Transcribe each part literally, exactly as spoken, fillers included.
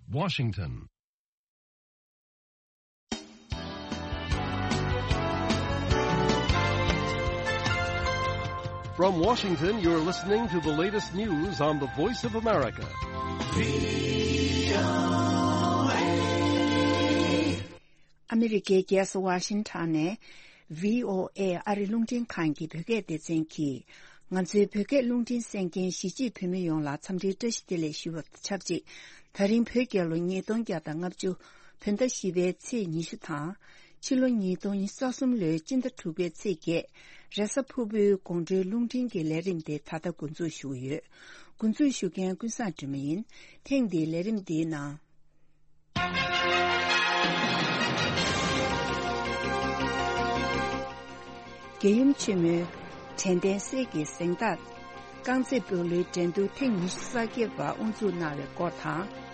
Washington. From Washington, you're listening to the latest news on the Voice of America. ཨ་མི་རི་ཀའི་རྒྱལ་ས་ཝ་ཤིང་ཊོན་ནས་བྷི་ཨོ་ཨེ་ཨ་རི་རླུང་འཕྲིན་ཁང་གི་བོད་སྐད་སྡེ་ཚན་གྱིས། ང་ཚོའི་བོད་སྐད་རླུང་འཕྲིན་གསན་མཁན་གཞིས་བྱེས་བོད་མི་ཡོངས་ལ་འཚམས་འདྲིའི་བཀྲ་ཤིས་བདེ་ལེགས་ཞུ་བ་དང་ཆབས་ཅིག་ད་རིང་བོད་རྒྱལ་ལོ་ཉིས་སྟོང་བརྒྱ་དང་ལྔ་བཅུ་བོད་ཟླ་བཞི་པའི་ཚེས་ཉི་ཤུ་དང་། ཕྱི་ལོ་ཉིས་སྟོང་ཉི་ཤུ་རྩ་གསུམ་ལོའི་སྤྱི་ཟླ་དྲུག་པའི་ཚེས་བརྒྱད། རེས་གཟའ་ཕུར་བུའི་དགོང་དྲོའི་རླུང་འཕྲིན་གྱི་ལས་རིམ་དེ་ད་ལྟ་འགོ་འཛུགས་ཞུ་གི་ཡོད། འགོ་འཛུགས་ཞུ་མཁན་ཀུན་བཟང་སྒྲོལ་མ་ཡིན། ཐེངས་འདིའི་ལས་རིམ་འདིའི་ནང་། རྒྱལ་ཡུམ་ཆེན་མོའི་དྲན་རྟེན་གསེར་གྱི་གཟེངས་རྟགས། རྐང་རྩེད་སྤོ་ལོའི་འགྲན་བསྡུར་ཐེངས་ཉི་ཤུ་རྩ་བརྒྱད་པ་དབུ་འཛུགས་གནང་བའི་སྐོར་དང་།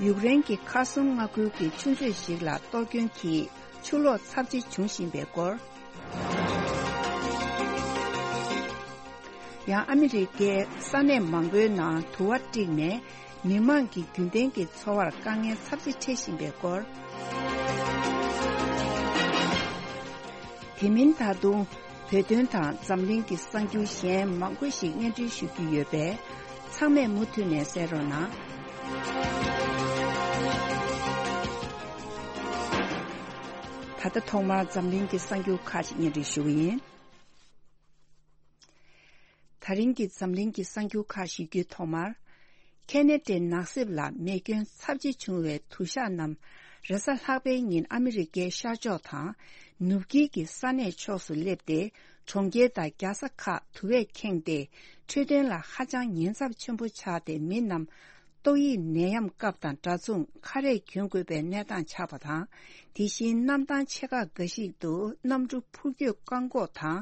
ཡུཀ་རེན་གྱི་ཁར་སོན་མངའ་ཁུལ་གྱི་ཆུ་མཛོད་ཞིག་ལ་གཏོར་སྐྱོན་གྱིས་ཆུ་ལོག་ཚབས་ཆེ་འབྱུང་བཞིན་པའི་སྐོར། ཡང་ཨ་མི་རི་ཀའི་ས་གནས་མང་པོའི་ནང་དུ་བ་དཀྲིགས་ནས་མི་མང་གི་རྒྱུན་ལྡན་གྱི་འཚོ་བར་དཀའ་ངལ་ཚབས་ཆེ་འཕྲད་བཞིན་པའི་སྐོར། དེ་མིན་ད་དུང་བོད་དོན་དང་འཛམ་གླིང་གི་གསར་འགྱུར་གཞན་མང་པོ་ཞིག་སྙན་སྒྲོན་ཞུ་རྒྱུ་ཡོད་པས་ཚང་མས་མུ་མཐུད་ནས་གསན་རོགས་གནང་། ད་ལྟ་ཐོག་མར་འཛམ་གླིང་གི་གསར་འགྱུར་ཁག་ཅིག་སྙན་སྒྲོན་ཞུ་གི་ཡིན། ད་རིང་གི་འཛམ་གླིང་གི་གསར་འགྱུར་ཁག་ཞུ་རྒྱུའི་ཐོག་མར། ཁེ་ན་ཌའི་ནགས་གསེབ་ལ་མེ་སྐྱོན་ཚབས་ཆེ་བྱུང་བའི་དུ་ཞག་རྣམས་རེས་གཟའ་ལྷག་པའི་ཉིན་ཨ་མི་རི་ཀའི་ཤར་ཕྱོགས་དང་ནུབ་དཀྱིལ་གྱི་ས་གནས་ཕྱོགས་སུ་སླེབས་ཏེ། གྲོང་ཁྱེར་དང་རྒྱལ་ས་ཁག་དུ་བས་ཁེངས་ཏེ་འཕྲོད་བསྟེན་ལ་ཧ་ཅང་ཉེན་ཚབས་ཆེན་པོ་ཆགས་ཏེ་མི་རྣམས། ཏོག་དབྱིབས་ནད་ཡམས་སྐབས་དང་འདྲ་མཚུངས་ཁ་རས་གྱོན་དགོས་པའི་གནས་སྟངས་ཆགས་པ་དང་། དེ་བཞིན་གནམ་ཐང་ཆེ་ཁག་འགའ་ཞིག་ཏུ་གནམ་གྲུ་འཕུར་སྐྱོད་བཀག་འགོག་དང་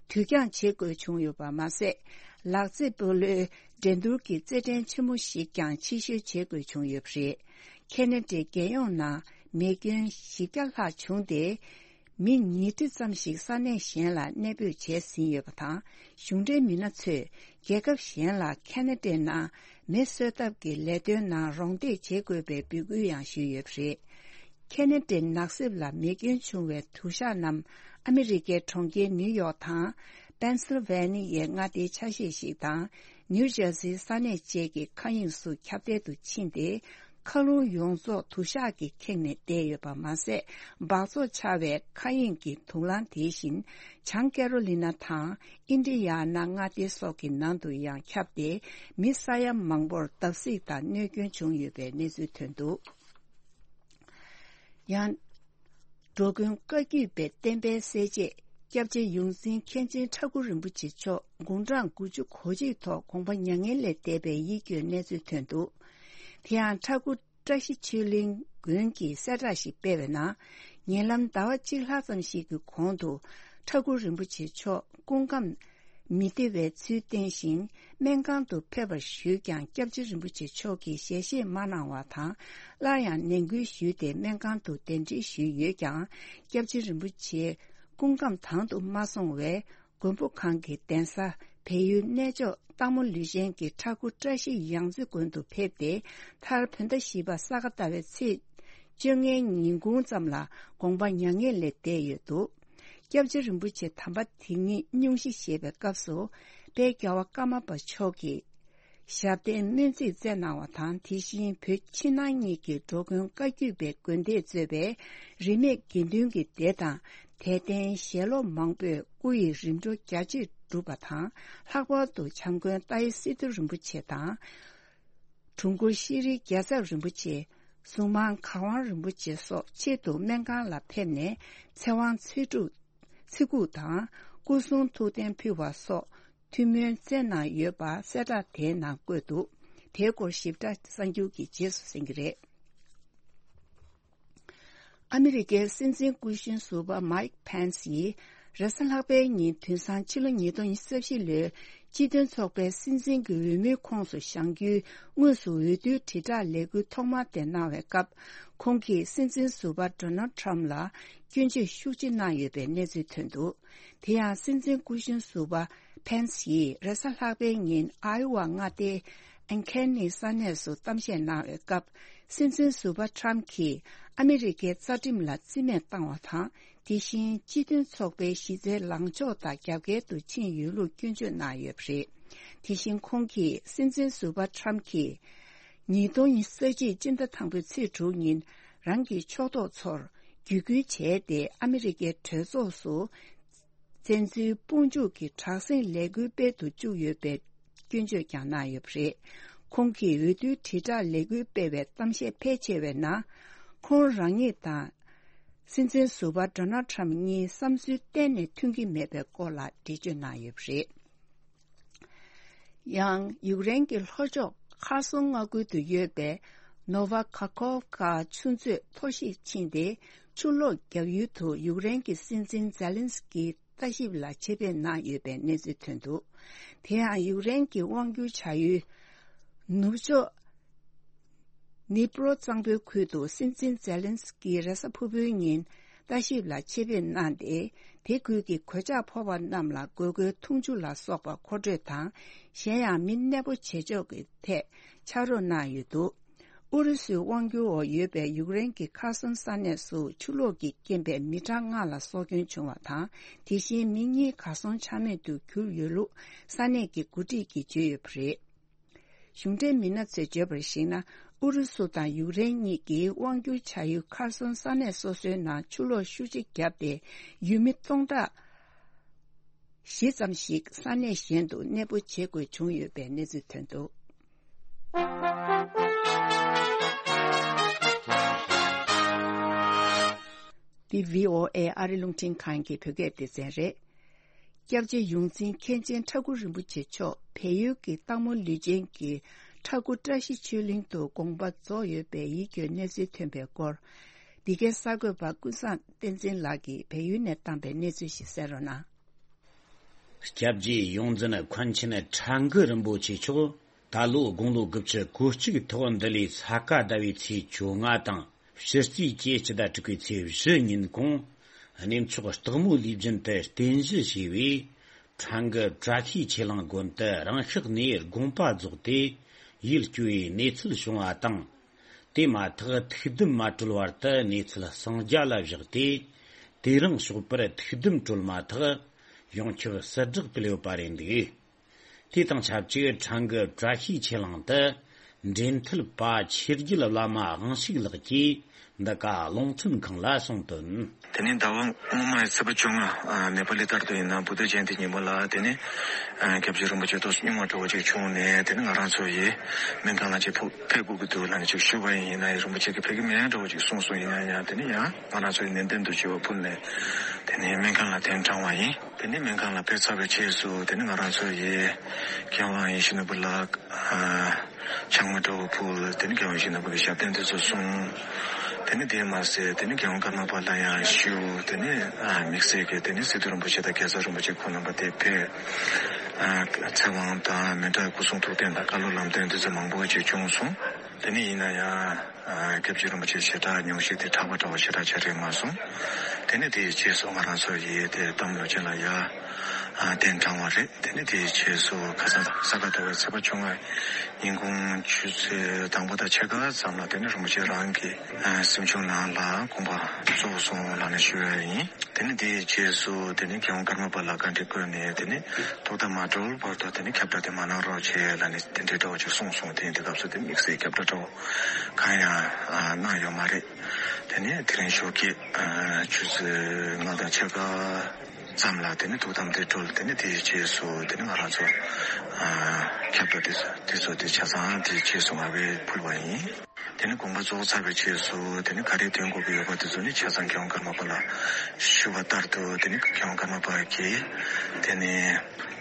དུས་འགྱངས་བྱེད་དགོས་བྱུང་ཡོད་པ་མ་ཟད། ལག་རྩེད་སྤོ་ལོའི་འགྲན་བསྡུར་གྱི་རྩེད་འགྲན་ཆེན་མོ་ཞིག་ཀྱང་ཕྱིར་བཤོལ་བྱེད་དགོས་བྱུང་ཡོད་པ་རེད། ཁེ་ན་ཌའི་རྒྱལ་ཡོངས་ནང་མེ་སྐྱོན་བཞི་བརྒྱ་ལྷག་བྱུང་སྟེ། མི་ཉིས་ཁྲི་ཙམ་ཞིག་ས་གནས་གཞན་ལ་གནས་སྤོས་བྱས་ཟིན་ཡོད་པ་དང་། གཞུང་འབྲེལ་མི་སྣ་ཚོས་རྒྱལ་ཁབ་གཞན་ལ་ཁེ་ན་ཌའི་ནང་མེ་གསོད་ཐབས་ཀྱི་ལས་དོན་ནང་རོགས་འདེགས་བྱེད་དགོས་པའི་འབོད་སྐུལ་ཡང་ཞུས་ཡོད་པ་རེད། ཁེ་ན་ཌའི་ནགས་གསེབ་ལ་མེ་སྐྱོན་བྱུང་བའི་དུ་ཞག་རྣམས་ཨ་མི་རི་ཀའི་གྲོང་ཁྱེར་ནིའུ་ཡོག་དང་། པེན་སིལ་ཝེ་ནི་ཡའི་མངའ་སྡེའི་ཆ་ཤས་ཤིག་དང་། ནིའུ་ཇར་སིའི་ས་གནས་བཅས་ཀྱི་མཁའ་དབྱིངས་སུ་ཁྱབ་གདལ་དུ་ཕྱིན་ཏེ། མཁའ་རླུང་ཡོངས་རྫོགས་དུ་ཞག་གིས་ཁེངས་ནས་བསྡད་ཡོད་པ་མ་ཟད། འབག་བཙོག་ཆགས་པའི་མཁའ་དབྱིངས་ཀྱི་དུག་རླངས་དེ་བཞིན་བྱང་ཀེ་རོ་ལི་ན་དང་ཨིན་ཌི་ཡ་ན་མངའ་སྡེ་སོགས་ཀྱི་ནང་དུ་ཡང་ཁྱབ་སྟེ། མི་ས་ཡ་མང་པོར་བརྡབ་གསིག་དང་གནོད་སྐྱོན་བྱུང་ཡོད་པའི་གནས་ཚུལ་ཐོན་འདུག། ཡང་། འགྲོ་མགོན་བཀའ་བརྒྱུད་པའི་བསྟན་པའི་གསལ་བྱེད་སྐྱབས་རྗེ་ཡོངས་འཛིན་མཁན་ཆེན་ཁྲ་འགུ་རིན་པོ་ཆེ་མཆོག་དགུང་གྲངས་དགུ་བཅུ་གོ་གཅིག་ཐོག་དགོངས་པ་མྱ་ངན་ལས་འདས་པའི་ཡིད་སྐྱོའི་གནས་ཚུལ་ཐོན་འདུག། དེ་ཡང་ཁྲ་འགུ་བཀྲ་ཤིས་ཆོས་གླིང་དགོན་གྱིས་གསལ་བསྒྲགས་ཤིག་སྤེལ་བའི་ནང་། ཉེ་ལམ་ཟླ་བ་གཅིག་ལྷག་ཙམ་ཞིག་གི་གོང་དུ་ཁྲ་འགུ་རིན་པོ་ཆེ་མཆོག་སྐུ་ཁམས་མི་བདེ་བའི་ཚུལ་བསྟན་ཞིང་། སྨན་ཁང་དུ་ཕེབས་པར་ཞུས་ཀྱང་སྐྱབས་རྗེ་རིན་པོ་ཆེ་མཆོག་གིས་ཞལ་བཞེས་མ་གནང་བ་དང་། སླར་ཡང་ནན་སྐུལ་ཞུས་ཏེ་སྨན་ཁང་དུ་གདན་འདྲེན་ཞུས་ཡོད་ཀྱང་། སྐྱབས་རྗེ་རིན་པོ་ཆེ་སྐུ་ཁམས་དྭངས་དུ་མ་སོང་བས། མགོན་པོ་གང་གི་གདན་ས་བལ་ཡུལ་གནས་མཆོག་སྟག་མོ་ལུས་ཆེན་གྱི་ཁྲ་འགུ་བཀྲ་ཤིས་ཡང་རྩེ་དགོན་དུ་ཕེབས་ཏེ། མཐར་བོད་ཟླ་བཞི་པ་ས་ག་ཟླ་བའི་ཚེས་བཅོ་ལྔའི་ཉིན་གུང་ཙམ་ལ་དགོངས་པ་མྱ་ངན་ལས་འདས་ཡོད་འདུག། སྐྱབས་རྗེ་རིན་པོ་ཆེ་དམ་པ་དེ་ཉིད་སྙུང་གཞི་བཞེས་པའི་སྐབས་སུ། དཔལ་རྒྱལ་བ་ཀརྨ་པ་མཆོག་གིས་ཞབས་བརྟན་སྨོན་ཚིག་སྩལ་གནང་བ་དང་། དེ་བཞིན་བོད་ཕྱི་ནང་གཉིས་ཀྱི་འགྲོ་མགོན་བཀའ་བརྒྱུད་པའི་དགོན་སྡེས་གཙོས་པའི་རིས་མེད་དགེ་འདུན་གྱི་སྡེ་དང་། དད་ལྡན་ཞལ་སློབ་མང་པོས་སྐུ་ཡི་རིམ་གྲོ་རྒྱ་ཆེར་བསྒྲུབས་པ་དང་། ལྷག་པར་དུ་བྱམས་མགོན་ཏཱའི་སི་ཏུ་རིན་པོ་ཆེ་དང་། དྲུང་འཁོར་ཤེས་རིག་རྒྱལ་ཚབ་རིན་པོ་ཆེ། གཟུངས་མང་གར་དབང་རིན་པོ་ཆེ་སོགས་ཆེད་དུ་སྨན་ཁང་ལ་ཕེབས་ནས་ཚེ་དབང་ཚེ་སྒྲུབ་ཚེ་འགུགས་དང་སྐུ་གསུང་ཐུགས་རྟེན་ཕུལ་བ་སོགས་ཐུགས་སྨོན་སྩལ་གནང་ཡོད་པ་གསལ་བསྒྲགས་དེའི་ནང་བཀོད་འདུག། དེའི་སྐོར་ཞིབ་ཕྲ་གསར་འགྱུར་གྱི་རྗེས་སུ་གསན་གྱི་རེད། ཨ་མི་རི་ཀའི་སྲིད་འཛིན་སྐུ་གཞོན་ཟུར་པ་མའིག་ཕེན་སི་ཡིས་རེས་གཟའ་ལྷག་པའི་ཉིན་དུས་སང་ཕྱི་ལོ་ཉིས་སྟོང་ཉི་ཤུ་རྩ་བཞི་ལོའི་སྤྱི་མཐུན་ཚོགས་པའི་སྲིད་འཛིན་གྱི་འོས་མིའི་ཁོངས་སུ་བཞེངས་རྒྱུའི་དངོས་སུ་འོས་བསྡུའི་དྲིལ་བསྒྲགས་ལས་འགུལ་ཐོག་མ་དེ་གནང་བའི་སྐབས། ཁོང་གིས་སྲིད་འཛིན་ཟུར་པ་ཌོ་ནལ་ཊམ་ལ་སྐྱོན་བརྗོད་ཤུགས་ཆེ་གནང་ཡོད་པའི་གནས་ཚུལ་ཐོན་འདུག། དེ་ཡང་སྲིད་འཛིན་སྐུ་གཞོན་ཟུར་པ་ ཕེན་སི་ཡིས་རེས་གཟའ་ལྷག་པའི་ཉིན་ཨའི་ཝ་མངའ་སྡེའི་ཨན་ཁེ་ནི་ས་གནས་སུ་གཏམ་བཤད་གནང་བའི་སྐབས། སྲིད་འཛིན་ཟུར་པ་ཁྲམ་གྱིས་ཨ་མི་རི་ཀའི་རྩ་ཁྲིམས་ལ་རྩིས་མེད་བཏང་བ་དང་། དེ་བཞིན་སྤྱི་མཐུན་ཚོགས་པའི་གཞི་རྩའི་ལངས་ཕྱོགས་དང་རྒྱབ་འགལ་དུ་ཕྱིན་ཡོད་ལུགས་སྐྱོན་བརྗོད་གནང་ཡོད་པ་རེད། དེ་བཞིན་ཁོང་གིས་སྲིད་འཛིན་ཟུར་པ་ཁྲམ་གྱིས་ཉིས་སྟོང་ཉི་ཤུ་རྩ་གཅིག་སྤྱི་ཟླ་དང་པོའི་ཚེས་དྲུག་ཉིན་རང་གི་ཕྱོགས་གཏོགས་ཚོར་བརྒྱུད་སྐུལ་བྱས་ཏེ། ཨ་མི་རི་ཀའི་གྲོས་ཚོགས་སུ་བཙན་འཛུལ་དཔུང་འཇུག་གི་དྲག་ཟིང་ལས་འགུལ་སྤེལ་དུ་བཅུག་ཡོད་པའི་སྐྱོན་བརྗོད་ཀྱང་གནང་ཡོད་པ་རེད། ཁོང་གིས་འོས་བསྡུའི་དྲིལ་བསྒྲགས་ལས་འགུལ་སྤེལ་བའི་གཏམ་བཤད་ཕལ་ཆེ་བའི་ནང་། ཁོང་རང་ཉིད་དང་སྲིད་འཛིན་ཟུར་པ་ཌོ་ནལ་ཁྲམ་གཉིས་བསམ་ཚུལ་གཏན་ནས་མཐུན་གྱི་མེད་པའི་སྐོར་ལ་འགྲེལ་བརྗོད་གནང་ཡོད་པ་རེད། ཡང་ཡུཀ་རེན་གྱི་ལྷོ་ཕྱོགས་ཁར་སོན་མངའ་ཁུལ་དུ་ཡོད་པའི་ནོ་ཝ་ཁ་ཁོབ་ཀ་ཆུ་མཛོད་མཐོ་ཤོས་ཕྱིན་ཏེ། ཆུ་ལོག་བརྒྱབ་ཡུལ་དུ་ཡུཀ་རེན་གྱི་སྲིད་འཛིན་ཛེ་ལན་སི་ཀི་ལྟ་ཞིབ་ལ་ཆེད་ཕེབས་གནང་ཡོད་པའི་གནས་ཚུལ་ཐོན་འདུག་དེ་ཡང་ཡུཀ་རེན་གྱི་དབང་སྒྱུར་བྱ་ཡུལ་ནུབ་ཕྱོགས་ནི་པྲོ་གཙང་པོའི་ཁུལ་དུ་སྲིད་འཛིན་ཛེ་ལན་སི་ཀི་རེས་གཟའ་ཕུར་བུའི་ཉིན་ལྟ་ཞིབ་ལ་ཆེད་ཕེབས་གནང་སྟེ། དེ་ཁུལ་གྱི་གོད་ཆག་ཕོག་པ་རྣམས་ལ་དགོས་མཁོའི་འཐུང་ཆུ་ལ་སོགས་པ་མཁོ་སྤྲོད་དང་། གཞན་ཡང་མི་གནས་སྤོ་བྱེད་ཕྱོགས་ཀྱི་ཐད་ཕྱག་རོགས་གནང་ཡོད་འདུག་ཨུ་རུ་སུའི་དབང་སྒྱུར་འོག་ཡོད་པའི་ཡུཀ་རེན་གྱི་ཁར་སོན་ས་གནས་སུ་ཆུ་ལོག་གི་རྐྱེན་པས་མི་གྲངས་ལྔ་ལ་སྲོག་སྐྱོན་བྱུང་བ་དང་། དེ་བཞིན་མི་གཉིས་གར་སོང་ཆ་མེད་དུ་གྱུར་ཡོད་ལུགས་ས་གནས་ཀྱི་འགོ་ཁྲིད་ཀྱིས་བརྗོད་ཡོད་པ་རེད། གཞུང་འབྲེལ་མི་སྣ་ཚོས་བརྗོད་པར་གཞིགས་ན། ཨུ་རུ་སུ་དང་ཡུཀ་རེན་གཉིས་ཀྱིས་དབང་སྒྱུར་བྱ་ཡུལ་ཁར་སོན་ས་གནས་སོ་སོའི་ནང་ཆུ་ལོག་ཤུགས་ཆེ་བརྒྱབ་སྟེ། ཡུལ་མི་སྟོང་ཕྲག་བཞི་ཙམ་ཞིག་ས་གནས་གཞན་དུ་གནས་སྤོ་བྱེད་དགོས་བྱུང་ཡོད་པའི་གནས་ཚུལ་ཐོན་འདུག་འདི་བྷི་ཨོ་ཨེ་ཨ་རི་རླུང་འཕྲིན་ཁང་གི་བོད་སྐད་སྡེ་ཚན་རེད། སྐྱབས་རྗེ་ཡོངས་འཛིན་མཁན་ཆེན་ཁྲ་འགུ་རིན་པོ་ཆེ་མཆོག་བལ་ཡུལ་གྱི་སྟག་མོ་ལུས་སྦྱིན་གྱི་ཁྲ་འགུ་བཀྲ་ཤིས་ཆོས་གླིང་དུ་དགོངས་པ་རྫོགས་ཡོད་པའི་ཡིད་སྐྱོའི་གནས་ཚུལ་ཐོན་པའི་སྐོར། འདི་གའི་གསར་འགོད་པ་ཀུན་བཟང་བསྟན་འཛིན་ལགས་ཀྱིས་བལ་ཡུལ་ནས་བཏང་པའི་གནས་ཚུལ་ཞིག་གསན་རོགས་གནང་། སྐྱབས་རྗེ་ཡོངས་འཛིན་མཁན་ཆེན་ཁྲ་འགུ་རིན་པོ་ཆེ་མཆོག་ད་ལོ་དགུང་ལོ་དགུ་བཅུ་གོ་གཅིག་ཐོག་འདི་ལོའི་ས་ག་ཟླ་བའི་ཚེས་བཅོ་ལྔ་དང་། ཕྱི་ཚེས་བཅུ་གཅིག་དང་དྲུག་པའི་ཚེས་བཞི་ཉིན་གུང་། གནས་མཆོག་སྟག་མོ་ལུས་སྦྱིན་དུ་རྟེན་གཞི་བྱས་པའི་ཁྲ་འགུ་བཀྲ་ཤིས་ཆོས་གླིང་དགོན་དུ་རང་ཤག་ནས་དགོངས་པ་རྫོགས་ཏེ་ཡིད་སྐྱོ་བའི་གནས་ཚུལ་བྱུང་བ་དང་། དེ་མ་ཐག་ཐུགས་དམ་མ་གྲོལ་བར་དུ་གནས་ཚུལ་གསང་རྒྱ་ལ་བཞག་སྟེ། དེ་རིང་ཞོགས་པར་ཐུགས་དམ་གྲོལ་མ་ཐག་ཡོངས་ཁྱབ་གསལ་བསྒྲགས་སྤེལ་ཡོད་པ་རེད་འདུག་དེ་དང་ཆབས་ཅིག་ཁྲ་འགུ་བཀྲ་ཤིས་ཆོས་གླིང་དུ་འབྲེལ་མཐུད་པ་ཆོས་རྒྱལ་བླ་མ་དབང་ཕྱུག་ལགས་ཀྱིས་འདི་ག་རླུང་འཕྲིན་ཁང་ལ་གསུངས་དོན། དེ་ནས་ཟླ་བ་སྔོན་མའི་ཚེས་པ་བཅོ་ལྔ། ཨ། ནེ་པ་ལི་ལྟར་དུ་ཡིན་ན་བུདྡྷ་ཇ་ཡན་ཏི་ཉིན་མོ་ལ། དེ་ནས་ཨ། སྐྱབས་རྗེ་རིན་པོ་ཆེ་ཏོག་ཙམ་སྙུང་བ་འདྲ་བོ་ཅིག་བྱུང་ནས། དེ་ནས་ང་རང་ཚོ་ཡི་སྨན་ཁང་ལ་ཅིག་ཕུ་ཕེབས་དགོས་ཀྱི་འདུག་ལབ་ནས་ཅིག་ཞུས་པ་ཡིན་ན། ཡ་རིན་པོ་ཆེ་གིས་ཕེབས་ཀྱི་མེད་འདྲ་བོ་ཅིག་གསུངས་སོང་། ཡིན་ན་ཡང་དེ་ནས་ཡང་ང་རང་ཚོ་ཡི་ནན་ཏན་དུ་བྱ་བ་ཕུལ་ནས། དེ་ནས་སྨན་ཁང་ལ་གདན་དྲངས་པ་ཡིན། དེ་ནས་སྨན་ཁང་ལ་ཕེབས་ཚར་བའི་རྗེས་སུ། དེ་ནས་ང་རང་ཚོ་ཡི་མཁས་དབང་ཡིད་བཞིན་ནོར་བུ་ལགས། ཨ། ཕྱག་མོ་འདྲ་བོ་ཕུལ། དེ་ནས་མཁས་དབང་ཡིད་བཞིན་ནོར་བུ་གི་ཞབས་བརྟན་དེ་ཚོ་གསུངས། དེ་ནས་དེ་མ་ཟད་དེ་ནས་རྒྱལ་དབང་ཀརྨ་པ་ལ་ཡང་ཞུ། དེ་ནས་ཨ། དམིགས་བསལ་གྱིས་དེ་ནས་སི་ཏུ་རིན་པོ་ཆེ་དང་རྒྱལ་ཚབ་རིན་པོ་ཆེ་ཁོང་རྣམ་པ་དེ་ཕེབས། ཨ། ཚེ་དབང་དང་མི་འདྲ་སྐུ་གསུང་ཐུགས་རྟེན་དང་བཀའ་སློབ་ལམ་སྟོན་དེ་ཚོ་མང་པོ་ཅིག་བྱུང་སོང་། དེ་ནས་ཡིན་ན་ཡང་། ཨ། སྐྱབས་རྗེ་རིན་པོ་ཆེ་ཞེ་དྲག་སྙུང་གཞི་དེ་དྲག་པ་འདྲ་བོ་ཞེ་དྲག་ཆགས་རེད་མ་སོང་། དེ་ནས་དེའི་རྗེས་སུ་ང་རང་ཚོ་ཡི་དེ་དམ་ལོ་ཆེན་ལ་ཡ། ཨ། གདན་དྲངས་པ་རེད། དེ་ནས་དེའི་རྗེས་སུ་ཁ་སང་ས་ག་ཟླ་བའི་ཚེས་པ་བཅོ་ལྔ་ཉིན་གུང་ཆུ་ཚོད་དང་པོ་དང་ཕྱེད་ཀ་ཙམ་ལ། དེ་ནས་རིན་པོ་ཆེ་རང་གི་ཨ། གཟིམ་ཆུང་ནང་ལ་དགོངས་པ་རྫོགས་སོང་ལབ་ནས་ཞུ་ཡ་ཡིན། དེ་ནས་དེའི་རྗེས་སུ་དེ་ནས་རྒྱལ་དབང་ཀརྨ་པ་ལ་བཀའ་འདྲི་བསྐུལ་ནས། དེ་ནས་ཐུགས་དམ་མ་གྲོལ་བར་དུ་དེ་ནས་ཁྱབ་བསྒྲགས་དེ་མ་གནང་རོགས་བྱེད་ལབ་ནས་དེ་འདྲའི་འདྲ་བོ་ཅིག་གསུངས་སོང་། དེ་ཡིན་དུས་སྐབས་སུ་དེ་དམིགས་བསལ་ཁྱབ་བསྒྲགས་འདྲ་བོ་གང་ཡང་ཨ། གནང་ཡོད་མ་རེད། དེ་ནས་དེ་རིང་ཞོགས་ཀྱི་ཨ། ཆུ་ཚོད་ལྔ་དང་ཕྱེད་ཀ་ཙམ་ལ་དེ་ནས་ཐུགས་དམ་དེ་གྲོལ། དེ་ནས་དེའི་རྗེས་སུ་དེ་ནས་ང་རང་ཚོ་ཨ། ཁྱབ་བསྒྲགས་དེ་ཚོ་དེ་ཚོ་དེ་ཆ་ཚང་དེའི་རྗེས་སུ་མ་དཔེ་ཕུལ་བ་ཡིན། དེ་ནས་དགོངས་པ་རྫོགས་ཚར་བའི་རྗེས་སུ་དེ་ནས་ག་རེ་འདོན་དགོས་ཀྱི་ཡོད་པ་དེ་ཚོ་ནི་ཆ་ཚང་རྒྱལ་དབང་ཀརྨ་པ་ལ་ཞུ་བ་ལྟར་དུ། དེ་ནས་རྒྱལ་དབང་ཀརྨ་པ་གིས་དེ་ནས་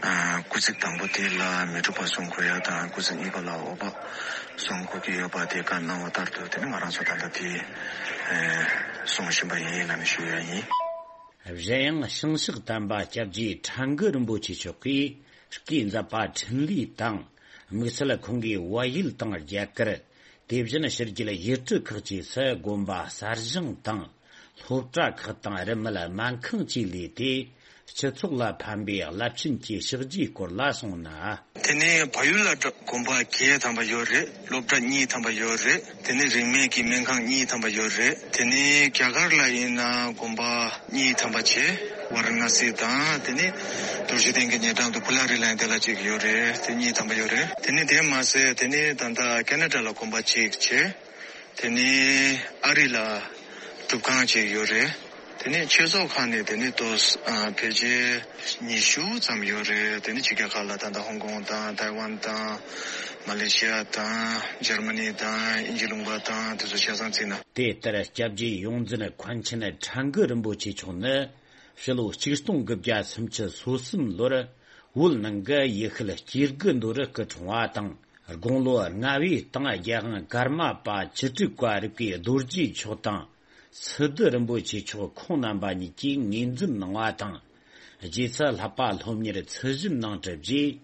ཨ། སྐུལ་ཚིག་དང་པོ་དེ་ལ་མི་འཁྲུགས་པ་གསུང་དགོས་ཡ་དང་། སྐུལ་ཚིག་གཉིས་པ་ལ་འོག་པ་གསུང་དགོས་ཀྱི་ཡོད་པ་དེ་བཀའ་གནང་བ་ལྟར་དུ། དེ་ནས་ང་རང་ཚོ་ད་ལྟ་དེ་ཨ། གསུང་བཞིན་པ་ཡིན་ལབ་ནས་ཞུ་ཡ་ཡིན། གཞན་ཡང་བྱང་ཕྱོགས་དམ་པ་སྐྱབས་རྗེ་ཁྲ་འགུ་རིན་པོ་ཆེ་མཆོག་གིས་སྐུའི་མཛད་པ་འཕྲིན་ལས་དང་། དམིགས་བསལ་ཁོང་གིས་བལ་ཡུལ་དང་རྒྱ་གར། དེ་བཞིན་ཕྱི་རྒྱལ་ཡུལ་གྲུ་ཁག་བཅས་སུ་དགོན་པ་གསར་བཞེངས་དང་། སློབ་གྲྭ་ཁག་དང་རིན་མེད་སྨན་ཁང་བཅས་ལས་ཏེ། སྤྱི་ཚོགས་ལ་ཕན་པའི་རླབས་ཆེན་གྱི་ཕྱག་རྗེས་སྐོར་ལ་གསུངས་ན། དེ་ནས་བལ་ཡུལ་ལ་དགོན་པ་བརྒྱད་ཐམ་པ་ཡོད་རེད། སློབ་གྲྭ་གཉིས་ཐམ་པ་ཡོད་རེད། དེ་ནས་རིན་མེད་ཀྱི་སྨན་ཁང་གཉིས་ཐམ་པ་ཡོད་རེད། དེ་ནས་རྒྱ་གར་ལ་ཡིན་ན་དགོན་པ་གཉིས་ཐམ་པ་བྱས། ཝཱ་ར་ཎ་སི་དང་། དེ་ནས་རྡོ་རྗེ་གདན་གྱི་ཉེ་འགྲམ་དུ་པུ་ལ་རི་ལ་ཡང་དེ་ལ་གཅིག་ཡོད་རེད། དེ་གཉིས་ཐམ་པ་ཡོད་རེད། དེ་ནས་དེ་མ་ཟད་དེ་ནས་ད་ལྟ་ཁེ་ན་ཌ་ལ་དགོན་པ་གཅིག་བྱས། དེ་ནས་ཨ་རི་ལ་སྒྲུབ་ཁང་གཅིག་ཡོད་རེད། དེ་ནས་ཆོས་ཚོགས་ཁག་ནས་དེ་ནས་ཏོག་ཨ་ཕལ་ཆེར་ཉི་ཤུ་ཙམ་ཡོད་རེད། དེ་ནས་ཕྱི་རྒྱལ་ཁག་ལ་ད་ལྟ་ཧོང་ཀོང་དང་ཐའེ་ཝན་དང་མ་ལེ་ཤི་ཡ་དང་འཇར་མ་ནི་དང་དབྱིན་ཇི་ལུང་པ་དང་དེ་ཚོ་ཆ་ཚང་བརྩིས་ན། དེ་ལྟར་སྐྱབས་རྗེ་ཡོངས་འཛིན་མཁན་ཆེན་ཁྲ་འགུ་རིན་པོ་ཆེ་མཆོག་ནི་ཕྱི་ལོ་ཆིག་སྟོང་དགུ་བརྒྱ་སུམ་ཅུ་སོ་གསུམ་ལོར་བོད་ནང་གི་ཡུལ་ཤུལ་སྐྱེ་རྒུ་མདོ་རུ་སྐུ་འཁྲུངས་པ་དང་། དགུང་ལོ་ལྔ་བའི་སྟེང་རྒྱལ་དབང་ཀརྨ་པ་བཅུ་དྲུག་པ་རིག་པའི་རྡོ་རྗེ་མཆོག་དང་། སི་ཏུ་རིན་པོ་ཆེ་མཆོག་ཁོང་རྣམ་པ་གཉིས་ཀྱིས་ངོས་འཛིན་གནང་བ་དང་། རྗེས་སུ་བསླབ་པ་སློབ་གཉེར་ཚུལ་བཞིན་གནང་གྲུབ་རྗེས།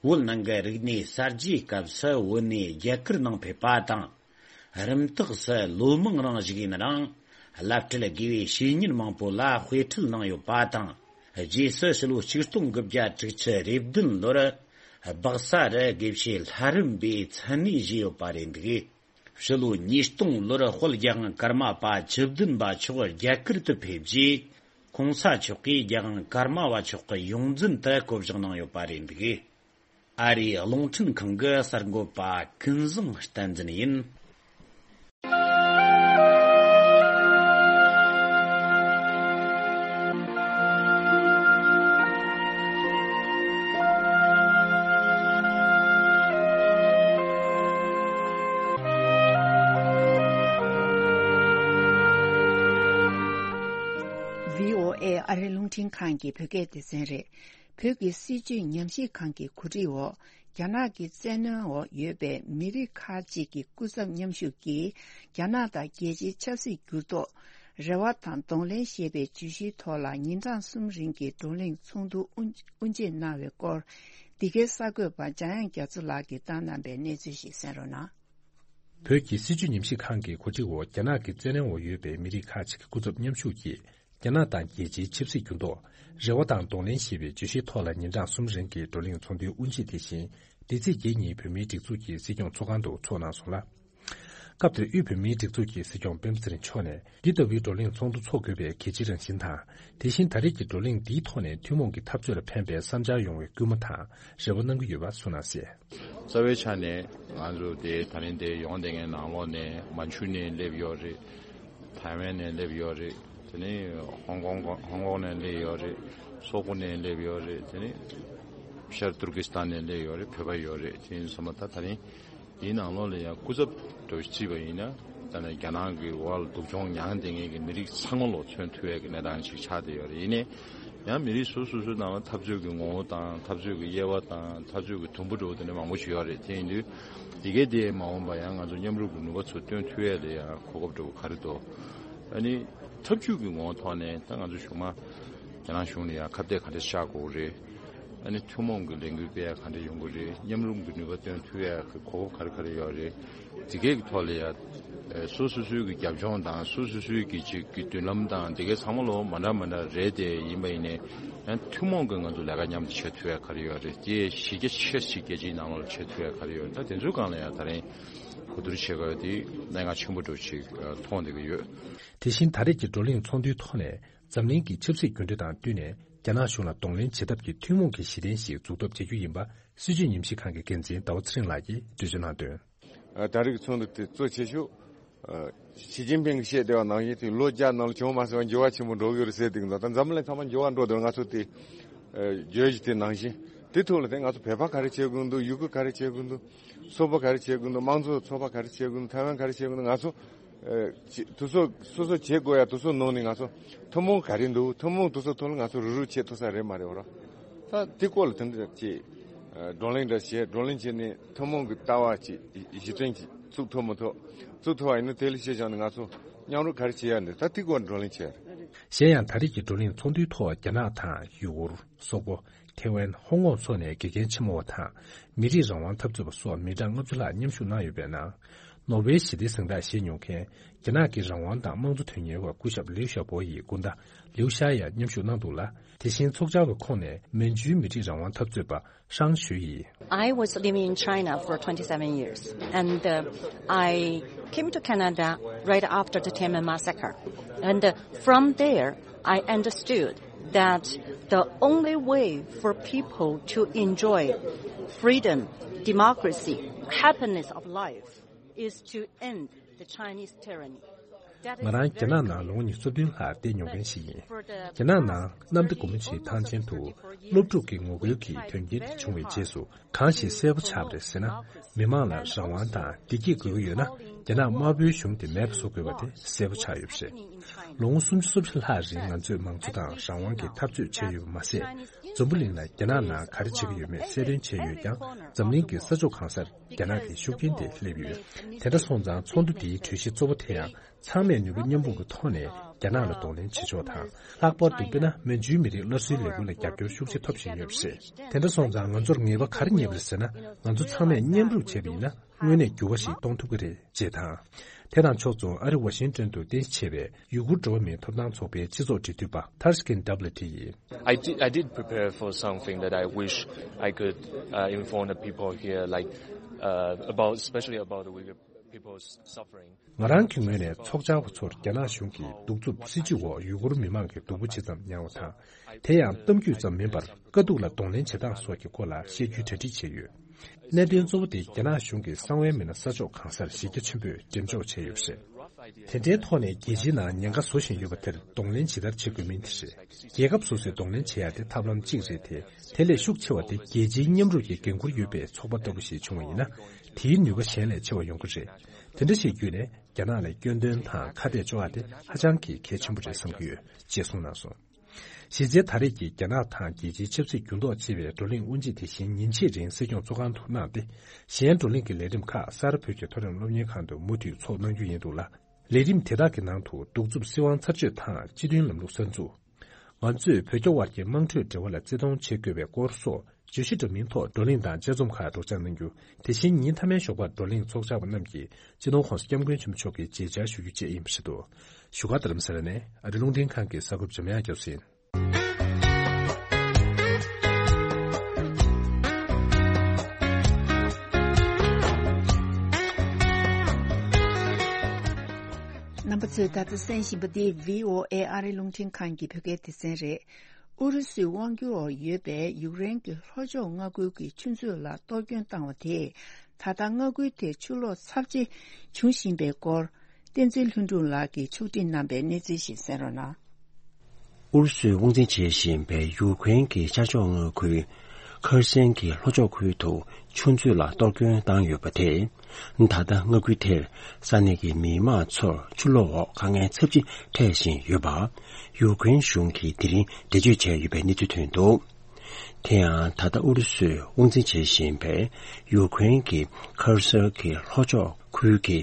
བོད་ནང་གི་རིག་གནས་གསར་བརྗེའི་སྐབས་སུ་བོད་ནས་རྒྱ་གར་ནང་ཕེབས་པ་དང་། རིམ་བཏགས་སུ་ལོ་མང་རིང་བཞུགས་ཡུན་རིང་། བླ་སྤྲུལ་དགེ་བའི་བཤེས་གཉེན་མང་པོ་ལ་དཔེ་ཁྲིད་གནང་ཡོད་པ་དང་། རྗེས་སུ་ཕྱི་ལོ་ཆིག་སྟོང་དགུ་བརྒྱ་དྲུག་ཅུ་རེ་བདུན་ལོར། སྦག་ས་རུ་དགེ་བཤེས་ལྷ་རམས་པའི་མཚན་གནས་བཞེས་ཡོད་པ་རེད་འདུག་ཕྱི་ལོ་ཉིས་སྟོང་ལོར་དཔལ་རྒྱལ་དབང་ཀརྨ་པ་བཅུ་བདུན་པ་མཆོག་རྒྱ་གར་དུ་ཕེབས་རྗེས། གོང་ས་མཆོག་གིས་རྒྱལ་དབང་ཀརྨ་པ་མཆོག་གི་ཡོངས་འཛིན་དུ་བསྐོ་གཞག་གནང་ཡོད་པ་རེད་འདུག་ཨ་རིའི་རླུང་འཕྲིན་ཁང་གི་གསར་འགོད་པ་ཀུན་བཟང་བསྟན་འཛིན་ཡིན། བྷི་ཨོ་ཨེ་ཨ་རིའི་རླུང་འཕྲིན་ཁང་གི་བོད་སྐད་སྡེ་ཚན་རེད། བོད་ཀྱི་སྲིད་བྱུས་ཉམས་ཞིབ་ཁང་གི་གོ་སྒྲིག་འོག་རྒྱ་ནག་གི་བཙན་གནོན་འོག་ཡོད་པའི་མི་རིགས་ཁག་ཅིག་གི་སྐུ་ཚབ་མཉམ་ཞུགས་ཀྱིས། རྒྱ་ནག་དང་རྒྱལ་སྤྱིའི་ཆབ་སྲིད་འགྱུར་ལྡོག་རེ་བ་དང་གདོང་ལེན་ཞེས་པའི་བརྗོད་གཞིའི་ཐོག་ལ་ཉིན་གྲངས་གསུམ་རིང་གི་བགྲོ་གླེང་ཚོགས་འདུ་དབུ་དབུ་འབྱེད་གནང་བའི་སྐོར། འདི་གའི་གསར་འགོད་པ་འཇམ་དབྱངས་རྒྱ་མཚོ་ལགས་ཀྱིས་བཏང་གནང་པའི་གནས་ཚུལ་ཞིག་གསན་རོགས་གནང་། བོད་ཀྱི་སྲིད་བྱུས་ཉམས་ཞིབ་ཁང་གི་གོ་སྒྲིག་འོག་རྒྱ་ནག་གི་བཙན་གནོན་འོག་ཡོད་པའི་མི་རིགས་ཁག་ཅིག་གི་སྐུ་ཚབ་མཉམ་ཞུགས་ཀྱིས། རྒྱ་ནག་དང་རྒྱལ་སྤྱིའི་ཆབ་སྲིད་འགྱུར་ལྡོག་རེ་བ་དང་གདོང་ལེན་ཞེས་པའི་བརྗོད་གཞིའི་ཐོག་ལ་ཉིན་གྲངས་གསུམ་རིང་གི་བགྲོ་གླེང་ཚོགས་འདུའི་དབུ་འབྱེད་དེ་བཞིན། འདི་ཚེས་བརྒྱད་ཉིན་བོད་མིའི་སྒྲིག་འཛུགས་ཀྱི་སྲིད་སྐྱོང་ཚོགས་ཁང་དུ་ཚོགས་གནང་སོང་ལ། སྐབས་དེར་དབུས་བོད་མིའི་སྒྲིག་འཛུགས་ཀྱི་སྲིད་སྐྱོང་སྤེན་པ་ཚེ་རིང་མཆོག་ནས། འདི་ལྟ་བུའི་བགྲོ་གླེང་ཚོགས་འདུ་འཚོགས་དགོས་པའི་གལ་ཆེའི་རང་བཞིན་དང་། དེ་བཞིན་ད་རེས་ཀྱི་བགྲོ་གླེང་འདིའི་ཐོག་ནས་ཐུན་མོང་གི་འཐབ་རྩོད་ལ་ཕན་པའི་བསམ་འཆར་ཡོང་བའི་སྐུལ་མ་དང་རེ་བ་གནང་གི་ཡོད་པ་གསུངས་གནང་གསལ། རྩ་བའི་ཆ་ནས་ང་ཚོ་དེ་ད་རིང་དེ་ཡོང་བསྡད་མཁན་ནང་ལོགས་ནས་མན་ཇུ་ནས་སླེབས་ཡོད་རེད། ཐའེ་ཝན་ནས་སླེབས་ཡོད་རེད། དེ་ནས་ཧོང་ཀོང་ཧོང་ཀོང་ནས་སླེབས་ཡོད་རེད། སོག་པོ་ནས་སླེབས་ཡོད་རེད། དེ་ནས་ཤར་ཏུར་ཀི་སི་ཐན་ནས་སླེབས་ཡོད་རེད། བོད་པ་ཡོད་རེད། དེ་ཡིན་སོང་ཙང་ད་ད་རིང་འདིའི་ནང་ལོགས་ལ་ཡང་སྐུ་ཚབ་འདྲ་བོ་བརྩིས་པ་ཡིན་ན། ད་ནི་རྒྱ་ནག་གི་འོག་ལ་སྡུག་སྦྱོང་མྱངས་བསྡད་མཁན་གྱི་མི་རིགས་ཚང་མ་ལོ་མཚོན་ཐུབ་ཡས་ཀྱི་གནས་སྟངས་ཅིག་ཆགས་བསྡད་ཡོད་རེད། ཡིན་ནའི་ཡང་མི་རིགས་སོ་སོ་སོའི་ནང་ལ་འཐབ་རྩོད་ཀྱི་ངོ་བོ་དང་འཐབ་རྩོད་ཀྱི་དབྱེ་བ་དང་འཐབ་རྩོད་ཀྱི་དུམ་བུ་འདྲ་བོ་དེ་འདྲ་མང་པོ་ཞིག་ཡོད་རེད། དེ་ཡིན་དུས་འདི་གའི་དེ་མ་འོངས་པ་ཡང་ང་ཚོ་མཉམ་རུབ་ཀྱི་ནུས་པ་ཚོ་བཏོན་ཐུབ་ཡས་ལ་ཡང་གོ་སྐབས་འདྲ་བོ་ག་རེ་འདུག་ཨ་ནི་འཐབ་ཇུས་ཀྱི་ངོ་བོ་ཐོག་ནས་ད་ང་ཚོ་གཞུག་མ་རྒྱ་ནག་གཞུང་ལ་ཡང་ཁ་གཏད་ག་འདྲ་བཅག་དགོས་རེད། ཨ་ནི་ཐུན་མོང་གི་ལས་འགུལ་སྤེལ་ཡ་ག་འདྲ་ཡོང་གི་རེད། མཉམ་རུབ་ཀྱི་ནུས་པ་བཏོན་ཐུབ་ཡ་གི་གོ་སྐབས་ག་རེ་ག་རེ་ཡོད་རེད། དེ་གའི་གི་ཐོག་ལ་ཡ་སོ་སོ་སོའི་གི་རྒྱབ་ལྗོངས་དང་སོ་སོ་སོའི་གི་ཅིག་གི་མདུན་ལམ་དང་དེ་གའི་ཚང་མ་ལོ་མ་འདྲ་མ་འདྲ་རེད། དེ་ཡིན་པ་ཡིན་ནའི་ཡང་ཐུན་མོང་གི་ང་ཚོ་ལས་ཀ་མཉམ་དུ་བྱེད་ཐུབ་ཡ་ག་རེ་ཡོད་རེད། དེ་གཞི་རྒྱ་ཆེ་ཞིག་རྒྱལ་སྤྱིའི་ནང་ལོགས་ལ་བྱེད་ཐུབ་ཡ་ག་རེ་ཡོད་རེད། ད་དེ་ཚོའི་སྒང་ལ་ཡ་ད་རིང་གོ་བསྡུར་བྱེད་དགོས་དེ་གནད་འགག་ཆེན་པོ་འདྲ་བོ་ཅིག་མཐོང་བསྡད་ཀྱི་ཡོད། དེ་བཞིན་ད་རེས་ཀྱི་བགྲོ་གླེང་ཚོགས་འདུའི་ཐོག་ནས། འཛམ་གླིང་གི་ཆབ་སྲིད་འགྱུར་འགྲོས་དང་བསྟུན་ནས་རྒྱ་ནག་གཞུང་ལ་གདོང་ལེན་བྱེད་ཐབས་ཀྱི་ཐུན་མོང་གི་གཞི་རྟེན་ཞིག་འཛུགས་ཐབས་བྱེད་རྒྱུ་ཡིན་པ་སྲིད་བྱུས་ཉམས་ཞིབ་ཁང་གི་འགན་འཛིན་ཟླ་བ་ཚེ་རིང་ལགས་ཀྱིས་འགྲེལ་བརྗོད་གནང་དོན། ད་རེས་ཀྱི་ཚོགས་འདུ་དེ་གཙོ་ཆེ་ཤོས་ཞི་ཅིན་ཕིང་གིས་བཤད་བསྡད་པ་ནང་བཞིན་དེ་ལོ་བརྒྱ་ནང་ལ་བྱུང་མ་སོང་བ་འགྱུར་བ་ཆེན་པོ་འགྲོ་གི་ཡོད་རེད་ཟེར་བསྡད་ཀྱི་འདུག་ད་འཛམ་གླིང་ཚང་མ་འགྱུར་བ་འགྲོ་འདུག་ང་ཚོ་དེ་བརྗོད་གཞི་དེ་ནང་བཞིན་དེ་ཐོག་ལ་དེ་ང་ཚོ་བོད་པ་ག་རེ་བྱེད་དགོས་འདུག་ཡུ་གུར་ག་རེ་བྱེད་དགོས་འདུག་སོག་པོ་ག་རེ་བྱེད་དགོས་འདུག་དམངས་གཙོ་ཚོགས་པ་ག་རེ་བྱེད་དགོས་འདུག་ཐའེ་ཝན་ག་རེ་བྱེད་དགོས་འདུག་ང་ཚོ། ཨ། ཅི། དེ་ཚོ་སོ་སོ་བྱེད་དགོས་ཡ་དེ་ཚོ་ནང་ནས་ང་ཚོ་ཐུན་མོང་ག་རེ་འདུག་ཐུན་མོང་དེ་ཚོ་ཐོག་ལ་ང་ཚོ་རུབ་རུབ་བྱེད་ཐུབ་ས་རེད་མ་རེད་བ་ར། ད་དེ་སྐོར་ལ་དེ་འདྲ་ཅིག་ཨ། བགྲོ་གླེང་འདྲ་བྱས། བགྲོ་གླེང་བྱས་ནས་ཐུན་མོང་གི་ལྟ་བ་ཅིག་གཞི་རྟེན་ཅིག་བཙུགས་ཐུབ་མི་ཐུབ། བཙུགས་ཐུབ་པ་ཡིན་ན་དེ་ལ་གཞི་བཞག་ནས་ང་ཚོ་མཉམ་རུབ་ག་རེ་བྱེད་ཡ་འདུག་ད་དེ་སྐོར་བགྲོ་གླེང་བྱས། གཞན་ཡང་ད་རེས་ཀྱི་བགྲོ་གླེང་ཚོགས་འདུའི་ཐོག་རྒྱ་ནག་དང་ཡུ་གུར། སོག་པོ། ཐེ་ཝན། ཧོང་ཀོང་སོགས་ནས་དགེ་རྒན་ཆེན་མོ་བ་དང་། མི་རིགས་རང་དབང་འཐབ་རྩོད་པ་སོགས་མི་གྲངས་ལྔ་བཅུ་ལྷག་མཉམ་ཞུགས་གནང་ཡོད་པའི་ནང་། ནོ་བེལ་ཞི་བདེའི་གཟེངས་རྟགས་བཞེས་མྱོང་མཁན་རྒྱ་ནག་གི་རང་དབང་དང་དམངས་གཙོ་དོན་གཉེར་བ་སྐུ་ཞབས་ལིའུ་ཞའོ་པོ་ཡི་སྐུ་ཟླ་ལིའུ་ཞའོ་ཡང་མཉམ་ཞུགས་གནང་འདུག་ལ། དེ་བཞིན་ཚོགས་བཅར་བའི་ཁོངས་ནས་མན་ཇུའི་མི་རིགས་རང་དབང་འཐབ་རྩོད་པ་ཧྲང་ཞུའེ་ཡིས། I was living in China for twenty-seven years, and uh, I came to Canada right after the Tiananmen massacre. And uh, from there, I understood that the only way for people to enjoy freedom, democracy, happiness of life is to end the Chinese tyranny. That is ང་རང་རྒྱ་ནག་ནང་ལོ་ངོ་ཉི་ཤུ་རྩ་བདུན་ལྷག་བསྡད་མྱོང་མཁན་ཞིག་ཡིན། རྒྱ་ནག་ནང་གནམ་བདེ་སྒོ་མོ་ཆེའི་ཐང་ཆེན་དུ་སློབ་ཕྲུག་གི་ངོ་རྒོལ་གྱི་དོན་རྐྱེན་དེ་བྱུང་བའི་རྗེས་སུ་གང་ཞིག་གསལ་པོ་ཆགས་པ་རེད་ཟེར་ན། མི་མང་ལ་རང་དབང་དང་བདེ་སྐྱིད་དགོས་ཀྱི་ཡོད་ན། རྒྱ་ནག་དམར་པོའི་གཞུང་དེ་མེད་པ་བཟོ་དགོས་པ་དེ་གསལ་པོ་ཆགས་ཡོད་པ་རེད། ལོ་ངོ་སུམ་ཅུ་སོ་བཞི་ལྷག་རིང་ང་ཚོས་མང་གཙོ་དང་རང་དབང་གི་འཐབ་རྩོད་བྱས་ཡོད་པ་མ་ཟད། འཛམ་བུ་གླིང་ལ་རྒྱ་ནག་ནང་ག་རེ་བྱེད་ཀྱི་ཡོད་མེད་གསལ་སྟོན་བྱས་ཡོད་ཀྱང་། འཛམ་གླིང་གི་ས་ཕྱོགས་གང་སར་རྒྱ་ནག་གི་ཤུགས་རྐྱེན་དེ་སླེབས་ཡོད། དེ་འདྲ་སོང་ཙང་ཚོགས་འདུ་འདིའི་གྲོས་གཞི་གཙོ་བོ་དེ་ཡང་། ཚང་མས་ནུས་པ་མཉམ་སྤུངས་ཀྱི་ཐོག་ནས་རྒྱ་ནག་ལ་གདོང་ལེན་བྱེད་ཕྱོགས་དང་། ལྷག་པར་དུ་དཔེར་ན་མན་ཇུའི་མི་རིགས་སླར་གསོའི་ལས་འགུལ་ལ་རྒྱབ་སྐྱོར་ཤུགས་ཆེ་ཐོབ་བཞིན་ཡོད་པ་རེད། དེ་འདྲ་སོང་ཙང་ང་ཚོར་ངེས་པ་ག་རེ་རྙེད་པ་རེད་ཟེར་ན། ང་ཚོ་ཚང་མས་མཉམ་རུབ་བྱས་པ་ཡིན་ན། དངོས་གནས་འགྱུར་བ་ཞིག་གཏོང་ཐུབ་ཀྱི་རེད་ཅེས་དང་། དེ་དང་ཕྱོགས་མཚུངས་ཨ་རི་ཝ་ཤིང་ཏོན་དུ་རྟེན་གཞི་བྱས་པའི་ཡུ་གུར་འགྲོ་བ་མིའི་ཐོབ་ཐང་ཚོགས་པའི་སྤྱི་ཚོགས་འབྲེལ་མཐུད་པ་ཐར་སི་ཀིན་ཌབ་ལི་ཊི་ཡིས། I did, I did prepare for something that I wish I could uh, inform the people here, like uh, about, especially about the Uyghur people's suffering. ང་རང་གི་ངོས་ནས་ཚོགས་བཅར་བ་ཚོར་རྒྱ་ནག་གཞུང་གི་གདུག་རྩུབ་སྲིད་བྱུས་འོག་ཡུ་གུར་མི་མང་གི་སྡུག་པོ་ཇི་ཙམ་མྱངས་པ་དང་། དེ་ཡང་གཏམ་རྒྱུད་ཙམ་མིན་པར་དཀའ་སྡུག་ལ་གདོང་ལེན་བྱེད་སྟངས་སོགས་ཀྱི་སྐོར་ལ་བཤད་རྒྱུའི་གྲ་སྒྲིག་བྱས་ཡོད། གནད་དོན་གཙོ་བོ་དེ་རྒྱ་ནག་གཞུང་གིས་གསང་བའི་མི་སྣ་ས་ཕྱོགས་གང་སར་གཞི་རྒྱ་ཆེན་པོས་འགྲེམས་འཇོག་བྱས་ཡོད་པ་རེད། དེ་འདྲའི་ཐོག་ནས་རྒྱལ་སྤྱིའི་ནང་ཉེན་ཁ་བཟོ་བཞིན་ཡོད་པ་དེར་གདོང་ལེན་ཇི་ལྟར་བྱེད་དགོས་མིན་དེ་རེད། རྒྱལ་ཁབ་སོ་སོས་གདོང་ལེན་བྱེད་ཡ་དེ་ཐབས་ལམ་གཅིག་རེད་དེ། དེ་ལས་ཤུགས་ཆེ་བ་དེ་རྒྱལ་སྤྱིའི་མཉམ་རུབ་ཀྱི་འགན་ཁུར་ཡོད་པའི་ཚོགས་པ་ལྟ་བུ་ཞིག་བྱུང་བ་ཡིན་ན། དེའི་ནུས་པ་གཞན་ལས་ཆེ་བ་ཡོང་གི་རེད། དེ་འདྲ་ཞིག་བརྒྱུད་ནས་རྒྱ་ནག་ལ་སྐྱོན་འདོན་དང་ཁ་གཏད་གཅོག་ཡ་དེ་ཧ་ཅང་གི་གལ་ཆེན་པོ་རེད་བསམ་གྱི་ཡོད་ཅེས་གསུངས་གནང་སོང་། གཞི་རྩའི་ད་རེས་ཀྱི་རྒྱ་ནག་དང་རྒྱལ་སྤྱིའི་ཆབ་སྲིད་འགྱུར་ལྡོག་ཅེས་པའི་བགྲོ་གླེང་དབུ་འབྱེད་དེ་བཞིན་ཉིན་ཕྱེད་རིང་སྲིད་སྐྱོང་གཙོ་ཁང་དུ་གནང་སྟེ། གཞན་བགྲོ་གླེང་གི་ལས་རིམ་ཁག་གསར་བོད་ཀྱི་མཐོ་རིམ་སློབ་གཉེར་ཁང་དུ་མུ་མཐུད་ཚོགས་གནང་རྒྱུ་ཡིན་འདུག་ལ། ལས་རིམ་དེ་དག་གི་ནང་དུ་གདུག་རྩུབ་སྲིད་དབང་ཚར་གཅོད་དང་སྤྱི་མཐུན་ལམ་ལུགས་གསར་འཛུགས། ང་ཚོས་བོད་རྒྱ་དབར་གྱི་དམངས་ཁྲོད་འབྲེལ་བ་ལ་བརྩི་མཐོང་བྱེད་དགོས་པའི་སྐོར་སོགས་བརྗོད་གཞི་འདྲ་མིན་ཐོག་བགྲོ་གླེང་དང་དཔྱད་རྩོམ་ཁག་སྒྲོག་སྦྱང་གནང་རྒྱུ། དེ་བཞིན་ཉིན་མཐའ་མའི་ཞོགས་པར་བགྲོ་གླེང་ཚོགས་བཅར་བ་རྣམས་ཀྱིས་སྤྱི་ནོར་༸གོང་ས་༸སྐྱབས་མགོན་ཆེན་པོ་མཆོག་གི་མཇལ་བཅར་ཞུ་རྒྱུ་བཅས་ཡིན་པ་རེད་འདུག་བཞུགས་སྒར་རྡ་རམ་ས་ལ་ནས་ཨ་རི་རླུང་འཕྲིན་ཁང་གི་གསར་འགོད་པ་འཇམ་དབྱངས་སྐྱབས་སུ་ཡིན། རྣམ་པ་ཚོས་ད་ལྟ་གསན་བཞིན་པ་འདི་བྷི་ཨོ་ཨེ་ཨ་རི་རླུང་འཕྲིན་ཁང་གི་བོད་སྐད་སྡེ་ཚན་རེད། ཨུ་རུ་སུའི་དབང་སྒྱུར་འོག་ཡོད་པའི་ཡུཀ་རེན་གྱི་ལྷོ་ཕྱོགས་མངའ་ཁུལ་གྱི་ཆུ་མཛོད་ལ་གཏོར་སྐྱོན་བཏང་བ་དེས། ད་ལྟ་མངའ་ཁུལ་དེར་ཆུ་ལོག་ཚབས་ཆེ་འབྱུང་བཞིན་པའི་སྐོར། བསྟན་འཛིན་ལྷུན་གྲུབ་ལགས་ཀྱིས་ཕྱོགས་སྒྲིག་གནང་པའི་གནས་ཚུལ་ཞིག་གསན་རོགས་གནང་། ཨུ་རུ་སུས་དབང་འཛིན་བྱེད་བཞིན་པའི་ཡུཀ་རེན་གྱི་ཤར་ཕྱོགས་མངའ་ཁུལ་ཁར་སན་གྱི་ལྷོ་ཕྱོགས་ཁུལ་དུ་ཆུ་མཛོད་ལ་གཏོར་སྐྱོན་བཏང་ཡོད་པ་དེས། ད་ལྟ་མངའ་ཁུལ་དེར་ས་གནས་ཀྱི་མི་མང་ཚོར་ཆུ་ལོག་འོག་དཀའ་ངལ་ཚབས་ཆེ་འཕྲད་བཞིན་ཡོད་པ། ཡུཀ་རེན་གཞུང་གིས་དེ་རིང་འགྲེལ་བརྗོད་བྱས་ཡོད་པའི་གནས་ཚུལ་ཐོན་འདུག་དེ་ཡང་ད་ལྟ་ཨུ་རུ་སུས་དབང་འཛིན་བྱེད་བཞིན་པའི་ཡུཀ་རེན་གྱི་ཁར་སན་གྱི་ལྷོ་ཕྱོགས་ཁུལ་གྱི་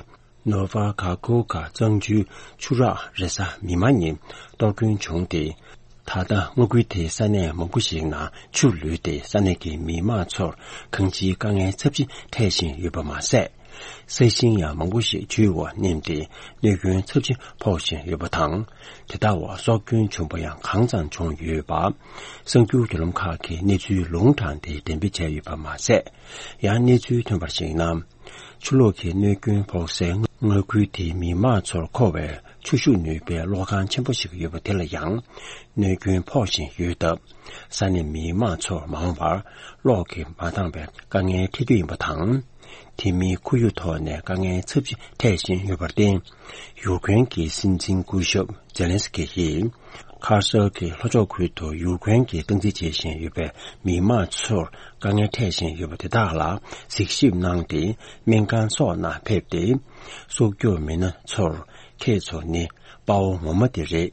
ནོ་ཝ་ག་ཀོ་ཀ་གཙང་ཆུའི་ཆུ་རགས་རེ་ས་མི་མང་ཉིད་གཏོར་སྐྱོན་བྱུང་སྟེ། ད་ལྟ་མངའ་ཁུལ་དེའི་ས་གནས་མང་པོ་ཞིག་ནང་ཆུ་ལུད་དེ་ས་གནས་ཀྱི་མི་མང་ཚོར་གང་ཅིའི་དཀའ་ངལ་ཚབས་ཆེ་འཕྲད་བཞིན་ཡོད་པ་མ་ཟད། ས་ཞིང་ཡང་མང་པོ་ཞིག་ཆུའི་འོག་ནེམ་སྟེ་གནོད་སྐྱོན་ཚབས་ཆེ་ཕོག་བཞིན་ཡོད་པ་དང་། དེ་དག་འོག་སྲོག་སྐྱོན་བྱུང་པ་ཡང་གང་ཙམ་བྱུང་ཡོད་པ། གསར་འགྱུར་བརྒྱུད་ལམ་ཁག་གིས་གནས་ཚུལ་ལུང་དྲངས་ཏེ་འགྲེམས་སྤེལ་བྱས་ཡོད་པ་མ་ཟད། ཡང་གནས་ཚུལ་ཐོན་པར་གཞིགས་ན། ཆུ་ལོག་གི་གནོད་སྐྱོན་ཕོག་སའི་མངའ་ཁུལ་དེའི་མི་མང་ཚོར་མཁོ་བའི་ཆུ་ཤུགས་ནུས་པའི་གློག་ཁང་ཆེན་པོ་ཞིག་ཡོད་པ་དེ་ལ་ཡང་གནོད་སྐྱོན་ཕོག་བཞིན་ཡོད་སྟབས། ས་གནས་མི་མང་ཚོར་མ་འོངས་པར་གློག་གིས་མ་འདང་བའི་དཀའ་ངལ་འཕྲད་རྒྱུ་ཡིན་པ་དང་། དེ་མིན་ཁོར་ཡུག་ཐོག་ནས་དཀའ་ངལ་ཚབས་ཆེ་འཕྲད་བཞིན་ཡོད་པར་བརྟེན། ཡུཀ་རེན་གྱི་སྲིད་འཛིན་སྐུ་ཞབས་ཛེ་ལན་སི་ཀི་ཡིས། ཁར་སོལ་གྱི་ལྷོ་ཕྱོགས་ཁུལ་དུ་ཡུཀ་རེན་གྱིས་སྟངས་འཛིན་བྱེད་བཞིན་ཡོད་པའི་མི་མང་ཚོར་དཀའ་ངལ་འཕྲད་བཞིན་ཡོད་པ་དེ་དག་ལ་གཟིགས་ཞིབ་གནང་སྟེ། སྨན་ཁང་སོགས་ནང་ཕེབས་ཏེ། སྲོག་སྐྱོབ་མི་སྣ་ཚོར། ཁྱེད་ཚོ་ནི་དཔའ་བོ་ངོ་མ་དེ་རེད།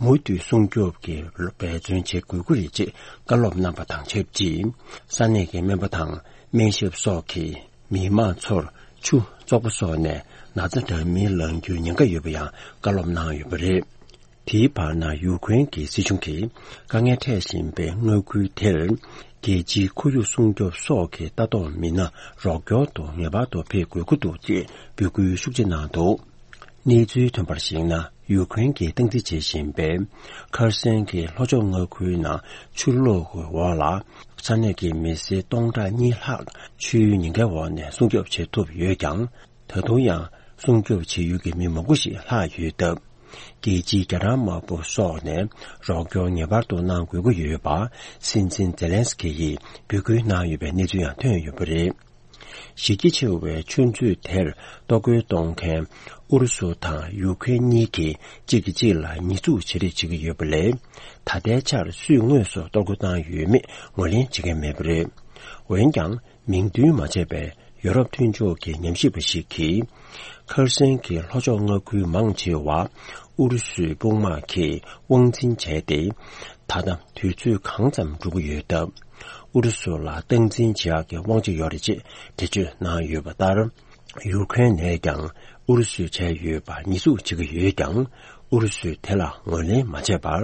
མུ་མཐུད་སྲུང་སྐྱོབ་ཀྱི་འབད་བརྩོན་བྱེད་དགོས་ཀྱི་རེད་ཅེས་བཀའ་སློབ་གནང་པ་དང་ཆབས་ཅིག་ས་གནས་ཀྱི་སྨན་པ་དང་སྨན་ཞབས་སོགས་ཀྱིས་མི་མང་ཚོར་ཆུ་བཙོག་པ་སོགས་ནས་ན་ཚ་འདྲ་མིན་ལངས་རྒྱུའི་ཉེན་ཁ་ཡོད་པ་ཡང་བཀའ་སློབ་གནང་ཡོད་པ་རེད། དེའི་བར་ན་ཡུཀ་རེན་གྱི་སྲིད་གཞུང་གིས་དཀའ་ངལ་འཕྲད་བཞིན་པའི་མངའ་ཁུལ་དེར། རྒྱལ་སྤྱིའི་ཁོར་ཡུག་སྲུང་སྐྱོབ་སོགས་ཀྱི་ལྟ་རྟོག་མི་སྣ་རོགས་སྐྱོར་དུ་ངེས་པར་དུ་ཕེབས་དགོས་ཀྱི་འདུག་ཅེས་འབོད་སྐུལ་ཤུགས་ཆེ་གནང་འདུག་གནས་ཚུལ་ཐོན་པར་གཞིགས་ན། ཡུ་ཁུ་རེན་གྱིས་སྟངས་འཛིན་བྱེད་བཞིན་པའི་ཁར་སན་གྱི་ལྷོ་ཕྱོགས་མངའ་ཁུལ་ནང་ཆུ་ལོག་གི་འོག་ལ་ས་གནས་ཀྱི་མི་སེར་སྟོང་ཕྲག་གཉིས་ལྷག་ཆུའི་ཉེན་ཁའི་འོག་ནས་སྲུང་སྐྱོབ་བྱེད་ཐུབ་ཡོད་ཀྱང་། ད་དུང་ཡང་སྲུང་སྐྱོབ་བྱེད་ཡུལ་གྱི་མི་མང་པོ་ཞིག་ལྷག་ཡོད་སྟབས། རྒྱལ་སྤྱིའི་རྒྱ་གྲམ་དམར་པོ་སོགས་ནས་རོགས་སྐྱོར་ངེས་པར་དུ་གནང་དགོས་ཀྱི་ཡོད་པ། སྲིད་འཛིན་ཛེ་ལན་སི་ཀི་ཡིས་འབོད་སྐུལ་གནང་ཡོད་པའི་གནས་ཚུལ་ཡང་ཐོན་ཡོད་པ་རེད། གཞི་རྒྱ་ཆེ་བའི་ཆུ་མཛོད་དེར་གཏོར་རྒོལ་གཏོང་མཁན་ཨུ་རུ་སུ་དང་ཡུ་ཁུ་རེན་གཉིས་ཀྱིས་གཅིག་གིས་གཅིག་ལ་ཉེས་འཛུགས་བྱེད་རེས་བྱེད་ཀྱི་ཡོད་པ་ལས། ད་ལྟའི་ཆར་སུས་དངོས་སུ་གཏོར་རྒོལ་བཏང་ཡོད་མེད་ངོས་ལེན་བྱེད་མཁན་མེད་པ་རེད། འོན་ཀྱང་། མིང་འདོན་མ་བྱས་པའི་ཡོ་རོབ་མཐུན་ཕྱོགས་ཀྱི་ཉམས་ཞིབ་པ་ཞིག་གིས། ཁར་སན་གྱི་ལྷོ་ཕྱོགས་མངའ་ཁུལ་མང་ཆེ་བ་ཨུ་རུ་སུའི་དཔུང་དམག་གིས་དབང་འཛིན་བྱས་ཏེ། ད་ལྟ་དུས་ཚོད་གང་ཙམ་འགྲོ་གི་ཡོད་སྟབས། ཨུ་རུ་སུ་ལ་སྟངས་འཛིན་བྱེད་ཡག་གི་དབང་ཆ་ཡོད་རེད་ཅེས་འགྲེལ་བརྗོད་གནང་ཡོད་པ་ལྟར། ཡུ་ཁུ་རེན་ནས་ཀྱང་ཨུ་རུ་སུས་བྱས་ཡོད་པ་ཉེས་འཛུགས་བྱེད་ཀྱི་ཡོད་ཀྱང་། ཨུ་རུ་སུས་དེ་ལ་ངོས་ལེན་མ་བྱས་པར།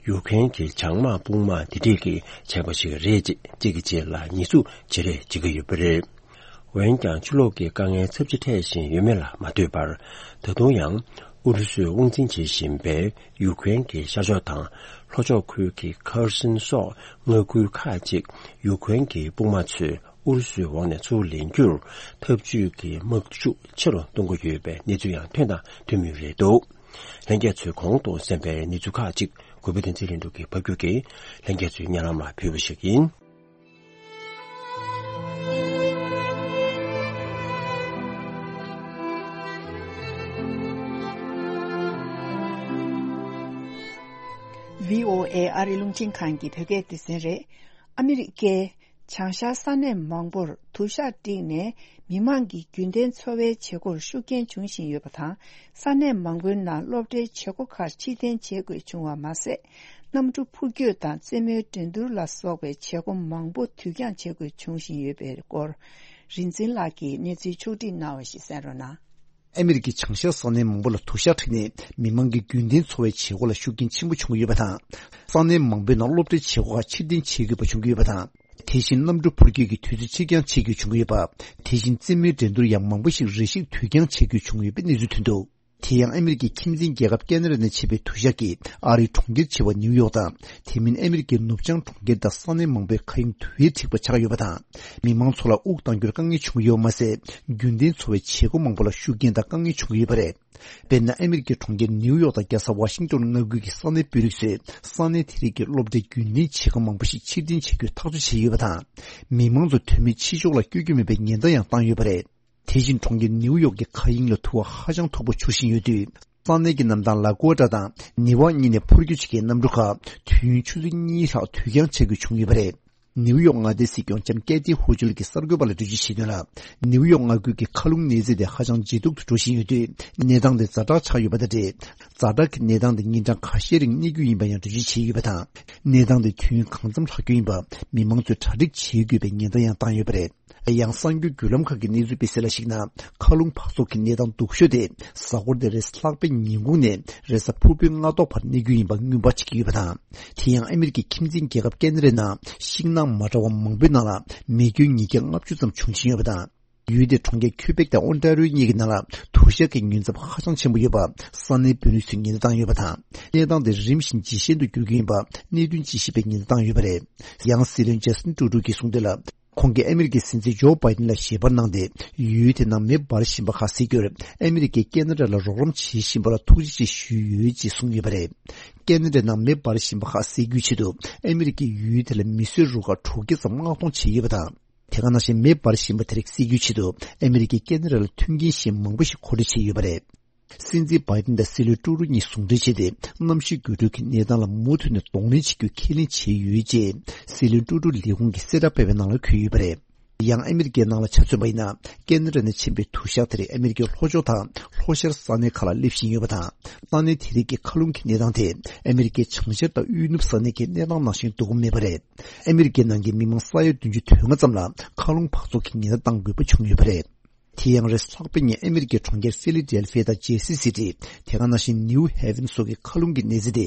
ཡུ་ཁུ་རེན་གྱི་བྱང་དམག་དཔུང་དམག་འདི་འདྲས་ཀྱིས་བྱས་པ་ཞིག་རེད་ཅེས་གཅིག་གིས་གཅིག་ལ་ཉེས་འཛུགས་བྱེད་རེས་བྱེད་ཀྱི་ཡོད་པ་རེད། འོན་ཀྱང་ཆུ་ལོག་གི་དཀའ་ངལ་ཚབས་ཆེ་འཕྲད་བཞིན་ཡོད་མེད་ལ་མ་ལྟོས་པར། ད་དུང་ཡང་ཨུ་རུ་སུས་དབང་འཛིན་བྱེད་བཞིན་པའི་ཡུ་ཁུ་རེན་གྱི་ཤར་ཕྱོགས་དང་ལྷོ་ཕྱོགས་ཁུལ་གྱི་ཁར་སན་སོགས་མངའ་ཁུལ་ཁག་ཅིག་ཡུ་ཁུ་རེན་གྱི་དཔུང་དམག་ཚོས་ཨུ་རུ་སུའི་འོག་ནས་ཚུར་ལེན་རྒྱུར་འཐབ་ཇུས་ཀྱི་དམག་ཤུགས་ཆེ་རུ་གཏོང་གི་ཡོད་པའི་གནས་ཚུལ་ཡང་ཐོན་དང་ཐོན་མུས་རེད་འདུག་ལྷན་རྒྱས་ཚོས་གོང་དུ་གསན་པའི་གནས་ཚུལ་ཁག་ཅིག་གུས་པ་བསྟན་འཛིན་ལྷུན་གྲུབ་ཀྱིས་ཕབ་སྒྱུར་གྱིས་ལྷན་རྒྱས་ཚོའི་སྙན་ལམ་ལ་ཕུལ་བ་ཞིག་ཡིན། བྷི་ཨོ་ཨེ་ཨ་རི་རླུང་འཕྲིན་ཁང་གི་བོད་སྐད་སྡེ་ཚན་རེད། ཨ་མི་རི་ཀའི་བྱང་ཤར་ས་གནས་མང་པོར་དུ་ཞག་བསྒྲིགས་ནས་མི་མང་གི་རྒྱུན་ལྡན་འཚོ་བའི་བྱེད་སྒོར་ཤུགས་རྐྱེན་འབྱུང་བཞིན་ཡོད་པ་དང་། ས་གནས་མང་པོའི་ནང་སློབ་གྲྭའི་བྱེད་སྒོ་ཁག་ཕྱིར་འཐེན་བྱེད་དགོས་བྱུང་བ་མ་ཟད། གནམ་གྲུ་འཕུར་སྐྱོད་དང་རྩེད་མོའི་འགྲན་བསྡུར་ལ་སོགས་པའི་བྱེད་སྒོ་མང་པོ་དུས་འགྱངས་བྱེད་དགོས་བྱུང་བཞིན་ཡོད་པའི་སྐོར། རིག་འཛིན་ལགས་ཀྱིས་གནས་ཚུལ་ཕྱོགས་སྒྲིག་གནང་བ་ཞིག་གསན་རོགས་གནང་། ཨ་མི་རི་ཀའི་བྱང་ཤར་ས་གནས་མང་པོ་ལ་དུ་ཞག་ཁྲིད་ནས་མི་མང་གི་རྒྱུན་ལྡན་འཚོ་བའི་བྱེད་སྒོ་ལ་ཤུགས་རྐྱེན་ཆེན་པོ་བྱུང་གི་ཡོད་པ་དང་། ས་གནས་མང་པོའི་ནང་སློབ་གྲྭའི་བྱེད་སྒོ་ཁག་ཕྱིར་འཐེན་བྱེད་དགོས་པ་བྱུང་གི་ཡོད་པ་དང་། དེ་བཞིན་གནམ་གྲུ་འཕུར་སྐྱོད་ཀྱི་དུས་ཚོད་ཕྱིར་འགྱངས་བྱེད་དགོས་བྱུང་གི་ཡོད་པ། དེ་བཞིན་རྩེད་མོའི་འགྲན་བསྡུར་ཡང་མང་པོ་ཞིག་རེ་ཞིག་དུས་འགྱངས་བྱེད་དགོས་བྱུང་ཡོད་པའི་གནས་ཚུལ་ཐོན་འདུག་དེ་ཡང་ཨ་མི་རི་ཀའི་ཁྱིམ་མཚེས་རྒྱལ་ཁབ་ཁེ་ན་ཌ་ནས་ཕྱིན་པའི་དུ་ཞག་གིས་ཨ་རིའི་གྲོང་ཁྱེར་ཆེ་བ་ནིའུ་ཡོག་དང་། དེ་མིན་ཨ་མི་རི་ཀའི་ནུབ་བྱང་གྲོང་ཁྱེར་དང་ས་གནས་མང་པོའི་མཁའ་དབྱིངས་དུ་བས་འཁྲིགས་པ་ཆགས་ཡོད་པ་དང་། མི་མང་ཚོ་ལ་དབུགས་གཏང་རྒྱུར་དཀའ་ངལ་བྱུང་ཡོད་མ་ཟད། རྒྱུན་ལྡན་འཚོ་བའི་བྱེད་སྒོ་མང་པོ་ལ་ཤུགས་རྐྱེན་དང་དཀའ་ངལ་བྱུང་གི་ཡོད་པ་རེད། དཔེར་ན། ཨ་མི་རི་ཀའི་གྲོང་ཁྱེར་ནིའུ་ཡོག་དང་རྒྱལ་ས་ཝ་ཤིང་ཏོན་མངའ་ཁུལ་གྱི་ས་གནས་དཔོན་རིགས་ཚོས་ས་གནས་དེ་རིགས་ཀྱི་སློབ་གྲྭའི་རྒྱུན་ལྡན་བྱེད་སྒོ་མང་པོ་ཞིག་ཕྱིར་འཐེན་བྱེད་རྒྱུའི་ཐག་གཅོད་བྱས་ཡོད་པ་དང་། མི་མང་ཚོ་དོན་མེད་ཕྱི་ཕྱོགས་ལ་བསྐྱོད་རྒྱུ་མེད་པའི་ཉེན་བརྡ་ཡང་བཏང་ཡོད་པ་རེད། དེ་བཞིན་གྲོང་ཁྱེར་ནིའུ་ཡོག་གི་མཁའ་དབྱིངས་ལ་དུ་བ་ཧ་ཅང་མཐུག་པོ་འཕྱུར་བཞིན་ཡོད་དུས། ས་གནས་ཀྱི་གནམ་ཐང་ལ་ཀུ་ཨ་ཊ་དང་ནེ་ཝག་གཉིས་ནས་འཕུར་སྐྱོད་བྱེད་མཁན་གནམ་གྲུ་ཁག་དུས་ཡུན་ཆུ་ཚོད་གཉིས་ལྷག་དུས་འགྱངས་བྱེད་དགོས་བྱུང་ཡོད་པ་རེད། ནིའུ་ཡོག་མངའ་སྡེའི་སྲིད་སྐྱོང་ལྕམ་ཀེ་ཐི་ཧོ་ཅུལ་གྱིས་གསར་འགོད་པ་ལ་འགྲེལ་བརྗོད་བྱས་དོན་ལ། ནིའུ་ཡོག་མངའ་ཁུལ་གྱི་མཁའ་རླུང་གནས་ཚད་དེ་ཧ་ཅང་ལྗིད་སྡུག་ཏུ་འགྲོ་བཞིན་ཡོད་དུས། གནས་སྟངས་དེ་ཛ་དྲག་ཆགས་ཡོད་པ་དང་འབྲེལ། ཛ་དྲག་གི་གནས་སྟངས་དེ་ཉིན་གྲངས་ཁ་ཤས་རིང་གནས་རྒྱུ་ཡིན་པ་ཡང་འགྲེལ་བརྗོད་བྱས་ཡོད་པ་དང་། གནས་སྟངས་དེ་དུས་ཡུན་གང་འཚམ་ལྷག་རྒྱུ་ཡིན་པ་མི་མང་ཚོས་གྲ་སྒྲིག་བྱེད་དགོས་པའི་ཉེན་བརྡ་ཡང་བཏང་ཡོད་པ་རེད། ཡང་། གསར་འགྱུར་བརྒྱུད་ལམ་ཁག་གིས་གནས་ཚུལ་སྤེལ་གསལ་ལ་གཞིགས་ན། མཁའ་རླུང་འབག་བཙོག་གི་གནས་སྟངས་སྡུག་ཤོས་དེ་གཟའ་འཁོར་འདིའི་རེས་གཟའ་ལྷག་པའི་ཉིན་གུང་ནས་རེས་གཟའ་ཕུར་བུའི་སྔ་ཐོག་བར་གནས་རྒྱུ་ཡིན་པ་སྔོན་དཔག་བྱེད་ཀྱི་ཡོད་པ་དང་། དེ་ཡང་ཨ་མི་རི་ཀའི་ཁྱིམ་མཚེས་རྒྱལ་ཁབ་ཁེ་ན་ཌའི་ནང་ཤིང་ནགས་མ་འདྲ་བ་མང་པོའི་ནང་ལ་མེ་སྐྱོན་ཉིས་བརྒྱ་ལྔ་བཅུ་ཙམ་བྱུང་བཞིན་ཡོད་པ་དང་། ཡུལ་དེའི་གྲོང་ཁྱེར་ཁུ་བེག་དང་ཨོན་ཊ་རི་ཡོ་གཉིས་ཀྱི་ནང་ལ་དུ་ཞག་གི་ཉུང་ཚབས་ཧ་ཅང་ཆེན་པོ་ཡོད་པ་ས་གནས་དཔོན་རིགས་ཚོས་ཉེན་བརྡ་བཏང་ཡོད་པ་དང་། གནས་སྟངས་དེ་རིམ་བཞིན་ཇེ་ཞན་དུ་འགྱུར་གྱི་ཡིན་པ་གནད་དོན་དཔྱད་ཞིབ་པས་ཉེན་བརྡ་བཏང་ཡོད་པ་རེད། ཡང་། སྲིད་བློན་ཇ་སི་ཊིན་ཀྲུ་ཌོ་གྱིས་གསུངས་དོན་ལ། ཁོང་གིས་ཨ་མི་རི་ཀའི་སྲིད་འཛིན་ཇོ་བྷའི་ཏིན་ལ་ཞལ་པར་གནང་སྟེ། ཡུལ་དེའི་ནང་མེ་འབར་བཞིན་པ་ཁག་སེལ་རྒྱུར་ཨ་མི་རི་ཀས་ཁེ་ན་ཌ་ལ་རོགས་རམ་བྱེད་བཞིན་པ་ལ་ཐུགས་རྗེ་ཆེ་ཞུས་ཡོད་ཅེས་གསུངས་ཡོད་པ་རེད། ཁེ་ན་ཌའི་ནང་མེ་འབར་བཞིན་པ་ཁག་སེལ་རྒྱུའི་ཆེད་དུ་ཨ་མི་རི་ཀས་ཡུལ་དེ་ལ་མི་གསོད་རུ་ཁག་དྲུག་བརྒྱ་ཙམ་མངགས་གཏོང་བྱས་ཡོད་པ་དང་། དེ་ག་ནང་བཞིན་མེ་འབར་བཞིན་པ་དེ་རིགས་སེལ་རྒྱུའི་ཆེད་དུ་ཨ་མི་རི་ཀས་ཁེ་ན་ཌ་ལ་མཐུན་རྐྱེན་གཞན་མང་པོ་ཞིག་མཁོ་སྤྲོད་བྱས་ཡོད་པ་རེད། སྲིད་འཛིན་བྷའི་ཏིན་དང་སྲིད་བློན་ཀྲུ་ཌོ་གཉིས་ཟུང་འབྲེལ་བྱས་ཏེ། གནམ་གཤིས་འགྱུར་འགྲོས་ཀྱི་གནས་སྟངས་ལ་མུ་མཐུད་ནས་གདོང་ལེན་བྱེད་རྒྱུའི་ཁས་ལེན་བྱས་ཡོད་ཅེས། སྲིད་བློན་ཀྲུ་ཌོ་ལས་ཁུངས་ཀྱི་གསལ་བསྒྲགས་སྤེལ་བའི་ནང་ལ་འཁོད་ཡོད་པ་རེད། ཡང་ཨ་མི་རི་ཀའི་ནང་ལ་ཆ་མཚོན་པ་ཡིན་ན། ཁེ་ན་ཌ་ནས་ཕྱིན་པའི་དུ་ཞག་དེར་ཨ་མི་རི་ཀའི་ལྷོ་ཕྱོགས་དང་ལྷོ་ཤར་ས་གནས་ཁག་ལ་སླེབས་བཞིན་ཡོད་པ་དང་། ས་གནས་དེ་རིགས་ཀྱི་མཁའ་རླུང་གི་གནས་སྟངས་དེ་ཨ་མི་རི་ཀའི་བྱང་ཤར་དང་དབུས་ནུབ་ས་གནས་ཀྱི་གནས་སྟངས་ནང་བཞིན་སྡུག་པོ་མེད་པ་རེད། ཨ་མི་རི་ཀའི་ནང་གི་མི་མང་ས་ཡ་བདུན་ཅུ་དོན་ལྔ་ཙམ་ལ་མཁའ་རླུང་འབག་བཙོག་གི་ཉེན་བརྡ་བཏང་དགོས་པ་བྱུང་ཡོད་པ་རེད། དེ་ཡང་རེས་ལྷག་པའི་ཉིན་ཨ་མི་རི་ཀའི་གྲོང་ཁྱེར་ཕི་ལི་ཌེལ་ཕི་ཡ་དང་ཇེར་སི་སི་ཊི། དེ་ག་ནང་བཞིན་ནིའུ་ཧེ་ཝན་སོགས་ཀྱི་མཁའ་རླུང་གི་གནས་ཚད་དེ་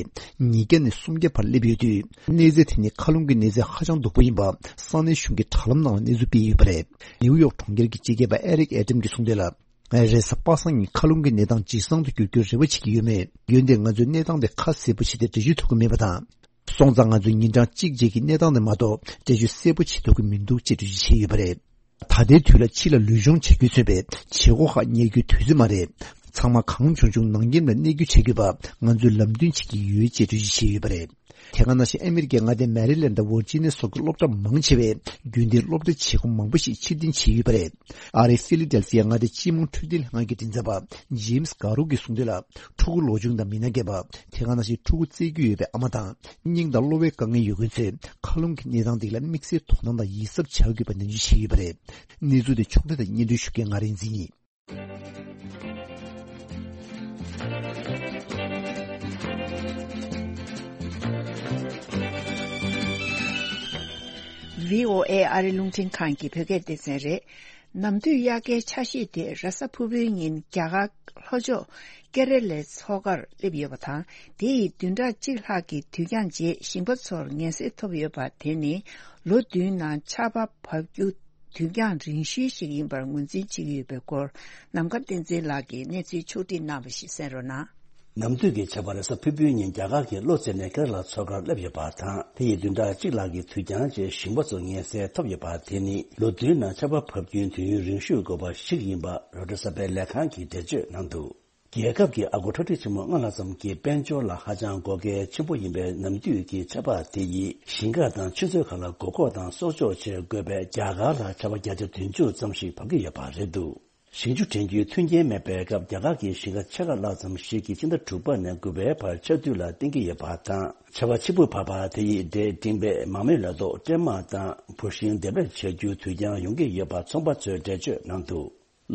ཉིས་བརྒྱ་ནས་སུམ་བརྒྱ་བར་སླེབས་ཡོད་དུས། གནས་ཚད་དེ་ནི་མཁའ་རླུང་གི་གནས་ཚད་ཧ་ཅང་སྡུག་པོ་ཡིན་པ་ས་གནས་གཞུང་གི་དྲ་ལམ་ནང་ལ་གནས་ཚུལ་སྤེལ་ཡོད་པ་རེད། ནིའུ་ཡོག་གྲོང་ཁྱེར་གྱི་སྤྱི་ཁྱབ་པ་ཨེ་རིག་ཨེ་ཏམ་གྱིས་གསུངས་དོན་ལ། རེས་གཟའ་པ་སངས་ཉིན་མཁའ་རླུང་གི་གནས་སྟངས་ཇེ་བཟང་དུ་འགྱུར་རྒྱུའི་རེ་བ་བྱེད་ཀྱི་ཡོད་མོད། འོན་ཏེ་ང་ཚོས་གནས་སྟངས་དེ་ཁ་གསལ་པོ་བྱས་ཏེ་འགྲེལ་བརྗོད་ཐུབ་ཀྱི་མེད་པ་དང་། སོང་ཙང་ང་ཚོས་ཉིན་གྲངས་གཅིག་རྗེས་ཀྱི་གནས་སྟངས་དེ་མ་གཏོགས་འགྲེལ་བརྗོད་གསལ་པོ་བྱེད་ཐུབ་ཀྱི་མི་འདུག་ཅེས་འགྲེལ་བརྗོད་བྱས་ཡོད་པ་རེད། ད་ལྟའི་དུས་ལ་ཕྱི་ལ་ལུས་སྦྱོང་བྱེད་རྒྱུས་མཚོན་པའི་བྱེད་སྒོ་ཁག་གཉེར་རྒྱུའི་དུས་ཚོད་མ་རེད། ཚང་མ་གང་བྱུང་བྱུང་ནང་ཁྱིམ་ལ་གནས་རྒྱུ་བྱེད་དགོས་པ་ང་ཚོས་ལམ་སྟོན་བྱེད་ཀྱི་ཡོད་ཅེས་འགྲེལ་བརྗོད་བྱས་ཡོད་པ་རེད། དེ་ག་ནང་བཞིན་ཨ་མི་རི་ཀའི་མངའ་སྡེ་མེ་རི་ལེན་དང་ཝར་ཇི་ནི་ཡ་སོགས་ཀྱི་སློབ་གྲྭ་མང་ཆེ་བས་རྒྱུན་ལྡན་སློབ་གྲྭའི་བྱེད་སྒོ་མང་པོ་ཞིག་ཕྱིར་འཐེན་བྱས་ཡོད་པ་རེད། ཨ་རིའི་ཕི་ལི་ཌེལ་ཕི་ཡ་མངའ་སྡེའི་སྤྱི་དམངས་འཕྲོད་བསྟེན་ལྷན་ཁང་གི་མགྲིན་ཚབ་པ་ཇེམ་སི་གྷ་རུ་གིས་གསུངས་དོན་ལ། ཕྲུ་གུ་ལོ་ཆུང་དང་མི་སྣ་རྒས་པ། དེ་ག་ནང་བཞིན་ཕྲུ་གུ་བཙས་རྒྱུ་ཡོད་པའི་ཨ་མ་དང་། སྙིང་དང་གློ་བའི་དཀའ་ངལ་ཡོད་མཁན་ཚོས་མཁའ་རླུང་གི་གནས་སྟངས་དེ་ལ་དམིགས་བསལ་དོ་སྣང་དང་ཡིད་གཟབ་བྱ་དགོས་པ་ནན་བརྗོད་བྱས་ཡོད་པ་རེད། གནས་ཚུལ་དེ་ཕྱོགས་སྒྲིག་དང་སྙན་སྒྲོན་ཞུ་མཁན་ང་རིག་འཛིན་ཡིན། ཝི་ཨོ་ཨེ་ཨ་རི་རླུང་འཕྲིན་ཁང་གི་བོད་སྐད་སྡེ་ཚན་རེད། ནམ་དུས་དབྱར་ཁའི་འཆར་གཞི་དེ་རེས་གཟའ་ཕུར་བུའི་ཉིན་རྒྱ་གར་ལྷོ་ཕྱོགས་ཀེ་ར་ལའི་མཚོ་ཁར་སླེབས་ཡོད་པ་དང་། དེ་ཡི་བདུན་ཕྲག་གཅིག་ལྷག་གི་དུས་འགྱངས་རྗེས་ཞིང་པ་ཚོར་ངལ་སེལ་ཐོབ་ཡོད་པ་དེ་ནི་ལོ་བདུན་ནང་ཆར་པ་བབས་རྒྱུ་དུས་འགྱངས་རིང་ཤོས་ཤིག་ཡིན་པར་ངོས་འཛིན་བྱེད་ཀྱི་ཡོད་པའི་སྐོར། ནམ་མཁའ་བསྟན་འཛིན་ལགས་ཀྱིས་གནས་ཚུལ་ཕྱོགས་སྒྲིག་གནང་བ་ཞིག་གསན་རོགས་གནང་། ནམ་དུས་ཀྱི་ཆར་པ་རེས་གཟའ་ཕུར་བུའི་ཉིན་རྒྱ་གར་གྱི་གློ་བཙལ་ནས་ཀེ་ར་ལ་མཚོ་ཁར་སླེབས་ཡོད་པ་དང་། དེ་ཡི་བདུན་ཕྲག་གཅིག་ལྷག་གི་དུས་འགྱངས་རྗེས་ཞིང་པ་ཚོ་ངལ་སེལ་ཐོབ་ཡོད་པ་དེ་ནི་ལོ་བདུན་ནང་ཆར་པ་བབས་རྒྱུའི་དུས་ཡུན་རིང་ཤོས་དགོས་པ་ཞིག་ཡིན་པ་རོའི་ཊར་གསར་པའི་ལས་ཁང་གིས་འགྲེལ་བརྗོད་གནང་འདུག་རྒྱལ་ཁབ་ཀྱི་ཨ་སྒོར་ཁྲག་ཁྲིག་ཆེན་མོ་ལྔ་ལྷག་ཙམ་གྱི་དཔལ་འབྱོར་ལ་ཧ་ཅང་དགོས་གལ་ཆེན་པོ་ཡིན་པའི་ནམ་དུས་ཀྱི་ཆར་པ་དེ་ཡིས་ཞིང་ཁ་དང་ཆུ་མཛོད་ཁག་ལ་མགོ་སྐོར་དང་གསོག་འཇོག་བྱེད་དགོས་པས། རྒྱ་གར་ལ་ཆར་པ་བརྒྱ་ཆ་བདུན་ཅུ་ཙམ་ཞིག་བབས་ཀྱི་ཡོད་པ་རེད་འདུག་ཞིང་ཆུ་འདྲེན་རྒྱུའི་མཐུན་རྐྱེན་མེད་པའི་སྐབས། རྒྱ་གར་གྱི་ཞིང་ཁ་ཆེ་ཁག་ལྷག་ཙམ་ཞིག་གིས་ཕྱི་ཟླ་དྲུག་པ་ནས་དགུ་པའི་བར་ཆར་དུས་ལ་བརྟེན་གྱི་ཡོད་པ་དང་། ཆར་པ་ཆེན་པོ་བབས་པ་དེ་ཡིས་འབྲས་སྤྲིངས་པས་མ་རྨོས་ལ་སོགས་སྲན་མ་དང་བུར་ཤིང་འདེབས་ལས་བྱ་རྒྱུ་དུས་འགྱངས་ཡོང་གི་ཡོད་པ་ཚོང་པ་ཚོས་འགྲེལ་བརྗོད་གནང་འདུག་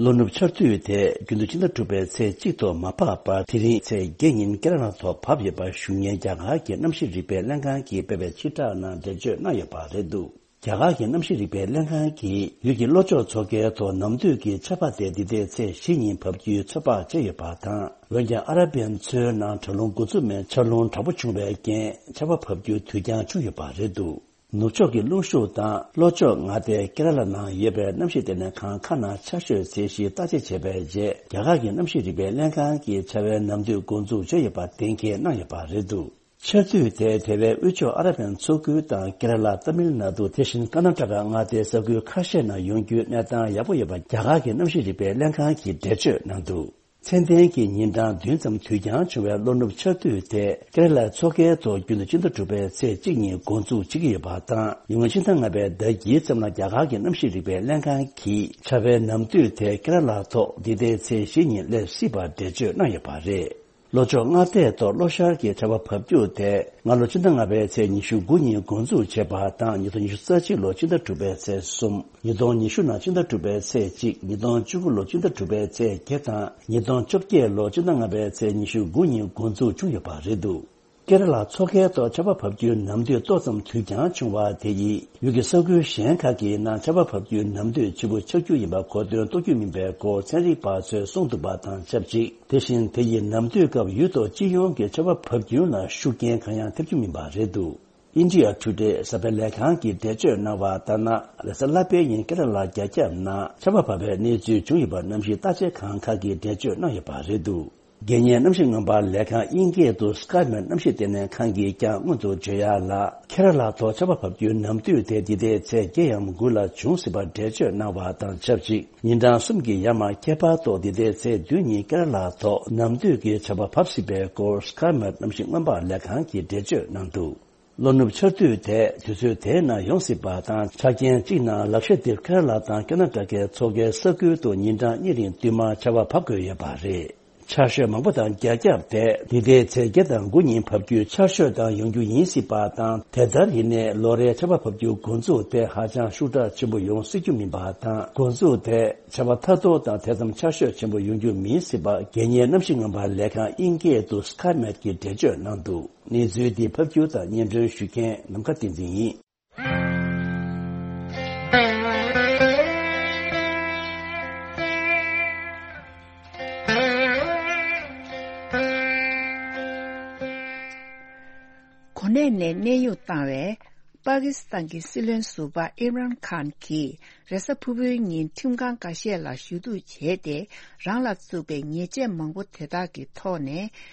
ལོ་ནུབ་ཆར་དུས་དེ་རྒྱུན་དུ་ཕྱི་ཟླ་དྲུག་པའི་ཚེས་གཅིག་ཐོག་མ་བབས་པར། དེ་རིང་ཚེས་བརྒྱད་ཉིན་ཀེ་ར་ལ་ཐོག་བབས་ཡོད་པ་ཞུ་མཁན་རྒྱ་གར་གྱི་གནམ་གཤིས་རིག་པའི་ལྷན་ཁང་གིས་སྤེལ་བའི་སྤྱི་བསྒྲགས་ནང་འགྲེལ་བརྗོད་གནང་ཡོད་པ་རེད་འདུག་རྒྱ་གར་གྱི་གནམ་གཤིས་རིག་པའི་ལྷན་ཁང་གིས་ཡུལ་གྱི་ལྷོ་ཕྱོགས་མཚོ་ཁའི་ཐོག་ནམ་དུས་ཀྱི་ཆར་པ་དེ་འདི་ཟླའི་ཚེས་བཞི་ཉིན་བབས་རྒྱུའི་ཚོད་དཔག་བྱས་ཡོད་པ་དང་། འོན་ཀྱང་ཨ་ར་བན་མཚོའི་ནང་དྲག་རླུང་འགོ་འཛུགས་མའི་ཆར་རླུང་དྲག་པོ་བྱུང་བའི་རྐྱེན་ཆར་པ་བབས་རྒྱུ་དུས་འགྱངས་བྱུང་ཡོད་པ་རེད་འདུག་ནུབ་ཕྱོགས་ཀྱི་རླུང་ཤུགས་དང་ལྷོ་ཕྱོགས་མངའ་སྡེ་ཀེ་ར་ལ་ནང་ཡོད་པའི་གནམ་གཤིས་ལྟེ་གནས་ཁང་ཁག་ནང་ཆར་ཞོད་ཚད་གཞི་བརྟག་དཔྱད་བྱས་པའི་རྗེས། རྒྱ་གར་གྱི་གནམ་གཤིས་རིག་པའི་ལྷན་ཁང་གིས་ཆར་པའི་ནམ་དུས་འགོ་འཛུགས་བྱས་ཡོད་པ་གཏན་འཁེལ་གནང་ཡོད་པ་རེད་འདུག་ཆར་དུས་དེ་དེ་བས་དབུས་ཕྱོགས་ཨ་ར་བན་མཚོ་ཁུལ་དང་ཀེ་ར་ལ། ཏ་མིལ་ནཱ་ཏུ། དེ་བཞིན་ཀར་ནཱ་ཊ་ཀ་མངའ་སྡེའི་ས་ཁུལ་ཁ་ཤས་ནང་ཡོང་རྒྱུའི་གནས་སྟངས་ཡག་པོ་ཡོད་པ་རྒྱ་གར་གྱི་གནམ་གཤིས་རིག་པའི་ལྷན་ཁང་གིས་འགྲེལ་བརྗོད་གནང་འདུག་ཚད་ལྡན་གྱི་ཉིན་གྲངས་བདུན་ཙམ་དུས་འགྱངས་བྱུང་བའི་ལོ་ནུབ་ཆར་དུས་དེ་ཀེ་ར་ལའི་མཚོ་ཁའི་ཐོག་རྒྱུན་དུ་ཕྱི་ཟླ་དྲུག་པའི་ཚེས་གཅིག་ཉིན་འགོ་འཛུགས་བྱེད་ཀྱི་ཡོད་པ་དང་། ཉེ་སྔོན་ཕྱི་ཟླ་ལྔ་པའི་ཟླ་དཀྱིལ་ཙམ་ལ་རྒྱ་གར་གྱི་གནམ་གཤིས་རིག་པའི་ལྷན་ཁང་གིས་ཆར་པའི་ནམ་དུས་དེ་ཀེ་ར་ལ་ཐོག་འདི་ཟླའི་ཚེས་བཞི་ཉིན་སླེབས་སྲིད་པར་འགྲེལ་བརྗོད་གནང་ཡོད་པ་རེད། ལྷོ་ཕྱོགས་མངའ་སྡེའི་ཐོག་ལྷོ་ཤར་གྱི་ཆར་པ་བབས་རྒྱུ་དེ་སྔ་ལོ་ཕྱི་ཟླ་ལྔ་པའི་ཚེས་ཉི་ཤུ་དགུ་ཉིན་འགོ་འཛུགས་བྱས་པ་དང་། ཉིས་སྟོང་ཉི་ཤུ་རྩ་གཅིག་ལོ་ཕྱི་ཟླ་དྲུག་པའི་ཚེས་གསུམ། ཉིས་སྟོང་ཉི་ཤུ་ནང་ཕྱི་ཟླ་དྲུག་པའི་ཚེས་གཅིག་ཉིས་སྟོང་བཅུ་དགུ་ལོ་ཕྱི་ཟླ་དྲུག་པའི་ཚེས་བརྒྱད་དང་། ཉིས་སྟོང་བཅོ་བརྒྱད་ལོ་ཕྱི་ཟླ་ལྔ་པའི་ཚེས་ཉི་ཤུ་དགུ་ཉིན་འགོ་འཛུགས་བྱུང་ཡོད་པ་རེད་འདུག་ཀེ་ར་ལ་མཚོ་ཁའི་ཐོག་ཆར་པ་བབས་རྒྱུའི་ནམ་དུས་ཏོག་ཙམ་དུས་འགྱངས་བྱུང་བ་དེ་ཡིས་ཡུལ་གྱི་ས་ཁུལ་གཞན་ཁག་གི་ནང་ཆར་པ་བབས་རྒྱུའི་ནམ་དུས་ཕྱི་པོ་ཆགས་རྒྱུ་ཡིན་པ་གོ་དོན་རྟོགས་རྒྱུ་མིན་པའི་སྐོར་ཚན་རིག་པ་ཚོས་གསུངས་འདུག་པ་དང་ཆབས་ཅིག་དེ་བཞིན་དེ་ཡི་ནམ་དུས་སྐབས་ཡུལ་ཐོག་སྤྱི་ཡོངས་ཀྱི་ཆར་པ་བབས་རྒྱུ་ལ་ཤུགས་རྐྱེན་གང་ཡང་ཐེབས་རྒྱུ་མིན་པ་རེད་འདུག་ཨིན་ཌི་ཡ་ཊུ་ཌེ་གསར་པའི་ལས་ཁང་གིས་འགྲེལ་བརྗོད་གནང་བ་ལྟར་ན། རེས་གཟའ་ལྷག་པའི་ཉིན་ཀེ་ར་ལ་རྒྱ་ཁྱབ་ནང་ཆར་པ་བབས་པའི་གནས་ཚུལ་བྱུང་ཡོད་པ་གནམ་གཤིས་བརྟག་དཔྱད་ཁང་ཁག་གིས་འགྲེལ་བརྗོད་གནང་ཡོད་པ་རེད་འདུག་རྒྱལ་གཉེར་གནམ་གཤིས་སྔོན་པ་ལས་ཁང་དབྱིན་སྐད་དུ་སྐའི་མེཊ་གནམ་གཤིས་ལྟེ་གནས་ཁང་གིས་ཀྱང་སྔོན་དུ་བརྗོད་ཡག་ལ། ཁེ་ར་ལ་ཐོག་ཆར་པ་བབས་རྒྱུའི་ནམ་དུས་དེ་འདི་ཟླའི་ཚེས་བརྒྱད་ཡམ་དགུ་ལ་འབྱུང་སྲིད་པར་འགྲེལ་བརྗོད་གནང་བ་དང་ཆབས་ཅིག་ཉིན་གྲངས་གསུམ་གྱི་ཡར་མར་ཁྱད་པར་ཐོག་འདི་ཟླའི་ཚེས་བདུན་ཉིན་ཀེ་ར་ལ་ཐོག་ནམ་དུས་ཀྱི་ཆར་པ་བབས་སྲིད་པའི་སྐོར་སྐའི་མེཊ་གནམ་གཤིས་སྔོན་པ་ལས་ཁང་གིས་འགྲེལ་བརྗོད་གནང་འདུག་ལོ་ནུབ་ཆར་དུས་དེ་དུས་ཚོད་དེའི་ནང་ཡོང་སྲིད་པ་དང་། ཆ་རྐྱེན་གཅིག་ནང་ལག་ཤེས་དེབ་ཁེ་ར་ལ་དང་ཀར་ནཱ་ཊ་ཀའི་མཚོ་ཁའི་ས་ཁུལ་དུ་ཉིན་གྲངས་གཉིས་རིང་བསྟུད་མར་ཆར་པ་བབས་དགོས་ཡོད་པ་རེད། ཆར་ཞོད་མང་པོ་དང་རྒྱ་ཁྱབ་དེ་འདི་ཟླའི་ཚེས་བརྒྱད་དང་དགུ་ཉིན་བབས་རྒྱུའི་ཆར་ཞོད་དང་ཡོང་རྒྱུ་ཡིན་སྲིད་པ་དང་། དེ་ལྟར་ཡིན་ནའི་ལོ་རེའི་ཆར་པ་བབས་རྒྱུ་འགོ་འཛུགས་དེ་ཧ་ཅང་ཤུགས་དྲག་ཆེན་པོ་ཡོང་སྲིད་རྒྱུ་མིན་པ་དང་། འགོ་འཛུགས་དེ་ཆར་པ་ཐ་ཐོར་དང་དེ་ཙམ་ཆར་ཞོད་ཆེན་པོ་ཡོང་རྒྱུ་མིན་སྲིད་པ་རྒྱལ་གཉེར་གནམ་གཤིས་སྔོན་པ་ལས་ཁང་དབྱིན་སྐད་དུ་སྐའི་མེཊ་ཀྱིས་འགྲེལ་བརྗོད་གནང་འདུག་གནས་ཚུལ་འདི་ཕབ་སྒྱུར་དང་སྙན་སྒྲོན་ཞུ་མཁན་ནམ་མཁའ་བསྟན་འཛིན་ཡིན། གནས་ནས་གནས་དབྱུང་བཏང་བའི་པ་ཀི་སི་ཐན་གྱི་སྲིད་བློན་ཟུར་པ་ཨིམ་རན་ཁཱན་གྱིས་རེས་གཟའ་ཕུར་བུའི་ཉིན་ཁྲིམས་ཁང་འགའ་ཤས་ལ་ཞུ་གཏུག་བྱས་ཏེ། རང་ལ་བཙུགས་པའི་ཉེས་ཆད་མང་པོ་དེ་དག་གི་ཐོག་ནས་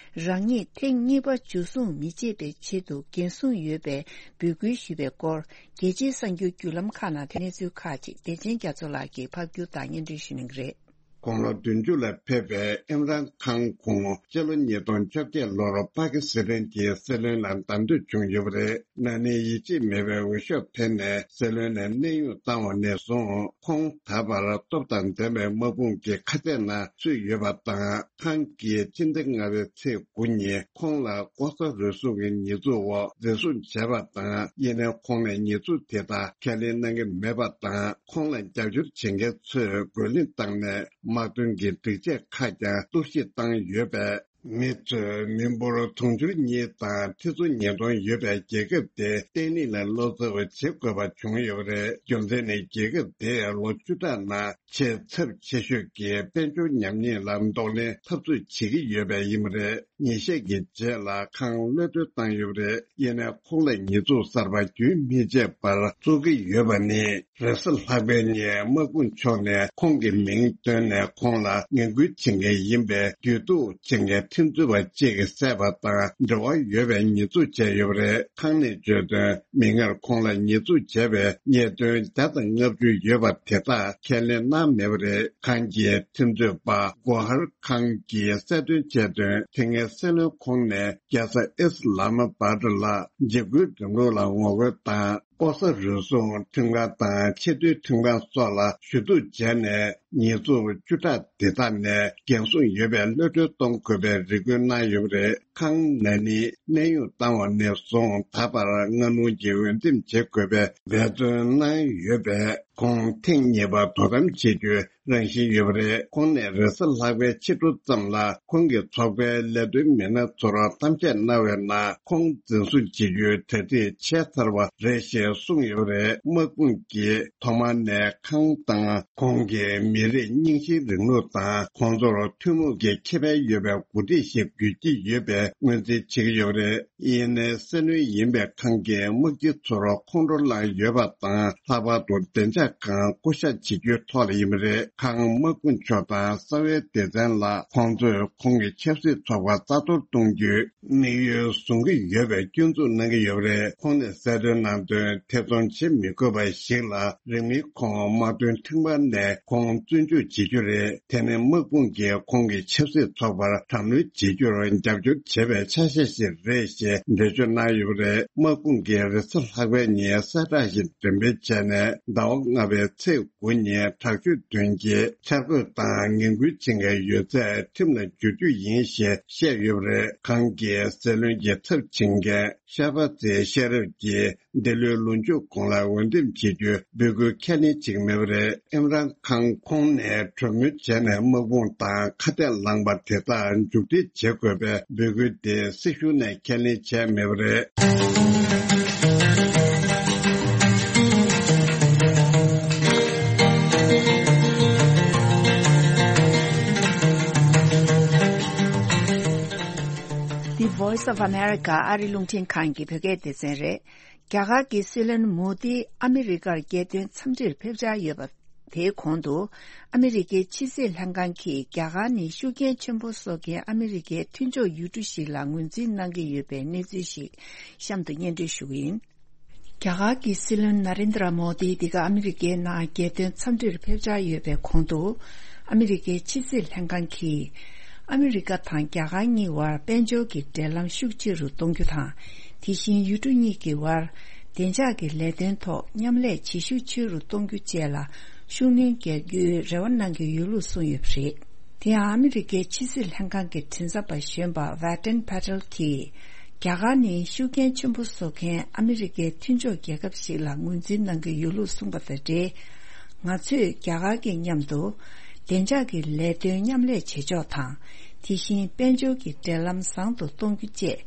རང་ཉིད་ཐེངས་གཉིས་པ་འཇུ་བཟུང་མི་བྱེད་པའི་ཆེད་དུ་འགན་སྲུང་ཡོད་པའི་འབོད་སྐུལ་ཞུས་པའི་སྐོར། རྒྱལ་སྤྱིའི་གསར་འགྱུར་བརྒྱུད་ལམ་ཁག་ནང་གནས་ཚུལ་ཁག་ཅིག་བདེ་ཆེན་རྒྱ་མཚོ་ལགས་ཀྱིས་ཕབ་སྒྱུར་དང་སྙན་སྒྲོན་ཞུ་གནང་གི་རེད། དགུང་ལོ་བདུན་ཅུ་ལ་ཕེབས་པའི་ཨིམ་རན་ཁཱན་ཁོང་སྤྱི་ལོ་ཉིས་སྟོང་བཅོ་བརྒྱད་ལོར་པ་ཀི་སི་ཐན་གྱི་སྲིད་བློན་ལ་བདམས་ཐོན་བྱུང་ཡོད་པ་རེད། ན་ནིང་ཡིད་ཆེས་མེད་པའི་འོས་ཤོག་འཕེན་ནས་སྲིད་བློན་ལ་གནས་དབྱུང་བཏང་བ་ནས་བཟུང་། ཁོང་ད་བར་སྟོབས་དང་ལྡན་པའི་དམག་དཔུང་གི་ཁ་གཏད་ནང་ཚུད་ཡོད་པ་དང་། ཁཱན་གྱིས་སྤྱི་ཟླ་ལྔ་པའི་ཚེས་དགུ་ཉིན་ཁོང་ལ་ལྐོག་ཟ་རུལ་སུངས་ཀྱི་ཉེས་འཛུགས་འོག་འཛིན་བཟུང་བྱས་པ་དང་། ཡིན་ནའི་ཁོང་ནས་ཉེས་འཛུགས་དེ་དག་ཁས་ལེན་གནང་གི་མེད་པ་དང་། ཁོང་ལ་རྒྱབ་སྐྱོར་བྱེད་མཁན་ཚོས་རྒོལ་ལན་བཏང་ནས་དམག་དོན་གྱི་སྒྲིག་ཆས་ཁག་ཀྱང་གཏོར་བཤིག་བཏང་ཡོད་པས། མི་ཚོས་མི་འབོར་དུང་ཕྱུར་གཉིས་དང་ཁྲི་ཚོ་ཉིས་སྟོང་ཡོད་པའི་རྒྱལ་ཁབ་དེ་བརྟན་ལྷིང་ལ་བློ་འཚབ་བྱེད་དགོས་པ་བྱུང་ཡོད་པ་རེད། རྒྱུ་མཚན་ནི་རྒྱལ་ཁབ་དེས་ལོ་བཅུ་ཕྲག་ནང་ཆེས་ཚབས་ཆེ་ཤོས་ཀྱི་དཔལ་འབྱོར་ཉམས་ཉེས་ལ་གདོང་ལེན་འཐབ་རྩོད་བྱེད་ཀྱི་ཡོད་པ་ཡིན་པ་རེད། ཉིན་ཤས་ཀྱི་རྗེས་ལ་ཁཱན་གློད་གྲོལ་བཏང་ཡོད་པ་རེད། ཡིན་ནའི་ཁོང་ལ་ཉེས་འཛུགས་གསར་པ་རྒྱུན་མི་ཆད་པར་བཙུགས་ཀྱི་ཡོད་པ་ནི། རེས་གཟའ་ལྷག་པའི་ཉིན་དམག་དཔུང་ཕྱོགས་ནས་ཁོང་གི་མིང་བཏོན་ནས་ཁོང་ལ་ངན་སྐུལ་བྱེད་མཁན་ཡིན་པའི་བརྒྱུད་འདུག་ཅེས་ཁྲིམས་རྩོད་པ་གཅིག་གིས་བསད་པ་དང་འབྲེལ་བ་ཡོད་པའི་ཉེས་འཛུགས་བྱས་ཡོད་པ་རེད། ཁཱན་ནས་བརྗོད་དོན། མིག་སྔར་ཁོང་ལ་ཉེས་འཛུགས་བྱས་པའི་ཉེས་དོན་བརྒྱ་དང་ལྔ་བཅུ་ཡོད་པ་དེ་དག་ཁས་ལེན་གནང་མེད་པ་རེད། ཁཱན་གྱི་ཁྲིམས་རྩོད་པ་གོ་ཧར་ཁཱན་གྱིས་གསལ་སྟོན་བྱས་དོན། དེ་སྔའི་སྲིད་བློན་ཁོང་ནས་རྒྱལ་ས་ཨིས་ལ་མ་པཱད་ལ་འཇིགས་སྐུལ་རིང་ལུགས་ལ་ངོ་རྒོལ་དང་། ལྐོག་ཟ་རུལ་སུངས་ཁྲིམས་ཁང་དང་ཆེས་མཐོའི་ཁྲིམས་ཁང་སོགས་ལ་ཞུ་གཏུག་བྱས་ནས། ཉེས་འཛུགས་བཅུ་ཕྲག་དེ་དག་ནས་འགན་སྲུང་ཡོད་པའི་གློད་གྲོལ་གཏོང་དགོས་པའི་རེ་སྐུལ་གནང་ཡོད་པ་རེད། ཁཱན་ན་ནིང་གནས་དབྱུང་བཏང་བ་ནས་བཟུང་ད་བར་སྔ་སྣུར་གྱིས་འོས་འདེམས་བྱེད་དགོས་པའི་འབད་བརྩོན་གནང་ཡོད་པས། ཁོང་ཐེངས་གཉིས་པ་དོ་དམ་བྱེད་རྒྱུའི་རང་བཞིན་ཡོད་པ་རེད། ཁོང་ནས་རེས་གཟའ་ལྷག་པའི་ཕྱི་དྲོ་ཙམ་ལ་ཁོང་གི་ཚོགས་པའི་ལས་དོན་མི་སྣ་ཚོར་གཏམ་བཤད་གནང་བའི་ནང་། ཁོང་འཛིན་བཟུང་བྱེད་རྒྱུའི་གྲ་སྒྲིག་བྱས་ཚར་བ་རེད་ཞེས་གསུངས་ཡོད་པ་རེད། དམག་དཔུང་གིས་ཐོག་མ་ནས་ཁཱན་དང་ཁོང་གི་མི་རིགས་རྙིང་ཞེན་རིང་ལུགས་དང་། ཁོང་ཚོར་ཐུན་མོང་གི་ཁེ་ཕན་ཡོད་པའི་འགོ་ཁྲིད་ཞིག་དགོས་ཀྱི་ཡོད་པའི་ངོས་འཛིན་བྱེད་ཀྱི་ཡོད་པ་རེད། ཡིན་ནའི་སྲིད་བློན་ཡིན་པའི་ཁཱན་གྱིས་དམག་སྤྱི་ཚོར་ཁོང་ཁྲོ་ལངས་ཡོད་པ་དང་། ལྷག་པར་དུ་བདེ་འཇགས་ཁང་བསྐོ་བཞག་བྱེད་རྒྱུའི་ཐོག་ལ་ཡིན་པ་རེད། ཁཱན་དམག་དཔུང་ཕྱོགས་དང་གསང་བའི་སྡེ་ཚན་ལ་ཁོང་ཚོས་ཁོང་གི་ཆབ་སྲིད་ཚོགས་པ་རྩ་གཏོར་གཏོང་རྒྱུའི་དམིགས་ཡུལ་བཟུང་གི་ཡོད་པའི་སྐྱོན་འཛུགས་གནང་གི་ཡོད་པ་རེད། ཁོང་ནས་གསལ་སྟོན་གནང་དོན། ཐེ་ཚོམ་བྱེད་མི་དགོས་པ་ཞིག་ལ། རིང་མིན་ཁོང་དམག་དོན་ཁྲིམས་ཁང་ནས་ཁོང་བཙོན་འཇུག་བྱེད་རྒྱུ་རེད། དེ་ནི་དམག་དཔུང་གིས་ཁོང་གི་ཆབ་སྲིད་ཚོགས་པར་དྲག་གནོན་བྱེད་རྒྱུར་རྒྱབ་སྐྱོར་བྱས་པའི་ཆ་ཤས་ཤིག་རེད་ཞེས་འགྲེལ་བརྗོད་གནང་ཡོད་པ་རེད། དམག་དཔུང་གིས་རེས་གཟའ་ལྷག་པའི་ཉིན་གསལ་བསྒྲགས་ཤིག་འགྲེམས་སྤེལ་བྱས་ནས། ཟླ་བ་ལྔ་པའི་ཚེས་དགུ་ཉིན་དྲག་སྤྱོད་དོན་གྱི་འཆར་འགོད་དང་ངན་སྐུལ་བྱེད་མཁན་ཡོད་ཚད་ཁྲིམས་ལ་བསྒྱུར་རྒྱུ་ཡིན་ཞེས་བཤད་ཡོད་པ་རེད། ཁཱན་གྱིས་སྲིད་བློན་གྱི་ཚབ་བྱེད་མཁན་ཤ་བ་ཛེ་ཤེ་རབ་ཀྱིས་འདི་ལོའི་ལོ་མཇུག་གོང་ལ་འོས་འདེམས་བྱེད་རྒྱུའི་འབོད་སྐུལ་ཁས་ལེན་བྱེད་ཀྱི་མེད་པ་རེད། ཨིམ་རན་ཁཱན་ཁོང་ནས་གྲོས་མོལ་བྱས་ནས་དམག་དཔུང་དང་ཁ་གཏད་ལངས་པ་དེ་དག་མཇུག་སྒྲིལ་བྱེད་དགོས་པའི་འབོད་སྐུལ་དེ་སྲིད་གཞུང་ནས་ཁས་ལེན་བྱས་མེད་པ་རེད། The Voice of America ཨ་རི་རླུང་འཕྲིན་ཁང་གི་བོད་སྐད་སྡེ་ཚན་རེད། རྒྱ་གར་གྱི་སྲིད་བློན་མོ་དི་ཨ་མི་རི་ཀར་རྒྱལ་དོན་འཚམས་འདྲིར་ཕེབས་འཆར་ཡོད་པ། དེའི་གོང་དུ། ཨ་མི་རི་ཀའི་ཕྱི་སྲིད་ལྷན་ཁང་གིས་རྒྱ་གར་ནི་ཤུགས་རྐྱེན་ཆེན་པོ་བཟོ་མཁན་ཨ་མི་རི་ཀའི་མཐུན་ཕྱོགས་ཡུལ་གྲུ་ཞིག་ལ་ངོས་འཛིན་གནང་གི་ཡོད་པའི་གནས་ཚུལ་ཞིག་གཤམ་དུ་སྙན་སྒྲོན་ཞུ་གི་ཡིན། རྒྱ་གར་གྱི་སྲིད་བློན་ན་རེན་དྲ་མོ་དི་འདི་ག་ཨ་མི་རི་ཀའི་ནང་རྒྱལ་དོན་འཚམས་འདྲིར་ཕེབས་འཆར་ཡོད་པའི་གོང་དུ། ཨ་མི་རི་ཀའི་ཕྱི་སྲིད་ལྷན་ཁང་གིས། ཨ་མི་རི་ཀ་དང་རྒྱ་གར་གཉིས་བར་དཔལ་འབྱོར་གྱི་འབྲེལ་ལམ་ཤུགས་ཆེ་རུ་གཏོང་རྒྱུ་དང་། དེ་བཞིན་ཡུལ་གྲུ་གཉིས་ཀྱི་བར་བདེ་འཇགས་ཀྱི་ལས་དོན་ཐོག་མཉམ་ལས་བྱེད་ཤུགས་ཆེ་རུ་གཏོང་རྒྱུ་བཅས་ལ་ཤུགས་སྣོན་རྒྱག་རྒྱུའི་རེ་བ་གནང་གི་ཡོད་ལུགས་གསུངས་ཡོད་པ་རེད། དེ་ཡང་ཨ་མི་རི་ཀའི་ཕྱི་སྲིད་ལྷན་ཁང་གི་མགྲིན་ཚབ་པ་གཞོན་པ་ཝེ་ཏན་ཕ་ཏེལ་གྱིས། རྒྱ་གར་ནི་ཤུགས་རྐྱེན་ཆེན་པོ་བཟོ་མཁན་ཨ་མི་རི་ཀའི་མཐུན་ཕྱོགས་རྒྱལ་ཁབ་ཞིག་ལ་ངོས་འཛིན་གནང་གི་ཡོད་ལུགས་གསུངས་པ་དང་འབྲེལ། ང་ཚོས་རྒྱ་གར་གྱི་མཉམ་དུ་བདེ་འཇགས་ཀྱི་ལས་དོན་མཉམ་ལས་བྱེད་ཕྱོགས་དང་། དེ་བཞིན་དཔལ་འབྱོར་གྱི་འབྲེལ་ལམ་བཟང་དུ་གཏོང་རྒྱུ་བཅས་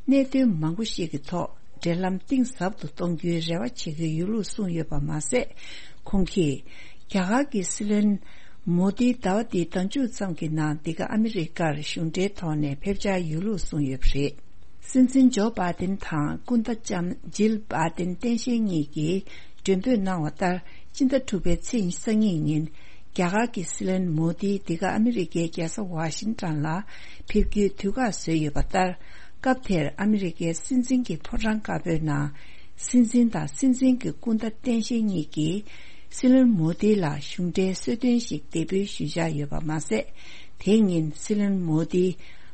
གནད་དོན་མང་པོ་ཞིག་གི་ཐོག་འབྲེལ་ལམ་གཏིང་ཟབ་ཏུ་གཏོང་རྒྱུའི་རེ་བ་བྱེད་ཀྱི་ཡོད་ལུགས་གསུངས་ཡོད་པ་མ་ཟད། ཁོང་གིས་རྒྱ་གར་གྱི་སྲིད་བློན་མོ་དི་ཟླ་བ་འདིའི་ཟླ་མཇུག་ཙམ་གྱི་ནང་འདི་ག་ཨ་མི་རི་ཀར་གཞུང་འབྲེལ་ཐོག་ནས་ཕེབས་འཆར་ཡོད་ལུགས་གསུངས་ཡོད་པ་རེད། སྲིད་འཛིན་ཇོ་བྷའི་ཏིན་དང་སྐུ་ཟླ་ལྕམ་ཇིལ་བྷའི་ཏིན་སྟངས་དཔྱལ་གཉིས་ཀྱིས་མགྲོན་འབོད་གནང་བ་ལྟར། སྤྱི་ཟླ་དྲུག་པའི་ཚེས་ཉི་ཤུ་རྩ་གཉིས་ཉིན། རྒྱ་གར་གྱི་སྲིད་བློན་མོ་དི་འདི་ག་ཨ་མི་རི་ཀའི་རྒྱལ་ས་ཝ་ཤིང་ཊོན་ལ་ཕེབས་རྒྱུའི་དུས་བཀག་བཟོས་ཡོད་པ་ལྟར། སྐབས་དེར་ཨ་མི་རི་ཀའི་སྲིད་འཛིན་གྱི་ཕོ་བྲང་དཀར་པོའི་ནང་། སྲིད་འཛིན་དང་སྲིད་འཛིན་གྱི་སྐུ་ཟླ་སྟངས་དཔྱལ་གཉིས་ཀྱིས། སྲིད་བློན་མོ་དི་ལ་གཞུང་འབྲེལ་གསོལ་སྟོན་ཞིག་འདེགས་འབུལ་ཞུས་འཆར་ཡོད་པ་མ་ཟད། དེ་ཉིན་སྲིད་བློན་མོ་དི་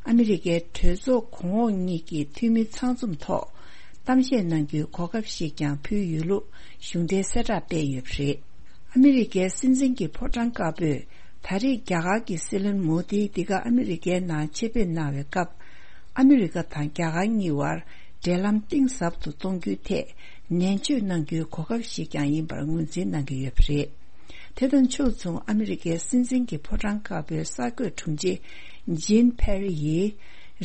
ཨ་མི་རི་ཀའི་གྲོས་ཚོགས་གོང་འོག་གཉིས་ཀྱི་འཐུས་མི་ཚང་འཛོམས་ཐོག་གཏམ་བཤད་གནང་རྒྱུའི་གོ་སྐབས་ཤིག་ཀྱང་ཕུལ་ཡོད་ལུགས་གཞུང་འབྲེལ་གསལ་བསྒྲགས་སྤེལ་ཡོད་པ་རེད། ཨ་མི་རི་ཀའི་སྲིད་འཛིན་གྱི་ཕོ་བྲང་དཀར་པོས་ད་རེས་རྒྱ་གར་གྱི་སྲིད་བློན་མོ་དི་འདི་ག་ཨ་མི་རི་ཀའི་ནང་ཆེད་ཕེབས་གནང་བའི་སྐབས། ཨ་མི་རི་ཀ་དང་རྒྱ་གར་གཉིས་བར་འབྲེལ་ལམ་གཏིང་ཟབ་ཏུ་གཏོང་རྒྱུའི་ཐད་ནན་བརྗོད་གནང་རྒྱུའི་གོ་སྐབས་ཤིག་ཀྱང་ཡིན་པར་ངོས་འཛིན་གནང་གི་ཡོད་པ་རེད། དེ་དང་ཕྱོགས་མཚུངས་ཨ་མི་རི་ཀའི་སྲིད་འཛིན་གྱི་ཕོ་བྲང་དཀར་པོའི་གསར་འགོད་དྲུང་ཆེ་ཇིན་ཕེ་རི་ཡིས།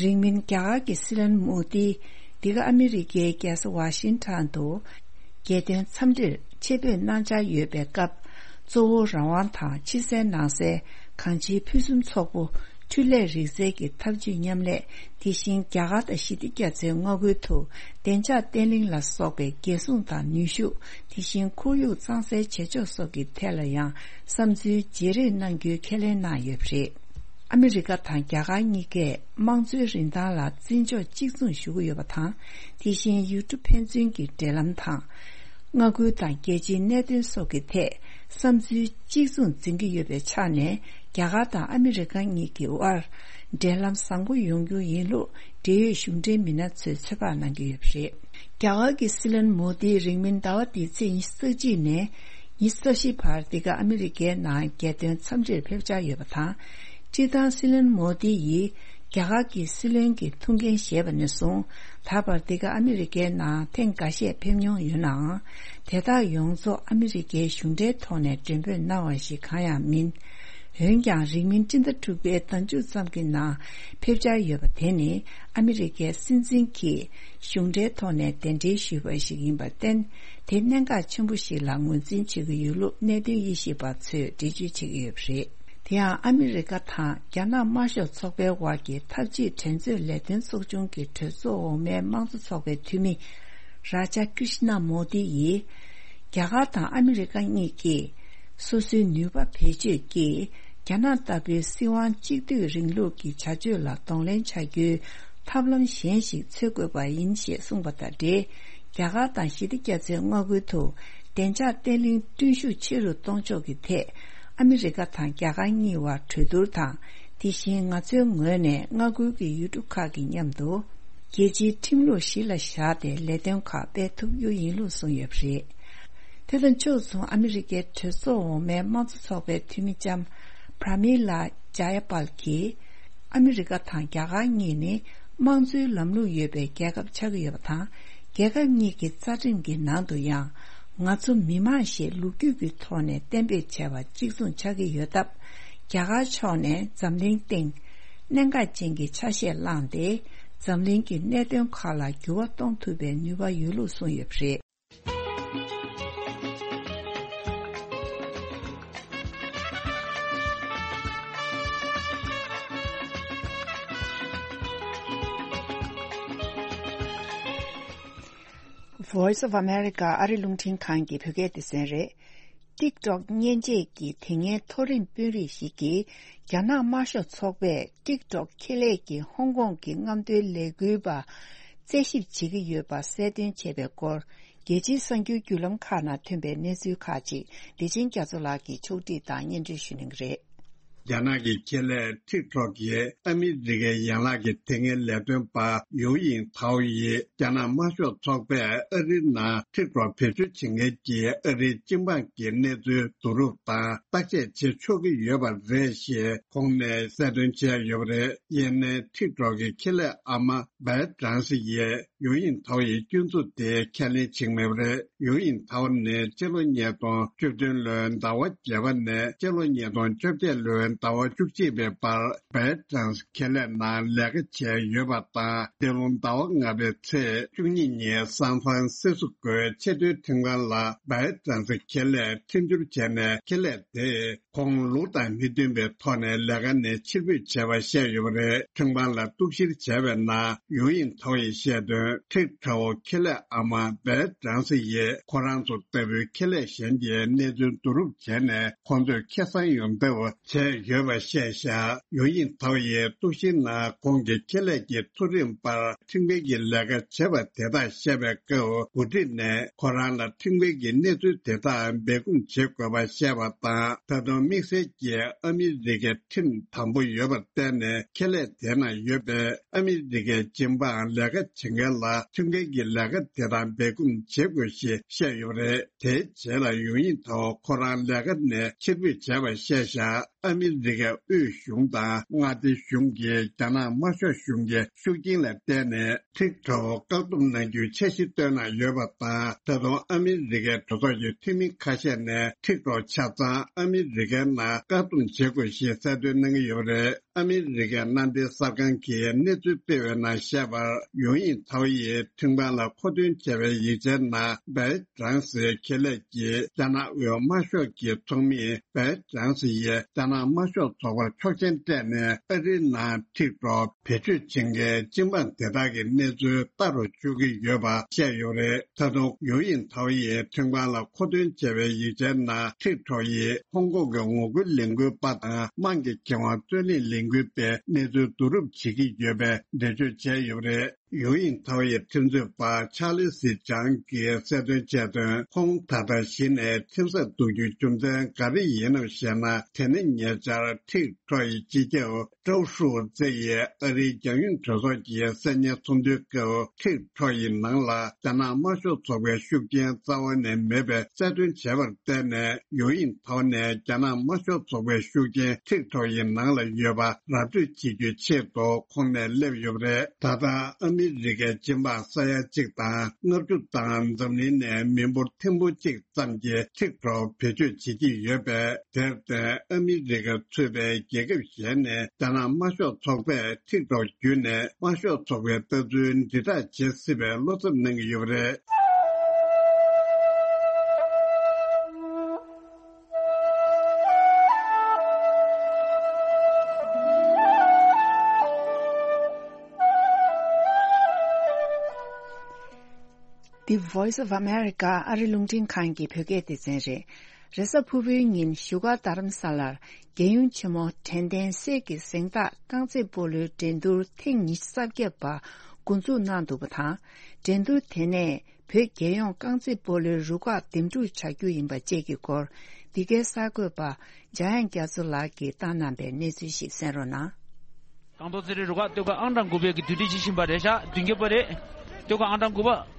རིང་མིན་རྒྱ་གར་གྱི་སྲིད་བློན་མོ་དི་འདི་ག་ཨ་མི་རི་ཀའི་རྒྱལ་ས་ཝ་ཤིང་ཊོན་དུ་རྒྱལ་དོན་འཚམས་འདྲིར་ཆེད་ཕེབས་གནང་འཆར་ཡོད་པའི་སྐབས། གཙོ་བོ་རང་དབང་དང་ཕྱི་གསལ་ནང་གསལ་གང་ཅིའི་ཕུན་སུམ་ཚོགས་པོ། འཕྲུལ་ལས་རིག་རྩལ་གྱི་འཐབ་ཇུས་མཉམ་ལས། དེ་བཞིན་རྒྱ་གར་དང་ཞི་བདེ་རྒྱ་མཚོའི་མངའ་ཁུལ་དུ་བདེ་འཇགས་བརྟན་ལྷིང་ལ་སོགས་པའི་རྒྱལ་སྲུང་དང་ནུས་ཤུགས། དེ་བཞིན་ཁོར་ཡུག་གཙང་སེལ་བྱེད་ཕྱོགས་སོགས་ཀྱི་ཐད་ལ་ཡང་བསམ་ཚུལ་བརྗེ་རེས་གནང་རྒྱུའི་ཁས་ལེན་གནང་ཡོད་པ་རེད། ཨ་མི་རི་ཀ་དང་རྒྱ་གར་གཉིས་ཀས་དམངས་གཙོའི་རིན་ཐང་ལ་བརྩི་འཇོག་གཅིག་མཚུངས་ཞུ་གི་ཡོད་པ་དང་། དེ་བཞིན་ཡུལ་གྲུ་ཕན་ཚུན་གྱི་འབྲེལ་ལམ་དང་། མངའ་ཁུལ་དང་རྒྱལ་སྤྱིའི་གནད་དོན་སོགས་ཀྱི་ཐད་བསམ་ཚུལ་གཅིག་མཚུངས་འཛིན་གྱི་ཡོད་པའི་ཆ་ནས། རྒྱ་གར་དང་ཨ་མི་རི་ཀ་གཉིས་ཀྱི་དབར་འབྲེལ་ལམ་བཟང་པོ་ཡོང་རྒྱུ་ཡིན་ལུགས་འབྲེལ་ཡོད་གཞུང་འབྲེལ་མི་སྣ་ཚོས་ཚོད་དཔག་གནང་གི་ཡོད་པ་རེད། རྒྱ་གར་གྱི་སྲིད་བློན་མོ་དིས་རིང་མིན་ཟླ་བ་འདིའི་ཚེས་ཉི་ཤུ་རྩ་གཅིག་ནས་ཉི་ཤུ་རྩ་བཞི་བར་འདི་ག་ཨ་མི་རི་ཀའི་ནང་རྒྱལ་དོན་འཚམས་འདྲིར་ཕེབས་འཆར་ཡོད་པ་དང་། སྤྱིར་བཏང་སྲིད་བློན་མོ་དི་ཡིས་རྒྱ་གར་གྱི་སྲིད་བློན་གྱི་ཐུགས་འགན་བཞེས་པ་ནས་བཟུང་ད་བར་འདི་ག་ཨ་མི་རི་ཀའི་ནང་ཐེངས་འགའ་ཤས་ཕེབས་མྱོང་ཡོད་ནའང་། དེ་དག་ཡོངས་རྫོགས་ཨ་མི་རི་ཀའི་གཞུང་འབྲེལ་ཐོག་ནས་མགྲོན་འབོད་གནང་བ་ཞིག་གང་ཡང་མིན། འོན་ཀྱང་རིང་མིན་སྤྱི་ཟླ་དྲུག་པའི་ཟླ་མཇུག་ཙམ་གྱི་ནང་ཕེབས་འཆར་ཡོད་པ་དེ་ནི་ཨ་མི་རི་ཀའི་སྲིད་འཛིན་གྱིས་གཞུང་འབྲེལ་ཐོག་ནས་གདན་འདྲེན་ཞུས་པ་ཞིག་ཡིན་པར་བརྟེན། དེ་གནད་འགག་ཆེན་པོ་ཞིག་ལ་ངོས་འཛིན་བྱེད་ཀྱི་ཡོད་ལུགས་གནད་དོན་དབྱེ་ཞིབ་པ་ཚོས་འགྲེལ་བརྗོད་བྱེད་ཀྱི་ཡོད་པ་རེད། དེ་ཡང་ཨ་མི་རི་ཀ་དང་རྒྱ་ནག་དམར་ཤོག་ཚོགས་པའི་དབར་གྱི་འཐབ་ཇུས་འགྲན་རྩོད་ལས་དོན་ཚོགས་ཆུང་གི་གྲོས་ཚོགས་འོག་མའི་དམངས་གཙོ་ཚོགས་པའི་འཐུས་མི་རཱ་ཇ་ཀྲིཤ་ན་མོ་དི་ཡིས། རྒྱ་གར་དང་ཨ་མི་རི་ཀ་གཉིས་ཀྱིས་སོ་སོའི་ནུས་པ་བེད་སྤྱོད་ཀྱིས་རྒྱ་ནག་ལྟ་བུའི་སྲིད་དབང་གཅིག་སྡུད་རིང་ལུགས་ཀྱི་བྱ་སྤྱོད་ལ་གདོང་ལེན་བྱ་རྒྱུའི་ཐབས་ལམ་གཞན་ཞིག་འཚོལ་དགོས་པ་ཡིན་ཞེས་གསུངས་པ་དང་འབྲེལ། རྒྱ་གར་དང་ཞི་བདེ་རྒྱ་མཚོའི་མངའ་ཁུལ་དུ་བདེ་འཇགས་བརྟན་ལྷིང་བསྐྲུན་ཤུགས་ཆེ་རུ་གཏོང་ཕྱོགས་ཀྱི་ཐད་ཨ་མི་རི་ཀ་དང་རྒྱ་གར་གཉིས་བར་གྲོས་བསྡུར་དང་། དེ་བཞིན་ང་ཚོའི་ངོས་ནས་མངའ་ཁུལ་གྱི་ཡུལ་གྲུ་ཁག་གི་མཉམ་དུ་རྒྱལ་སྤྱིའི་ཁྲིམས་ལུགས་གཞི་ལ་བཞག་སྟེ་ལས་དོན་ཁག་སྤེལ་ཐུབ་རྒྱུ་ཡིན་ལུགས་གསུངས་ཡོད་པ་རེད། དེ་དང་ཕྱོགས་མཚུངས་ཨ་མི་རི་ཀའི་གྲོས་ཚོགས་འོག་མའི་དམངས་གཙོ་ཚོགས་པའི་འཐུས་མི་ལྕམ་པྲ་མི་ལ་ཇ་ཡ་པལ་གྱིས། ཨ་མི་རི་ཀ་དང་རྒྱ་གར་གཉིས་ནི་དམངས་གཙོའི་ལམ་ལུགས་ཡོད་པའི་རྒྱལ་ཁབ་ཆགས་ཀྱི་ཡོད་པ་དང་། རྒྱལ་ཁབ་གཉིས་ཀྱི་རྩ་ཁྲིམས་ཀྱི་ནང་དུ་ཡང་། ང་ཚོ་མི་དམངས་ཞེས་ལོ་རྒྱུས་ཀྱི་ཐོག་ནས་གཏན་འབེབས་བྱས་པ་གཅིག་མཚུངས་ཆགས་ཀྱི་ཡོད་སྟབས། རྒྱ་གར་ཕྱོགས་ནས་འཛམ་གླིང་སྟེང་གནད་འགག་ཅན་གྱི་ཆ་ཤས་བླངས་ཏེ། འཛམ་གླིང་གི་གནད་དོན་ཁག་ལ་འགྱུར་བ་གཏོང་ཐུབ་པའི་ནུས་པ་ཡོད་ལུགས་གསུངས་ཡོད་པ་རེད། Voice of America ཨ་རི་རླུང་འཕྲིན་ཁང་གི་བོད་སྐད་སྡེ་ཚན་རེད། ཊིག་ཊོག་མཉེན་ཆས་ཀྱི་དེ་སྔའི་མཐོ་རིམ་དཔོན་རིགས་ཤིག་གིས་རྒྱ་ནག་དམར་ཤོག་ཚོགས་པས་ཊིག་ཊོག་ཁེ་ལས་ཀྱི་ཧོང་ཀོང་གི་རྔམ་སྟོན་ལས་འགུལ་པ་རྩད་ཞིབ་བྱེད་ཀྱི་ཡོད་པ་གསལ་སྟོན་བྱས་པའི་སྐོར། རྒྱལ་སྤྱིའི་གསར་འགྱུར་བརྒྱུད་ལམ་ཁག་ནང་ཐོན་པའི་གནས་ཚུལ་ཁག་ཅིག་བདེ་ཆེན་རྒྱ་མཚོ་ལགས་ཀྱིས་ཕྱོགས་སྒྲིག་དང་སྙན་སྒྲོན་ཞུ་གནང་གི་རེད། རྒྱ་ནག་གི་ཁེ་ལས་ཊིག་ཊོག་གིས་ཨ་མི་རི་ཀའི་ཡན་ལག་གི་དེ་སྔའི་ལས་དོན་པ་ཡུའུ་ཡིང་ཐའོ་ཡིས་རྒྱ་ནག་དམར་ཤོག་ཚོགས་པས་ཨ་རིའི་ནང་ཊིག་ཊོག་བེད་སྤྱོད་བྱེད་མཁན་གྱི་ཨ་རིའི་སྤྱི་འབངས་ཀྱི་གནས་ཚུལ་བསྡུ་རུབ་དང་བརྟག་དཔྱད་བྱེད་ཆོག་གི་ཡོད་པ་རེད་ཞེས་ཁོང་ནས་གསལ་སྟོན་བྱས་ཡོད་པ་རེད། ཡིན་ནའི་ཊིག་ཊོག་གི་ཁེ་ལས་ཨ་མ་བའི་ཀྲང་སི་ཡིས་ཡུའུ་ཡིང་ཐའོ་ཡི་སྐྱོན་འཛུགས་དེ་ཁས་ལེན་བྱེད་ཀྱི་མེད་པ་རེད། ཡུའུ་ཡིང་ཐའོ་ནི་སྤྱི་ལོ་ཉིས་སྟོང་བཅུ་བདུན་ལོའི་ཟླ་བ་བརྒྱད་པ་ནས་སྤྱི་ལོ་ཉིས་སྟོང་བཅོ་བརྒྱད་ལོའི་ ཟླ་བ་བཅུ་གཅིག་པའི་བར་བལ་ཀྲང་སི་ཁེ་ལས་ནང་ལས་ཀ་བྱས་ཡོད་པ་དང་། འདི་ལོ་ཟླ་བ་ལྔ་པའི་ཚེས་བཅུ་གཉིས་ཉིན་སན་ཧྥ་རན་སི་སི་ཀོའི་ཆེས་མཐོའི་ཁྲིམས་ཁང་ལ་བལ་ཀྲང་སི་ཁེ་ལས་ཁྲིམས་བསྒྱུར་བྱས་ནས། ཁེ་ལས་དེས་ཁོང་ལུགས་དང་མི་མཐུན་པའི་ཐོག་ནས་ལས་ཀ་ནས་ཕྱིར་འབུད་བྱས་པ་བཤད་ཡོད་པ་རེད། ཁྲིམས་ཁང་ལ་གཏུག་བཤེར་བྱས་པའི་ནང་ཡུའུ་ཡིང་ཐའོ་ཡིས་བཤད་དོན། ཁྲིག་ཁྲའོ་ཁེ་ལས་ཨ་མ་བལ་ཀྲང་སི་ཡིས་ཁོ་རང་ཚོ་ལྟ་བུའི་ཁེ་ལས་གཞན་གྱི་གནས་ཚུལ་བསྡུ་རུབ་བྱས་ནས། ཁོང་ཚོས་ཁེ་བཟང་ཡོང་ཐབས་བྱས་ཡོད་པ་བཤད་བཞག་ཡུའུ་ཡིང་ཐའོ་ཡིས་གཏུག་བཤེར་ནང་ཁོང་གི་ཁེ་ལས་ཀྱི་མཐོ་རིམ་པར་ཁྲིམས་འགལ་གྱི་ལས་ཀ་བྱས་པ་དེ་དག་བཤད་པའི་སྐབས། འགོ་ཁྲིད་ནས་ཁོ་རང་ལ་ཁྲིམས་འགལ་གྱི་གནས་ཚུལ་དེ་དག་སྦས་སྐུང་བྱེད་དགོས་པ་བཤད་པ་དང་། ད་དུང་དམིགས་བསལ་གྱིས་ཨ་མི་རི་ཀའི་ཁྲིམས་དམ་པོ་ཡོད་པར་བརྟེན་ནས། ཁེ་ལས་དེ་ནང་ཡོད་པའི་ཨ་མི་རི་ཀའི་སྦྱིན་པའམ་ལས་ཀ་བྱེད་མཁན་ལ་ཁྲིམས་འགལ་གྱི་ལས་ཀ་དེ་དག་སྦས་སྐུང་བྱེད་དགོས་ཞེས་བཤད་ཡོད་པ་རེད། དེའི་རྗེས་ལ་ཡུའུ་ཡིང་ཐའོ་ཁོ་རང་ལས་ཀ་ནས་ཕྱིར་འབུད་བྱས་པ་བཤད་བཞག་ཨ་མི་རི་ཀའི་དབུས་གཞུང་དང་མངའ་སྡེ་གཞུང་གིས་རྒྱ་ནག་དམར་ཤོག་གཞུང་གི་ཤུགས་རྐྱེན་ལ་བརྟེན་ནས། ཁྲིག་ཁྲའོ་བཀག་སྡོམ་གནང་རྒྱུའི་འཆར་གཞི་བཏོན་གནང་ཡོད་པ་དང་། ད་དུང་ཨ་མི་རི་ཀའི་གྲོས་ཚོགས་ཀྱི་འཐུས་མི་ཁ་ཤས་ནས་ཁྲིག་ཁྲའོ་ཆ་ཚང་ཨ་མི་རི་ཀའི་ནང་བཀག་སྡོམ་བྱེད་དགོས་ཞེས་གསལ་སྟོན་གནང་གི་ཡོད་པ་རེད། ཨ་མི་རི་ཀའི་མནའ་འབྲེལ་གསར་ཁང་གིས་གནས་ཚུལ་སྤེལ་བའི་ནང་བཤད་པར། ཡུའུ་ཡིང་ཐའོ་ཡིས་ཁྲིམས་ཁང་ལ་མཁོ་འདོན་བྱས་པའི་ཡིག་ཆའི་ནང་། བལ་ཀྲང་སིའི་ཁེ་ལས་ཀྱིས་རྒྱ་ནག་དབུས་དམར་ཤོག་གི་ཚོགས་མི་བལ་ཀྲང་སི་ཡིས་རྒྱ་ནག་དམར་ཤོག་ཚོགས་པར་ཆོག་མཆན་སྤྲད་ནས། ཨ་རིའི་ནང་ཁྲིག་ཁྲའོ་བེད་སྤྱོད་བྱེད་མཁན་སྤྱི་འབངས་དེ་དག་གི་གནས་ཚུལ་ལྟ་རུ་བཅུག་གི་ཡོད་པ་བཤད་ཡོད་རེད། ད་དུང་ཡུའུ་ཡིང་ཐའོ་ཡིས་ཁྲིམས་ཁང་ལ་མཁོ་འདོན་བྱས་པའི་ཡིག་ཆའི་ནང་། ཁྲིག་ཁྲའོ་ཡིས་ཧོང་ཀོང་གི་ངོ་རྒོལ་ལས་འགུལ་པ་དང་། དམངས་ཀྱི་ཁེ་དབང་རྩོད་ལེན་ལས་འགུལ་པའི་གནས་ཚུལ་བསྡུ་རུབ་བྱེད་ཀྱི་ཡོད་པའི་འགྲེལ་བརྗོད་བྱས་ཡོད་པ་རེད། ཡུའུ་ཡིང་ཐའོ་ཡི་ཁྲིམས་རྩོད་པ་ཆར་ལི་སི་ཅང་གིས་གསལ་སྟོན་བྱས་དོན། ཁོང་ད་ལྟ་གཞི་ནས་ཁྲིམས་སར་གཏུག་རྒྱུའི་རྒྱུ་མཚན་ག་རེ་ཡིན་ནམ་ཞེ་ན། དེ་ནི་ཉེ་ཆར་ཁྲིག་ཁྲའོ་ཡི་སྤྱི་ཁྱབ་ཀྲའོ་ཧྲུའུ་ཙེ་ཡིས་ཨ་རིའི་རྒྱང་ཡོལ་གྲོས་ཚོགས་ཀྱི་གསར་རྙིང་ཚོགས་འདུའི་སྐབས། ཁྲིག་ཁྲའོ་ཡི་ནང་ལ་རྒྱ་ནག་དམར་ཤོག་ཚོགས་པའི་ཤུགས་རྐྱེན་རྩ་བ་ནས་མེད་པའི་གསལ་སྟོན་བྱས་པར་བརྟེན་ནས། ཡུའུ་ཡིང་ཐའོ་ནས་རྒྱ་ནག་དམར་ཤོག་ཚོགས་པའི་ཤུགས་རྐྱེན་ཁྲིག་ཁྲའོ་ཡི་ནང་ལ་ཡོད་པ་ར་སྤྲོད་བྱེད་རྒྱུའི་ཆེད་དུ་ཁོང་ནས་སླེབས་ཡོད་པ་རེད། ད་ལྟ་ཨ་མི་རི་ཀའི་སྤྱི་འབངས་ས་ཡ་གཅིག་དང་ལྔ་བཅུ་དང་འཛམ་གླིང་ནས་མི་འབོར་ཐེར་འབུམ་གཅིག་ཙམ་གྱིས་ཁྲིག་ཁྲའོ་བེད་སྤྱོད་བྱེད་ཀྱི་ཡོད་པས། དེར་བརྟེན་ཨ་མི་རི་ཀ་ཚུད་པའི་རྒྱལ་ཁབ་གཞན་ནས་རྒྱ་ནག་དམར་ཤོག་ཚོགས་པས་ཁྲིག་ཁྲའོ་བརྒྱུད་ནས་དམར་ཤོག་ཚོགས་པའི་ལྟ་ཚུལ་དྲིལ་བསྒྲགས་བྱེད་སྲིད་པའི་བློ་འཚབ་གནང་གི་ཡོད་པ་རེད། The Voice of America ཨ་རི་རླུང་འཕྲིན་ཁང་གི་བོད་སྐད་སྡེ་ཚན་རེད། རེས་གཟའ་ཕུར་བུའི་ཉིན་བཞུགས་སྒར་རྡ་རམ་ས་ལར་རྒྱལ་ཡུམ་ཆེན་མོ་དྲན་རྟེན་གསེར་གྱི་གཟེངས་རྟགས་རྐང་རྩེད་སྤོ་ལོའི་འགྲན་བསྡུར་ཐེངས་ཉི་ཤུ་རྩ་བརྒྱད་པ་འགོ་འཛུགས་གནང་འདུག་པ་དང་། འགྲན་བསྡུར་དེ་ནས་བོད་རྒྱལ་ཡོངས་རྐང་རྩེད་སྤོ་ལོའི་རུ་ཁག་འདེམས་སྒྲུག་བྱ་རྒྱུ་ཡིན་པ་བཅས་ཀྱི་སྐོར། འདི་གའི་གསར་འགོད་པ་འཇམ་དབྱངས་རྒྱ་མཚོ་ལགས་ཀྱིས་བཏང་གནང་པའི་གནས་ཚུལ་ཞིག་གསན་རོགས་གནང་། རྐང་ཐང་རྩེད་རའི་རུ་ཁག་སྟོད་ཁ་ཨང་གྲངས་དགུ་པའི་གི་དུས་དྲན་བྱེད་བཞིན་པ་རེད་ཤག་མདུན་རྒྱབ་པ་རེད། སྟོད་ཁ་ཨང་གྲངས་དགུ་པ།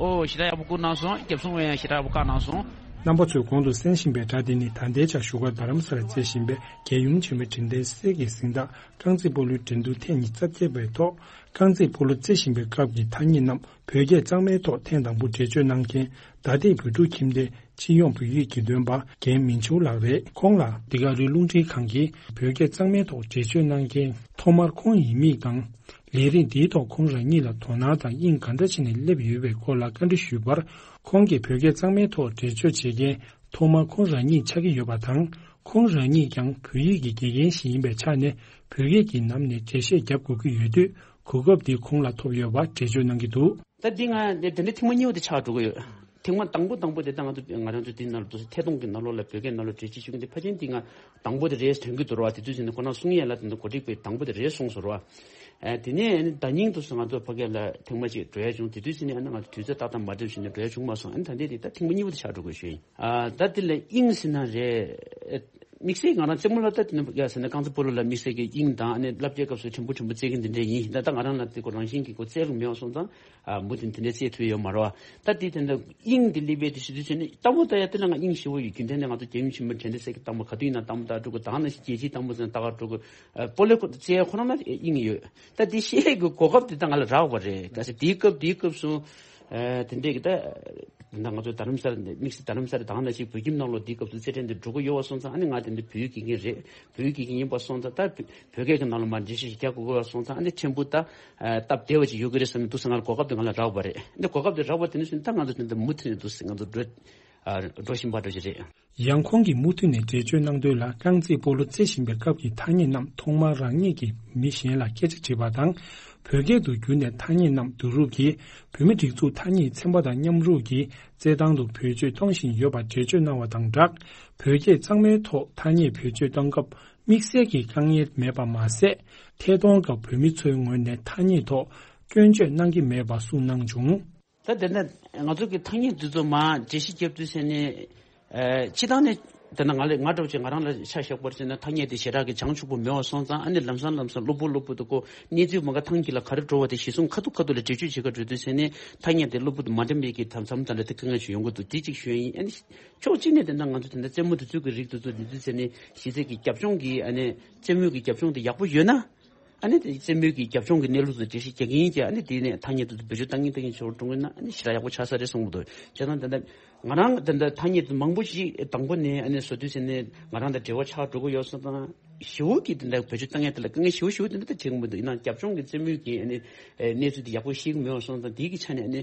ཨོ་ཞེ་དྲག་ཡག་པོ་བསྐུར་གནང་སོང་། རྒྱབ་སོང་བས་ཡང་ཞེ་དྲག་ཡག་པོ་བཀག་གནང་སོང་། རྣམ་པ་ཚོས་གོང་དུ་གསན་བཞིན་པའི་སྒྲ་དེ་ནི་ད་ལྟའི་ཆར་བཞུགས་སྒར་རྡ་རམ་ས་ལར་རྩེ་བཞིན་པའི་རྒྱལ་ཡུམ་ཆེན་མོའི་དྲན་རྟེན་གསེར་གྱི་གཟེངས་རྟགས་རྐང་རྩེད་སྤོ་ལོའི་འགྲན་བསྡུར་ཐེངས་ཉི་ཤུ་རྩ་བརྒྱད་པའི་ཐོག་རྐང་རྩེད་སྤོ་ལོ་རྩེ་བཞིན་པའི་སྐབས་ཀྱི་ཐ་སྙད་རྣམས་བོད་སྐད་གཙང་མའི་ཐོག་ཐེངས་དང་པོ་འགྲེལ་བརྗོད་གནང་མཁན་ད་ལྟའི་བོད་ཕྲུག་ཁྱིམ་སྡེ་སྤྱི་ཡོངས་བོད་ཡིག་དགེ་འདུན་པ་རྒན་མིང་ཆུང་ལགས་རེད། ཁོང་ལ་འདི་ག་རི་རླུང་འཕྲིན་ཁང་གིས་བོད་སྐད་གཙང་མའི་ཐོག་འགྲེལ་བརྗོད་གནང་མཁན་ཐོག་མར་ཁོང་ཡི་མིང་དང་། ལས་རིམ་འདིའི་ཐོག་ཁོང་རང་ཉིད་ལ་དོ་སྣང་དང་དབྱིངས་ག་འདྲ་བྱས་ནས་སླེབས་ཡོད་པའི་སྐོར་ལ་བཀའ་འདྲི་ཞུས་པར། ཁོང་གིས་བོད་སྐད་གཙང་མའི་ཐོག་འགྲེལ་བརྗོད་བྱེད་མཁན་ཐོག་མར་ཁོང་རང་ཉིད་ཆགས་ཀྱི་ཡོད་པ་དང་། ཁོང་རང་ཉིད་ཀྱང་བོད་ཡིག་གི་དགེ་རྒན་ཞིག་ཡིན་པའི་ཆ་ནས་བོད་སྐད་ཀྱི་ནང་ནས་འགྲེལ་བཤད་རྒྱབ་དགོས་ཀྱི་ཡོད་དུས། གོ་སྐབས་འདི་ཁོང་ལ་ཐོབ་ཡོད་པ་འགྲེལ་བརྗོད་གནང་གི་འདུག་ད་འདི་ང་འདི་འདི་འདྲ་ཐེངས་མ་གཉིས་པ་དེ་ཆགས་འགྲོ་གི་ཡོད། ཐེངས་མ་དང་པོ་དང་པོ་དེ་ད་ང་ཚོ་ང་རང་ཚོ་འདི་ནང་ལ་འདུག་སེ་ཐད་གཏོང་གི་ནང་ལོགས་ལ་བོད་སྐད་ནང་ལོགས་འགྲེལ་བརྗོད་ཞུ་གི་འདི་ཕལ་ཆེར་འདི་ང་དང་པོ་དེ་རེད་དྲན་གི་འདུག་ར་བ། དེ་དུས་ཙམ་ནས་ཁོ་རང་གསུང་ཡས་ལ་དེ་འདྲ་གོ་སྒྲིག་པའི་དང་པོ་དེ་རེད་གསུངས་སོང་ར་བ། ཨ་དེ་ནས་ད་ཉིང་དུ་སུ་ང་ཚོ་ཕ་གི་ལ་ཐེངས་མ་གཅིག་འགྲོ་ཡ་བྱུང་། དེ་དུས་ཙམ་ནས་ཨ་ནི་ང་ཚོ་དུས་ཚོད་ཏག་ཏག་མ་འགྲིག་བྱུང་ནས་འགྲོ་ཡ་བྱུང་མ་སོང་། ཨ་ནི་ད་འདི་དེ་ད་ཐེངས་མ་གཉིས་པ་དེ་ཆགས་འགྲོ་དགོས་ཞུ་ཡིན། ཨ་ད་དེ་ལ་དབྱིངས་ཟེར་ན་རེད། དམིགས་བསལ་ང་རང་རྩེད་མོ་ལ་ད་དེ་ནི་ཡ་ཟེར་ན་རྐང་རྩེད་སྤོ་ལོ་ལ་དམིགས་བསལ་གྱི་དབྱིངས་དང་ཨ་ནི་བསླབ་བྱའི་སྐབས་སུ་ཕྲན་བུ་ཕྲན་བུ་རྩེད་མཁན་དེ་འདྲ་ཡིན། ད་ད་ང་རང་ལ་དེ་ཁོ་རང་བཞིན་གྱི་ཁོ་རྩེད་རུ་མེད་པ་སོང་ཙང་། ཨ་མུ་མཐུད་དེ་འདྲ་རྩེད་ཐུབ་ཡོད་མ་རེད་བ། ད་དེ་དེ་འདྲ་དབྱིངས་དེ་སླེབས་པའི་དུས་སུ་དུས་ཚོད་ནི་ལྟ་བུ་ལྟ་ཡ་དེ་ལ་ང་དབྱིངས་ཞེ་པོ་ཡོད། རྒྱུན་ལྡན་ནས་ང་ཚོ་རྒྱལ་ཡུམ་ཆེན་མོའི་དྲན་རྟེན་གསེར་གྱི་རྟགས་མ་ག་དུས་ཡིན་ན་རྟགས་མ་རྟགས་འགྲོ་དགོས། ད་ནི་རྒྱལ་སྤྱིའི་རྟགས་མ་ཚོ་ནས་རྟགས་འགྲོ་དགོས། ཨ་སྤོ་ལོ་ཁོ་རྩེད་ཡ་ཁོ་རང་ལ་དབྱིངས་ཡོད། ད་དེ་ཤེས་ཡས་ཀྱི་གོ་སྐབས་དེ་ད་ང་ལ་རག་པ་རེད། ད་དེའི་སྐབས་དེའི་སྐབས་སུ་ཨ་དེ་འདྲས་ཀྱི་ད། ད་ང་ཚོ་རྡ་རམ་ས་ལ་དམིགས་བསལ་རྡ་རམ་ས་ལ་དང་ནང་བཞིན་བོད་ཁྱིམ་ནང་ལོགས་འདིའི་སྐབས་སུ་རྩེད་འགྲན་འདི་འགྲོ་གི་ཡོད་པ་སོང་ཙང་ཨ་ནི་ང་དེ་འདི་བོད་ཡིག་དགེ་རྒན་རེད། བོད་ཡིག་དགེ་རྒན་ཡིན་པ་སོང་ཙང་ད་བོད་སྐད་ཀྱི་ནང་ལ་མར་འགྲེལ་བཤད་ཞིག་རྒྱག་དགོས་ཀྱི་ཡོད་པ་སོང་ཙང་ཨ་ནི་ཕྲན་བུ་ད་སྟབས་བདེ་བ་ཅིག་ཡོད་ཀྱི་རེད་བསམ་ནས་འདུག་སེ་ང་ལ་གོ་སྐབས་དེ་ང་ལ་རག་པ་རེད། འདི་གོ་སྐབས་དེ་རག་པ་དེ་ནས་བཟུང་ད་ང་ཚོ་དེ་འདི་མུ་མཐུད་ནས་འདུག་སེ་ང་ཚོ་འགྲོ་འགྲོ་བཞིན་པ་འདྲ་ཞིག་རེད། ཡང་ཁོང་གིས་མུ་མཐུད་ནས་འགྲེལ་བརྗོད་གནང་དོན་ལ། རྐང་རྩེད་སྤོ་ལོ་རྩེ་བཞིན་པའི་སྐབས་ཀྱི་ཐ་སྙད་རྣམས་ཐོག་མར་རང་ཉིད་ཀྱིས་མི་གཞན་ལ་སྐད་ཆ་དྲིས་པ་དང་། བོད་སྐད་དུ་བསྒྱུར་ནས་ཐ་སྙད་རྣམས་བསྡུ་རུབ་ཀྱིས་བོད་མིའི་སྒྲིག་འཛུགས་ཐ་སྙད་ཚན་པ་དང་མཉམ་རུབ་ཀྱིས་རྩེད་ཐང་དུ་བེད་སྤྱོད་གཏོང་བཞིན་ཡོད་པར་འགྲེལ་བརྗོད་གནང་བ་དང་སྦྲགས། བོད་སྐད་གཙང་མའི་ཐོག་ཐ་སྙད་བེད་སྤྱོད་གཏོང་སྐབས་དམིགས་བསལ་གྱི་དཀའ་ངལ་མེད་པ་མ་ཟད། ཐད་གཏོང་སྐབས་བོད་མི་ཚོའི་ངོས་ནས་ཐ་སྙད་ཐོག་སྐྱོན་བརྗོད་གནང་གི་མེད་པ་གསུངས་གནང་བྱུང་། ད་དེ་ནས་ང་ཚོ་གི་ཐ་སྙད་འདི་ཚོ་མར་འགྲེལ་བཤད་རྒྱབ་དུས་ཟེར་ནས། ཨ་སྤྱི་བཏང་ནས་དེ་ན་ང་ལ་ང་འདྲ་བོ་ཅིག་ང་རང་ལ་ཆ་བཞག་པར་བྱས་ན་ཐ་སྙད་དེ་ཞེ་དྲག་གི་བྱང་ཆུབ་པོ་མེད་པ་སོང་ཙང་ཨ་ནི་ལམ་སང་ལམ་སང་གློ་བུར་གློ་བུར་དུ་ཁོ་གནས་ཚུལ་མ་ག་ཐང་གི་ལ་ག་རེ་འགྲོ་བ་དེ་གཞི་བཟུང་ཁ་ཐུག་ཁ་ཐུག་ལ་འགྲེལ་བརྗོད་བྱེད་ག་འགྲོ་དུས་ཟེར་ནས་ཐ་སྙད་དེ་གློ་བུར་དུ་མ་འགྲིམ་པའི་གི་མཚམས་མཚམས་ལ་དེ་དཀའ་ངལ་ཞིག་ཡོང་གི་འདུག་དེ་གཅིག་ཞུ་ཡ་ཡིན། ཨ་ནི་ཕྱོགས་གཅིག་ནས་དེ་འདྲ་ང་ཚོ་དེ་འདྲ་རྩེད་མོ་དེ་ཚོ་གི་རིགས་དེ་ཚོ་དེ་ཚོ་ཟེར་ནས་གཞི་རྩའི་གི་རྒྱབ་ལྗོངས་གི་ཨ་ནི་རྩེད་མོའི་གི་རྒྱབ་ལྗོངས་དེ་ཡག་པོ་ཡོད་ན། ཨ་ནི་དེ་རྩེད་མོའི་གི་རྒྱབ་ལྗོངས་ཀྱི་གནས་ལུགས་དང་འགྲེལ་བཤད་རྒྱག་གི་ཡིན་ཀྱང་ཨ་ནི་དེ་ནས་ཐ་སྙད་དུ་བེད་སྤྱོད་བཏང་གིན་བཏང་གིན་བྱེད་རོགས་འགྲོ་གི་ན་ཨ་ནི་ཞེ་དྲག་ཡག་པོ་ཆགས་ས་རེད་གསུང་གི་འདུག་བྱས་ཙང་ད་ལྟ་ང་རང་ད་ལྟ་ཐ་སྙད་དུ་མང་པོ་ཞིག་དང་པོ་ནས་ཨ་ནི་བཟོ་དུས་ཟེར་ནས་ང་རང་དང་འབྲེལ་བ་ཆགས་འགྲོ་གི་ཡོད་སོང་ཙང་ཞེ་པོ་གི་དེ་འདྲ་བེད་སྤྱོད་བཏང་ཡས་དེ་ལ་དཀའ་ངལ་ཞེ་པོ་ཞེ་པོ་དེ་འདྲ་ད་བྱེད་གི་མི་འདུག་ཡིན་ནའང་རྒྱབ་ལྗོངས་ཀྱི་རྩེད་མོའི་གི་ཨ་ནི་གནས་ཚུལ་དེ་ཡག་པོ་ཤེས་ཀྱི་མེད་པ་སོང་ཙང་དེའི་གི་ཆ་ནས་ཨ་ནི་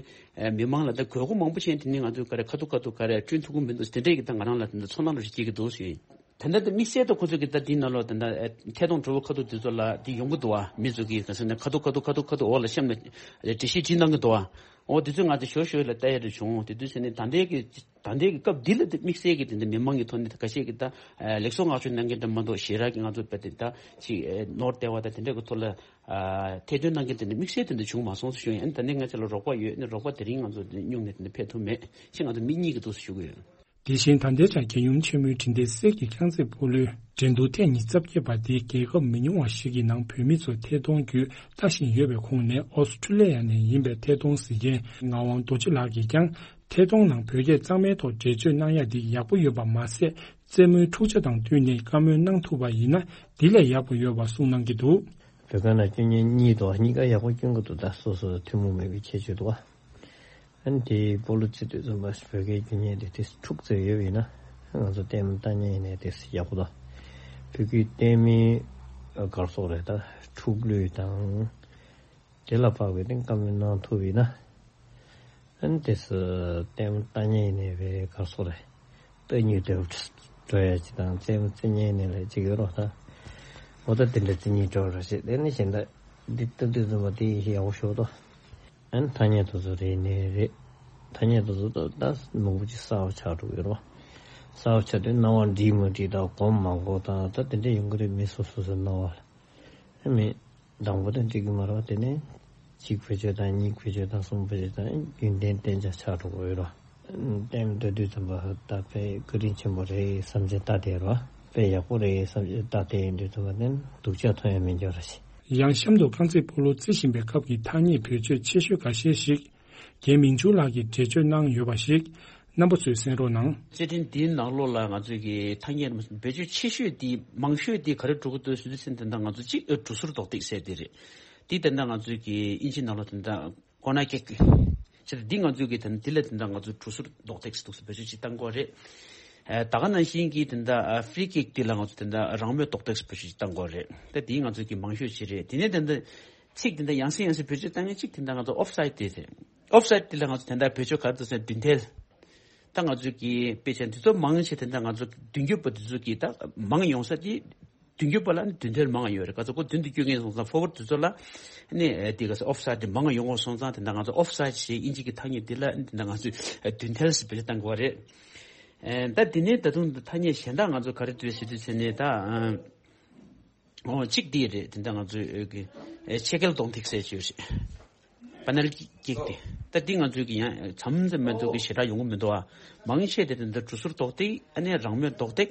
མི་མང་ལ་ད་དགོས་མཁོ་མང་པོ་བྱས་དེ་ནས་ང་ཚོས་ག་རེ་ཁ་ཐུག་ཁ་ཐུག་ག་རེ་བསྐྲུན་ཐུབ་ཀྱི་མི་འདུག་དེ་འདྲས་ཀྱི་ད་ང་རང་ལ་དེ་འདྲ་ཚོར་སྣང་འདྲ་ཞིག་སྐྱེ་གི་འདུག་ཞུ་ཡིན། ད་ལྟ་དེ་དམིགས་བསལ་དུ་ཁོ་ཚོ་གི་ད་དེའི་ནང་ལོགས་ད་ལྟ་ཨེ་ཐད་གཏོང་གྲོགས་པོ་ཁ་ཐུག་དེ་ཚོ་ལ་དེ་ཡོང་གི་འདུག་བ། མི་ཚོ་གིས་ག་ཟེར་ན་ཁ་ཐུག་ཁ་ཐུག་ཁ་ཐུག་འོག་ལ་གཤམ་ལ་འགྲེལ་བཤད་བྲིས་གནང་གི་འདུག་བ། འོ་དེ་ཚོས་ང་ཚོ་ཞོ་ཞོ་ལ་ལྟ་ཡ་རེ་བྱུང་། དེ་དུས་ཟེར་ནས་ད་ལྟའི་གི་ད་ལྟའི་གི་སྐབས་འདི་ལ་དེ་དམིགས་བསལ་གི་དེ་འདྲ་མི་མང་གི་ཐོག་ནས་ཁ་ཤས་ཀྱིས་ད་ཨེ་ལེགས་སོ་བསྔགས་བརྗོད་གནང་མཁན་འདྲ་མ་གཏོགས་ཞེ་དྲག་གི་ང་ཚོ་དཔེ་དེ་ད་ཅིག་ཨེ་ནོར་བསྡད་པ་ད་དེ་འདྲ་གི་ཐོག་ལ་ཨ་ཐེར་འདོན་གནང་མཁན་དེ་འདྲ་དམིགས་བསལ་དེ་འདྲ་བྱུང་མ་སོང་ཟེར་ཞུ་ཡིན། ཨ་ནི་ད་ལྟའི་ང་ཚོ་ལ་རོགས་པ་ཡོད། ཨ་ནི་རོགས་པ་དེ་རིང་ང་ཚོ་སྨྱུང་ནས་དེ་འདྲ་ཕེབས་ཐུབ་མེད་ཅེས་ང་ཚོ་མིག་གཉིས་ཀྱིས་འདུག་སེ་ཞུ་གི་ཡོད། དེ་བཞིན་ད་ལྟའི་ཆར་རྒྱལ་ཡུམ་ཆེན་མོའི་དྲན་རྟེན་གསེར་གྱི་རྐང་རྩེད་སྤོ་ལོའི་འགྲན་བསྡུར་ཐེངས་ཉི་ཤུ་རྩ་བརྒྱད་པ་འདི་རྒྱལ་ཁབ་མི་ཉུང་བ་ཞིག་གི་ནང་བོད་མི་ཚོ་ཐད་གཏོང་བརྒྱུད་ལྟ་བཞིན་ཡོད་པའི་ཁོངས་ནས་ཨོ་སི་ཁྲུ་ལི་ཡ་ནས་ཡིན་པའི་ཐད་གཏོང་གཟིགས་མཁན་ངག་དབང་རྡོ་རྗེ་ལགས་ཀྱིས་ཀྱང་ཐད་གཏོང་ནང་བོད་སྐད་གཙང་མའི་ཐོག་འགྲེལ་བརྗོད་གནང་ཡ་འདི་ཡག་པོ་ཡོད་པ་མ་ཟད། རྩེད་མོའི་འཁྲུག་ཆ་དང་བསྟུན་ནས་བཀའ་མོལ་གནང་ཐུབ་པ་ཡིན་ན་འདི་ལས་ཡག་པོ་ཡོད་པ་གསུངས་གནང་གི་འདུག་བོད་ཁང་ནང་སྐྱོན་གཉེར་གཉིས་འདུག་གཉིས་ཀ་ཡག་པོ་སྐྱོན་གྱི་འདུག་ད་སོ་སོ་ཐུན་མོང་མེད་པའི་ཁྱད་ཆོས་འདུག་ཨ་ནི་དེའི་སྤོ་ལོ་རྩེ་དུས་ཙམ་པ་བོད་སྐད་རྒྱུ་ཉེན་དེ་དེ་འཁྲུག་རྩེ་ཡོད་པ་ཡིན་ན་ང་ཚོ་ལྟད་མོ་ལྟ་མཁན་ཡིན་ནའི་དེ་ཡག་པོ་དང་། བོད་སྐད་ལྟད་མོའི་གར་སོགས་རེད། ད་འཁྲུག་གླུད་དང་དེ་ལ་དཔག་པའི་སྟེང་བཀའ་མོལ་གནང་ཐུབ་པ་ཡིན་ན། ཨ་ནི་དེ་སུ་ལྟད་མོ་ལྟ་མཁན་ཡིན་ནའི་བའི་གར་སོགས་རེད། ལྟ་མྱོང་དེ་འགྲོ་ཡ་ཅིག་དང་རྩེད་མོ་རྩེ་མཁན་ཡིན་ནའི་ལས་ཅིག་ཡོད་རོགས་ད། འོ་ད་དེ་འདྲ་རྩེ་མྱོང་འགྲོ་རོགས་བྱེད། དེ་ནི་གཞན་དག་འདི་ལྟ་དུས་ཙམ་པ་དེ་ཡག་པོ་ཞོག་ཏོ། ཨ་ནི་ཐ་སྙད་དེ་ཚོ་རེད་ནི་རེད། ཐ་སྙད་དེ་ཚོ་ད་ད་མང་པོ་ཅིག་གསར་པ་ཆགས་འགྲོ་གི་ཡོད་རེད་བ། གསར་པ་ཆགས་དུས་སྣང་བ་འགྲིག་མ་འགྲིག་དང་གོམས་མ་གོམས་དང་ད་དེ་འདྲ་ཡོང་གི་རེད། མི་སོ་སོ་སོའི་སྣང་བ་ལ། ཨ་མི་དང་པོ་དེ་འགྲིག་གི་མ་རེད་བ། དེ་ནས་གཅིག་བེད་སྤྱོད་དང་གཉིས་བེད་སྤྱོད་དང་གསུམ་བེད་སྤྱོད་དང་རྒྱུན་ལྡན་གཏན་འཇགས་ཆགས་འགྲོ་གི་ཡོད་རེད་བ། ལྟད་མོ་ལྟ་དུས་ཙམ་པ་ད་དཔེ་བཀའ་དྲིན་ཆེན་པོ་རེད་བསམ་བྱས་ལྟ་བསྡད་རེད་བ། དཔེ་ཡག་པོ་རེད་བསམ་བྱས་ལྟ་བསྡད་ཡོང་དུས་ཙམ་པ་དེ་སྡུག་ཅག་མཐོང་ཡ་མི་འགྱུར་ར་ཞིག་ཡང་གཤམ་དུ་རྐང་རྩེད་སྤོ་ལོ་རྩེ་བཞིན་པའི་སྐབས་ཀྱི་ཐ་སྙད་བེད་སྤྱོད་ཆེ་ཤོས་འགའ་ཤས་ཤིག་རྒན་མིང་ཆུང་ལགས་ཀྱིས་འགྲེལ་བརྗོད་གནང་ཡོད་པ་ཞིག་རྣམ་པ་ཚོས་གསན་རོགས་གནང་། རྩེད་འགྲན་འདིའི་ནང་ལོགས་ལ་ང་ཚོས་ཀྱི་ཐ་སྙད་རྣམས་བེད་སྤྱོད་ཆེ་ཤོས་དེ་མང་ཤོས་དེ་ག་རེ་འགྲོ་གི་འདུག་ཟེར་དུས་ཙམ་དེ་འདྲ་ང་ཚོ་གཅིག་གྲུ་ཟུར་རྡོག་ཐེག་ཟེར་དེ་རེད། དེ་དེ་འདྲ་ང་ཚོས་ཀྱི་དབྱིན་ཇི་ནང་ལོགས་དེ་འདྲ་ཀོ་ནར་ཀིག་ཟེར་དེ་འདི་ང་ཚོས་ཀྱི་དེ་འདི་ལ་དེ་འདྲ་ང་ཚོས་གྲུ་ཟུར་རྡོག་ཐེག་ཟེར་འདུག་ཟེར་བེད་སྤྱོད་ཅིག་བཏང་གི་ཡོད་རེད། ད་ག་ནང་བཞིན་གྱི་དེ་འདྲ་ཕི་རི་ཀིག་དེ་ལ་ང་ཚོ་དེ་འདྲ་རང་མོས་རྡོག་ཐེག་ཟེར་བེད་སྤྱོད་ཅིག་བཏང་གི་ཡོད་རེད། ད་དེ་ང་ཚོས་ཀྱི་མང་ཤོས་ཅིག་རེད། དེ་ནས་དེ་འདྲ། ཚིག་དེ་འདྲ་ཡང་སེ་ཡང་སེ་བེད་སྤྱོད་བཏང་མཁན་གཅིག་དེ་འདྲ་ང་ཚོ་ཨོཕ་སའིད་དེ་རེད། ཨོཕ་སའིད་དེ་ལ་ང་ཚོ་དེ་འདྲ་བེད་སྤྱོད་ག་རེ་འདུག་ཟེར་ན་མདུན་ཐལ། ད་ང་ཚོ་གི་དཔེ་ཆ་འདི་ཚོ་མང་ཆེ་དེ་འདྲ་ང་ཚོ་མདུན་སྐྱོད་པ་འདི་ཚོ་གི་ད་མང་ཡོང་ས་དེ་མདུན་སྐྱོད་པ་ལ་ནི་མདུན་ཐལ་མང་ཡོད་རེད། ག་ཚོད་ཁོ་མདུན་དུ་སྐྱོད་མཁན་སོང་ཙང་ཕོ་ཝར་དེ་ཚོ་ལ་ནི་དེ་ག་ས་ཨོཕ་སའིད་དེ་མང་ཡོང་བ་སོང་ཙང་དེ་འདྲ་ང་ཚོ་ཨོཕ་སའིད་ཞེས་དབྱིན་ཇི་གི་ཐ་སྙད་དེ་ལ་དེ་འདྲ་ང་ཚོས་མདུན་ཐལ་ཟེར་བེད་སྤྱོད་བཏང་དགོས་པ་རེད། ད་དེ་ནས་ད་དུང་ཐ་སྙད་གཞན་དག་ང་ཚོ་ག་རེ་འདུག་ཟེར་དུས་ཚེ་ནས་ད། ཨོ་གཅིག་འདི་རེད། དེ་འདྲ་ང་ཚོའི་ཨོ་གི་ཨེ་ཕྱེད་སྐྱེལ་གདོང་ཐིག་ཟེར་ཅིག་ཡོད་རེད། པ་ནལ་ཀིག་དེ། ད་འདི་ང་ཚོའི་གི་ཡང་མཚམས་མཚམས་མ་གཏོགས་གི་ཞེ་དྲག་ཡོང་གི་མི་འདུག་ཨ། མང་ཆེ་དེ་དེ་འདྲ་གྲུ་ཟུར་རྡོག་ཐིག་ཨ་ནི་རང་མོས་རྡོག་ཐིག་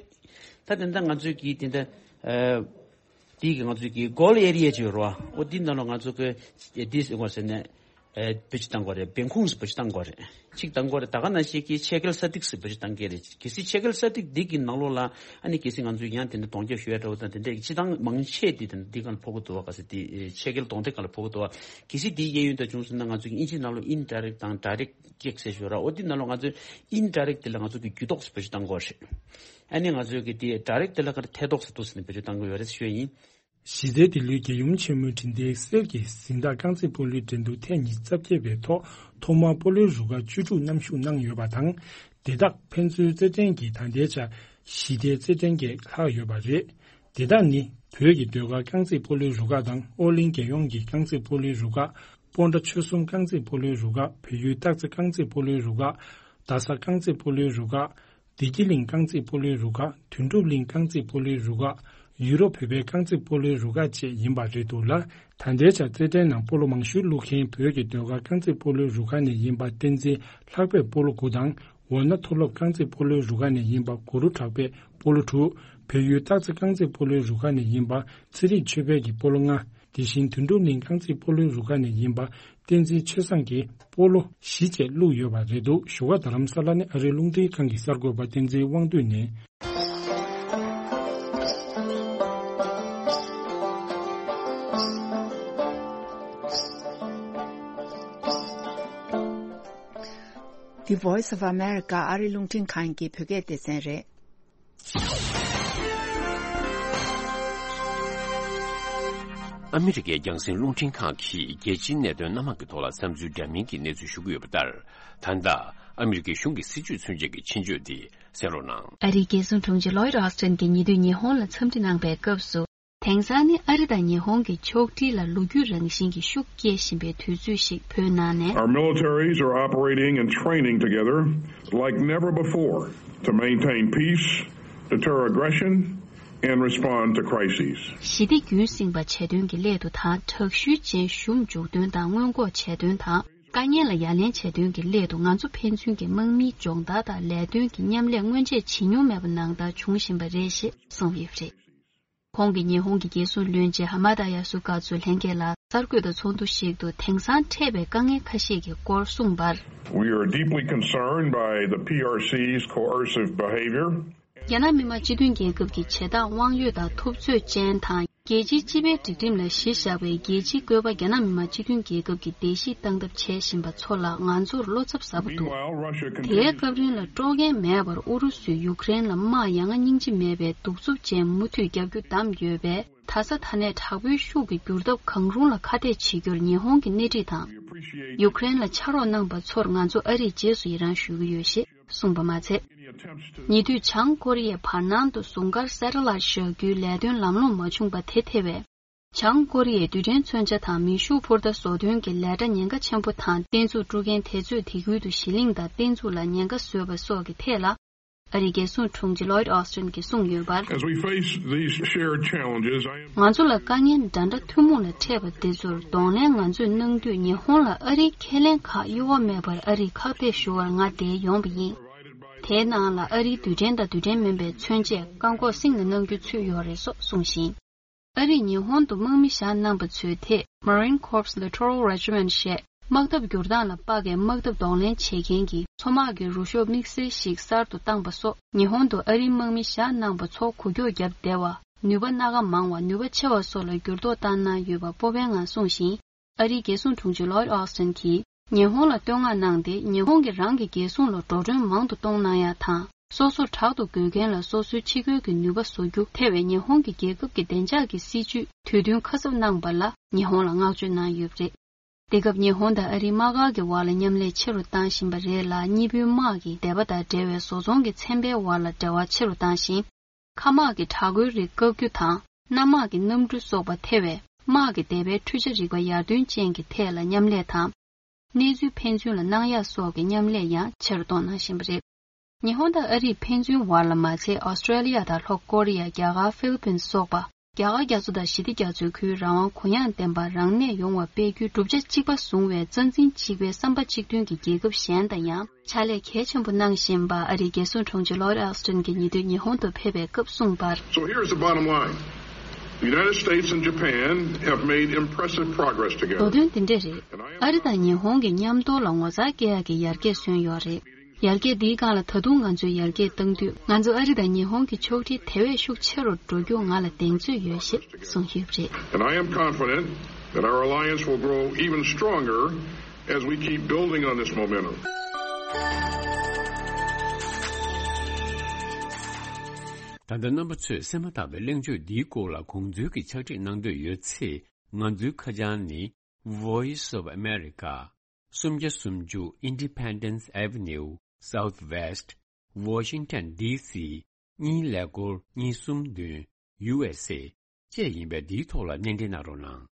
ད་དེ་འདྲ་ང་ཚོའི་གི་དེ་འདྲ་ཨེ་འདི་གི་ང་ཚོའི་གི་གོལ་ཨེ་རི་ཡ་ཅིག་ཡོད་རེད་བ། ཨོ་འདི་ནང་ལ་ང་ཚོ་གི་འདི་ཟེར་བ་ཟེར་ནས། ཨེ་བེད་སྤྱོད་བཏང་དགོས་རེད། བེང་ཁུང་སུ་བེད་སྤྱོད་བཏང་དགོས་རེད། གཅིག་བཏང་དགོས་རེད། ད་ག་ནང་བཞིན་གྱི་ཆད་ཁེལ་ས་ཐིག་སུ་བེད་སྤྱོད་བཏང་གི་རེད། གལ་སྲིད་ཆད་ཁེལ་ས་ཐིག་འདི་གི་ནང་ལོགས་ལ་ཨ་ནི་གལ་སྲིད་ང་ཚོས་ཡང་དེ་འདྲ་གདོང་རྒྱག་ཞུ་ཡ་འདྲ་བོ་དང་དེ་འདྲ་སྤྱི་བཏང་མང་ཆེ་དེ་དེ་འདི་གང་ལ་ཕོག་གི་འདུག་བ། ག་ཚོད་དེ་ཆད་ཁེལ་གདོང་དེ་གང་ལ་ཕོག་གི་འདུག་བ། གལ་སྲིད་དེའི་གཡས་གཡོན་དུ་བྱུང་སོང་ན་ང་ཚོས་ཀྱི་ཨིན་ཇི་ནང་ལོགས་indirect དང་direct check ཟེར་ཞུ་ར། འོ་དེ་ནང་ལོགས་ང་ཚོས་indirect དེ་ལ་ང་ཚོས་ཀྱི་རྒྱུ་ཐོག་སུ་བེད་སྤྱོད་བཏང་དགོས་རེད། ཨ་ནི་ང་ཚོས་ཀྱི་དེ་direct དེ་ལ་ག་རེ་ཐད་ཐོག་སུ་འདུག་ཟེར་ནས་བེད་སྤྱོད་བཏང་གི་ཡོད་རེད་ཞུ་ཡ་ཡིན། གཞི་རྩའི་ལྡི་ལིའི་རྒྱལ་ཡུམ་ཆེན་མོའི་འཕྲིན་ལས་གསེར་གྱི་གཟེངས་རྟགས་རྐང་རྩེད་སྤོ་ལོའི་འགྲན་བསྡུར་ཐེངས་ཉི་ཤུ་རྩ་བརྒྱད་པའི་ཐོག་ཐོག་མར་སྤོ་ལོའི་རུ་ཁག་བཅུ་དྲུག་མཉམ་ཞུགས་གནང་ཡོད་པ་དང་། དེ་དག་ཕན་ཚུན་རྩེད་འགྲན་གྱི་ད་ལྟའི་ཆར་ཞི་བདེའི་རྩེད་འགྲན་བརྒྱད་ལྷག་ཡོད་པ་རེད། དེ་དག་ནི་བོད་ཀྱི་ཟློས་གར་རྐང་རྩེད་སྤོ་ལོའི་རུ་ཁག་དང་ཨོ་གླིང་རྒྱལ་ཡོངས་ཀྱི་རྐང་རྩེད་སྤོ་ལོའི་རུ་ཁག་སྤོན་ཊ་ཆོལ་གསུམ་རྐང་རྩེད་སྤོ་ལོའི་རུ་ཁག་བལ་ཡུལ་སྟག་རྩེ་རྐང་རྩེད་སྤོ་ལོའི་རུ་ཁག་རྡ་ས་རྐང་རྩེད་སྤོ་ལོའི་རུ་ཁག་བདེ་སྐྱིད་གླིང་རྐང་རྩེད་སྤོ་ལོའི་རུ་ཁག་དོན་གྲུབ་གླིང་རྐང་རྩེད་སྤོ་ལོའི་རུ་ཁག་ཡུ་རོབ་བོད་པའི་རྐང་རྩེད་སྤོ་ལོའི་རུ་ཁག་བཅས་ཡིན་པ་རེད་འདུག་ལ། ད་ལྟའི་ཆར་རྩེད་འགྲན་ནང་སྤོ་ལོ་མང་ཤོས་བླུག་མཁན་བོད་ཀྱི་ཟློས་གར་རྐང་རྩེད་སྤོ་ལོའི་རུ་ཁག་ནས་ཡིན་པ་བསྟན་འཛིན་ལྷག་པས་སྤོ་ལོ་དགུ་དང་། འོ་ན་མཐོ་སློབ་རྐང་རྩེད་སྤོ་ལོའི་རུ་ཁག་ནས་ཡིན་པ་གུ་རུ་གྲགས་པས་སྤོ་ལོ་དྲུག་བལ་ཡུལ་སྟག་རྩེ་རྐང་རྩེད་སྤོ་ལོའི་རུ་ཁག་ནས་ཡིན་པ་ཚེ་རིང་ཆོས་འཕེལ་གྱིས་སྤོ་ལོ་ལྔ། དེ་བཞིན་དོན་གྲུབ་གླིང་རྐང་རྩེད་སྤོ་ལོའི་རུ་ཁག་ནས་ཡིན་པ་བསྟན་འཛིན་ཆོས་བཟང་གིས་སྤོ་ལོ་བཞི་བཅས་བླུགས་ཡོད་པ་རེད་འདུག་བཞུགས་སྒར་རྡ་རམ་ས་ལ་ནས་ཨ་རིའི་རླུང་འཕྲིན་ཁང་གི་གསར་འགོད་པ་བསྟན་འཛིན་དབང་འདུས་ནས། The Voice of America ཨ་རིའི་རླུང་འཕྲིན་ཁང་གི་བོད་སྐད་སྡེ་ཚན་རེད། ཨ་མི་རི་ཀའི་རྒྱང་སྲིང་རླུང་འཕྲིན་ཁང་གིས་རྒྱལ་སྤྱིའི་གནད་དོན་སྣ་མང་གི་ཐོག་ལ་བསམ་ཚུལ་འདྲ་མིན་གྱི་གནས་ཚུལ་ཞུ་གི་ཡོད་པ་ལྟར། ད་ལྟ་ཨ་མི་རི་ཀའི་གཞུང་གི་སྲིད་བྱུས་མཚོན་བྱེད་ཀྱི་ཆེད་བརྗོད་འདི་གསན་རོགས་གནང་། ཨ་རིའི་རྒྱལ་སྲུང་དྲུང་ཆེ་ལོའིད་ཨོ་སི་ཊིན་གྱིས་ཉེ་དུས་ཉི་ཧོང་ལ་འཚམས་འདྲི་གནང་པའི་སྐབས་སུ། དེང་སང་ནི་ཨ་རི་དང་ཉི་ཧོང་གི་ཕྱོགས་སྒྲིལ་ལ་ལོ་རྒྱུས་རང་བཞིན་གྱི་ཤུགས་སྐྱེ་བཞིན་པའི་དུས་ཚོད་ཞིག་བོད་ནང་ནས། Our militaries are operating and training together like never before to maintain peace, deter aggression, and respond to crises. ཞི་བདེ་རྒྱུན་བསྲིང་བ་བྱེད་དོན་གྱི་སླད་དུ་དང་དྲག་ཤུལ་ཅན་གཞུང་འཇུག་དོན་དང་སྔོན་འགོག་བྱེད་དོན་དང་། དཀའ་ངལ་ལ་ཡ་ལན་བྱེད་དོན་གྱི་སླད་དུ་ང་ཚོ་ཕན་ཚུན་གྱི་དམག་མིའི་སྦྱོང་བརྡར་དང་ལས་དོན་གྱི་མཉམ་ལས་སྔོན་ཆད་བྱེད་མྱོང་མེད་པ་ནང་ལྟར་བྱུང་བཞིན་པ་རེད་ཅེས་གསུངས་ཡོད་པ་རེད། ཁོང་གིས་ཉི་ཧོང་གི་རྒྱལ་སྲུང་བློན་ཆེན་ཧ་མ་ད་ཡ་སུ་ག་ཚོའི་ལྷན་རྒྱས་ལ་གསར་འགོད་པ་ཚོགས་འདུ་ཞིག་ཏུ་དེང་སང་འཕྲད་པའི་དཀའ་ངལ་ཁ་ཤས་ཀྱི་སྐོར་གསུངས་པར། We are deeply concerned by the P R C's coercive behavior. རྒྱ་ནག་མི་དམངས་སྤྱི་མཐུན་རྒྱལ་ཁབ་ཀྱི་བྱེད་སྟངས་དབང་ཡོད་དང་ཐུབ་ཚོད་ཅན་དང་། རྒྱལ་སྤྱིའི་སྤྱི་པའི་སྒྲིག་ཁྲིམས་ལ་གཞི་བཞག་པའི་རྒྱལ་སྤྱིའི་བཀོད་པ་རྒྱ་ནག་མི་དམངས་སྤྱི་མཐུན་རྒྱལ་ཁབ་ཀྱིས་བརྡལ་བཤིག་བཏང་ཐབས་བྱེད་བཞིན་པ་ཚོ་ལ་ང་ཚོར་བློ་འཚབ་ཟབ་པོ་འདུག Meanwhile, Russia དེའི་continues སྐབས་རིང་ལ་སྤྲོ་མཁན་མེད་པར་ཨུ་རུ་སུས་ཡུཀ་རེན་ལ་དམག་ཡ་ང་སྙིང་རྗེ་མེད་པའི་གདུག་རྩུབ་ཅན་མུ་མཐུད་རྒྱག་རྒྱུ་བདམས་ཡོད་པས། ད་ས་ད་ནས་དྲག་པོའི་ཤུགས་ཀྱི་འགྱུར་ཐབས་གང་རུང་ལ་ཁ་གཏད་བྱེད་རྒྱུར་ཉི་ཧོང་གི་སྣེ་ཁྲིད་དང་། ཡུཀ་རེན་ལ་ཕྱག་རོགས་གནང་པ་ཚོར་ང་ཚོ་ཨ་རིས་རྗེས་སུ་ཡི་རང་ཞུ་གི་ཡོད་ཞེས་གསུངས་པ་མ་ཚད། ཉེ་དུས་བྱང་ཀོ་རི་ཡའི་བར་སྣང་དུ་ཟུང་སྐར་སེ་ཊ་ལའེ་ཊི་བཞག་རྒྱུའི་ལས་དོན་ལམ་ལྷོང་མ་བྱུང་པ་དེ་ཐེ་བས། བྱང་ཀོ་རི་ཡའི་རྡུལ་ཕྲན་མཚོན་ཆ་དང་མེ་ཤུགས་འཕུར་མདའ་བཟོ་དོན་གྱི་ལས་གྲྭ་ཉེན་ཁ་ཆེན་པོ་དང་རྟེན་མཛོད་དཀྲུག་མཁན་དེ་ཚོས་དེ་ཁུལ་དུ་གཞི་གླིང་དང་རྟེན་མཛོད་ལ་ཉེན་ཁ་བཟོས་པ་སོགས་ཀྱི་ཐད་ལ། ཨ་རིའི་རྒྱལ་སྲུང་དྲུང་ཆེ་ལོའིད་ཨོ་སི་ཊིན་གྱིས་གསུངས་ཡོད་པར། As we face these shared challenges, I am ང་ཚོ་ལ་དཀའ་ངལ་འདྲ་འདྲ་ཐུན་མོང་ལ་འཕྲད་པ་དེ་ཚོར་གདོང་ལེན་ང་ཚོས་གནང་དུས་ཉི་ཧོང་ལ་ཨ་རིའི་ཁས་ལེན་ཁག་གཡོ་བ་མེད་པར་ཨ་རིས་ཁག་ཐེག་ཞུ་བར་ང་བསྡད་ཡོང་བ་ཡིན། དེའི་ནང་ལ་ཨ་རིའི་རྡུལ་ཕྲན་དང་རྡུལ་ཕྲན་མིན་པའི་མཚོན་ཆས་བཀག་འགོག་སྲིང་ལ་གནང་རྒྱུ་ཚུད་ཡོད་རེད་སོགས་གསུངས་ཤིང་། ཨ་རིས་ཉི་ཧོང་དུ་དམག་མི་བཞག་གནང་པ་ཚོའི་ཐད་Marine Corps Littoral Regiment ཞེས་དམག་འཐབ་བསྒྱུར་སྟངས་ལ་དཔག་པའི་དམག་འཐབ་གདོང་ལེན་བྱེད་མཁན་གྱི་མཚོ་དམག་གི་རུ་ཤོག་དམིགས་བསལ་ཞིག་གསར་དུ་བཏང་པ་སོགས་ཉི་ཧོང་དུ་ཨ་རིའི་དམག་མི་བཞག་གནང་པ་ཚོ་འགུལ་སྐྱོད་བརྒྱབ་བདེ་བ། ནུས་པ་སྣ་ཁ་མང་བ། ནུས་པ་ཆེ་བ་སོགས་ལ་འགྱུར་ལྡོག་བཏང་གནང་ཡོད་པ་སྤོབས་པའི་ངང་གསུངས་ཤིང་། ཨ་རིའི་རྒྱལ་སྲུང་དྲུང་ཆེ་ལོའིད་ཨོ་སི་ཊིན་གྱིས། ཉི་ཧོང་ལ་བསྟོད་བསྔགས་གནང་སྟེ། ཉི་ཧོང་གིས་རང་གི་རྒྱལ་སྲུང་ལ་འགྲོ་གྲོན་མང་དུ་གཏོང་གནང་ཡ་དང་། སོ་སོར་དྲག་ཏུ་རྒོལ་མཁན་ལ་སོ་སོའི་ཕྱི་རྒོལ་གྱི་ནུས་པ་བཟོ་རྒྱུ། ཐེ་བའི་ཉི་ཧོང་གི་རྒྱལ་ཁབ་ཀྱི་བདེ་འཇགས་ཀྱི་སྲིད་ཇུས་དུས་བསྟུན་ཁ་གསབ་གནང་པ་ལ་ཉི་ཧོང་ལ་བསྔགས་བརྗོད་གནང་ཡོད་པ་རེད། འདི་སྐབས་ཉི་ཧོང་དང་ཨ་རིའི་དམག་སྒར་གྱི་བར་ལ་མཉམ་ལས་ཆེ་རུ་བཏང་བཞིན་པ་རེད་ལ། གཉིས་པོའི་དམག་གིས་སྡེ་པ་དང་འབྲེལ་བའི་བཟོ་ཚོང་གི་ཚན་པའི་བར་ལ་འབྲེལ་བ་ཆེ་རུ་བཏང་ཞིང་། མཁའ་དམག་གི་དྲག་རྒོལ་རིགས་བཀག་རྒྱུ་དང་། གནམ་དམག་གི་གནམ་གྲུ་སོགས་པ་ཐེ་བའི་དམག་གི་སྡེ་པའི་འཕྲུལ་ཆ་རིག་པ་ཡར་ཐོན་ཅན་གྱི་ཐད་ལ་མཉམ་ལས་དང་། གནས་ཚུལ་ཕན་ཚུན་ལ་གནང་ཡག་སོགས་ཀྱི་མཉམ་ལས་ཡང་ཆེ་རུ་གཏོང་གནང་བཞིན་པ་རེད། ཉི་ཧོང་དང་ཨ་རིས་ཕན་ཚུན་བར་ལ་མ་ཚད་ཨོ་སི་ཀྲེ་ལི་ཡ་དང་ལྷོ་ཀོ་རི་ཡ། རྒྱ་གར། ཧྥི་ལི་པིན་སོགས་པ། རྒྱ་གར་རྒྱ་མཚོ་དང་ཞི་བདེ་རྒྱ་མཚོའི་ཁུལ་རང་དབང་གུ་ཡངས་ལྡན་པ་རང་གནས་ཡོང་བ་སྤེལ་རྒྱུའི་བསྒྲུབ་བྱ་གཅིག་པ་བཟུང་བའི་རྩ་འཛིན་གཅིག་པའི་བསམ་པ་གཅིག་མཐུན་གྱི་རྒྱལ་ཁབ་གཞན་དང་ཡང་ཕྱག་ལས་གལ་ཆེན་པོ་གནང་བཞིན་པ་ཨ་རིའི་རྒྱལ་སྲུང་དྲུང་ཆེ་ལོའིད་ཨོ་སི་ཊིན་གྱིས་ཉེ་དུས་ཉི་ཧོང་དུ་ཕེབས་པའི་སྐབས་གསུངས་པར། So here's the bottom line. The United States and Japan have made impressive progress together. མདོ་དོན་འདི་འདྲ་རེད། ཨ་རི་དང་ཉི་ཧོང་གི་མཉམ་དུ་ལ་ངོ་མཚར་སྐྱེ་ཡག་གི་ཡར་རྒྱས་སོན་ཡོད་རེད། ཡར་རྒྱས་འདིའི་སྒང་ལ་ད་དུང་ང་ཚོས་ཡར་རྒྱས་བཏང་དུས། ང་ཚོ་ཨ་རི་དང་ཉི་ཧོང་གི་ཕྱོགས་སྒྲིག་དེ་བས་ཤུགས་ཆེ་རུ་འགྲོ་རྒྱུ་ང་ལ་གདེང་ཚོད་ཡོད་ཞེས་གསུངས་ཡོད་པ་རེད། And I am confident that our alliance will grow even stronger as we keep building on this momentum. ད་ལྟ་རྣམ་པ་ཚོས་གསན་མ་ཐག་པའི་གླེང་བརྗོད་འདིའི་སྐོར་ལ་དགོངས་ཚུལ་གྱི་ཕྱག་བྲིས་གནང་འདོད་ཡོད་ཚེ། ང་ཚོའི་ཁ་བྱང་ནི། Voice of America། སུམ་བརྒྱ་སུམ་ཅུ་Independence Avenue Southwest། Washington D C། གཉིས་ཀླད་ཀོར་གཉིས་གསུམ་བདུན། U S A། བཅས་ཡིན་པས། འདིའི་ཐོག་ལ་སྣེ་འདྲེན་གནང་རོགས་གནང་།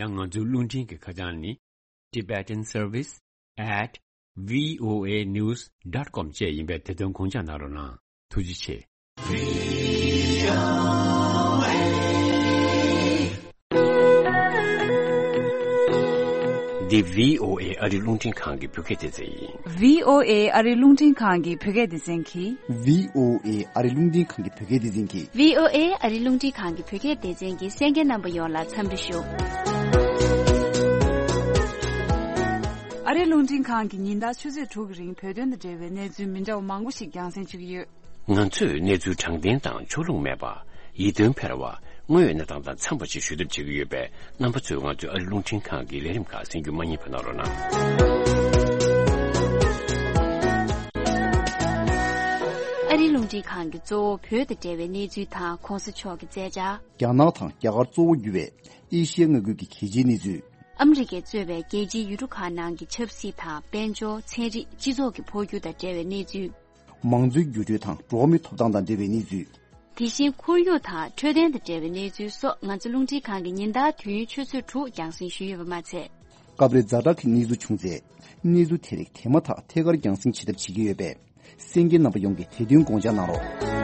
ཡང་ང་ཚོའི་རླུང་འཕྲིན་གྱི་ཁ་བྱང་ནི། Tibetan Service at V O A news dot com བཅས་ཡིན་པས། དེ་དོན་དགོངས་འཇགས་གནང་རོགས་གནང་། ཐུགས་རྗེ་ཆེ། འདི་V O A ཨ་རི་རླུང་འཕྲིན་ཁང་གི་བོད་སྐད་སྡེ་ཚན་ཡིན། V O A ཨ་རི་རླུང་འཕྲིན་ཁང་གི་བོད་སྐད་སྡེ་ཚན་གྱིས། V O A ཨ་རི་རླུང་འཕྲིན་ཁང་གི་བོད་སྐད་སྡེ་ཚན་གྱིས། V O A ཨ་རི་རླུང་འཕྲིན་ཁང་གི་བོད་སྐད་སྡེ་ཚན་གྱི་གསན་མཁན་རྣམ་པ་ཡོངས་ལ་འཚམས་འདྲི་ཞུ། ཨ་རི་རླུང་འཕྲིན་ཁང་གིས་ཉིན་ལྟར་ཆུ་ཚོད་དྲུག་གི་རིང་བོད་དོན་དང་འབྲེལ་བའི་གནས་ཚུལ་མི་འདྲ་བ་མང་པོ་ཞིག་རྒྱང་སྲིང་བྱེད་ཀྱི་ཡོད། ང་ཚོས་གནས་ཚུལ་དྲང་བདེན་དང་ཕྱོགས་ལྷུང་མེད་པ། ཡིད་རྟོན་འཕེར་བ། དངོས་ཡོད་གནས་སྟངས་དང་འཚམས་པ་ཞིག་ཞུ་ཐབས་བྱེད་ཀྱི་ཡོད་པས། རྣམ་པ་ཚོས་ང་ཚོའི་ཨ་རི་རླུང་འཕྲིན་ཁང་གི་ལས་རིམ་ཁག་གསན་རྒྱུ་མ་བསྙེལ་བ་གནང་རོགས་གནང་། ཨ་རིའི་རླུང་འཕྲིན་ཁང་གིས་གཙོ་བོ་བོད་དང་འབྲེལ་བའི་གནས་ཚུལ་དང་གོང་ས་མཆོག་གི་མཛད་འཆར། རྒྱ་ནག་དང་རྒྱ་གར་གཙོ་བོ་གྱུར་བའི་ཨེ་ཤི་ཡའི་མངའ་ཁུལ་གྱི་གལ་ཆེའི་གནས་ཚུལ། ཨ་མི་རི་ཀས་གཙོས་པའི་རྒྱལ་སྤྱིའི་ཡུལ་གྲུ་ཁག་ནང་གི་ཆབ་སྲིད་དང་། དཔལ་འབྱོར། ཚན་རིག་སྤྱི་ཚོགས་ཀྱི་འཕོ་འགྱུར་དང་འབྲེལ་བའི་གནས་ཚུལ། མང་གཙོའི་འགྱུར་འགྲོས་དང་འགྲོ་བ་མིའི་ཐོབ་ཐང་དང་འབྲེལ་བའི་གནས་ཚུལ། དེ་བཞིན་ཁོར་ཡུག་དང་འཕྲོད་བསྟེན་དང་འབྲེལ་བའི་གནས་ཚུལ་སོགས། ང་ཚོ་རླུང་འཕྲིན་ཁང་གིས་ཉིན་ལྟར་དུས་ཡུན་ཆུ་ཚོད་དྲུག་རྒྱང་སྲིང་ཞུས་ཡོད་པ་མ་ཚད། སྐབས་རེ་ཛ་དྲག་གི་གནས་ཚུལ་བྱུང་ཚེ། གནས་ཚུལ་དེ་རིགས་དེ་མ་ཐག་ཐད་ཀར་རྒྱང་སྲིང་བྱེད་ཐབས་བྱེད་ཀྱི་ཡོད་པས། གསན་མཁན་རྣམ་པ་ཡོངས་ཀྱིས་དེ་དོན་དགོངས་འཇགས་གནང་རོགས།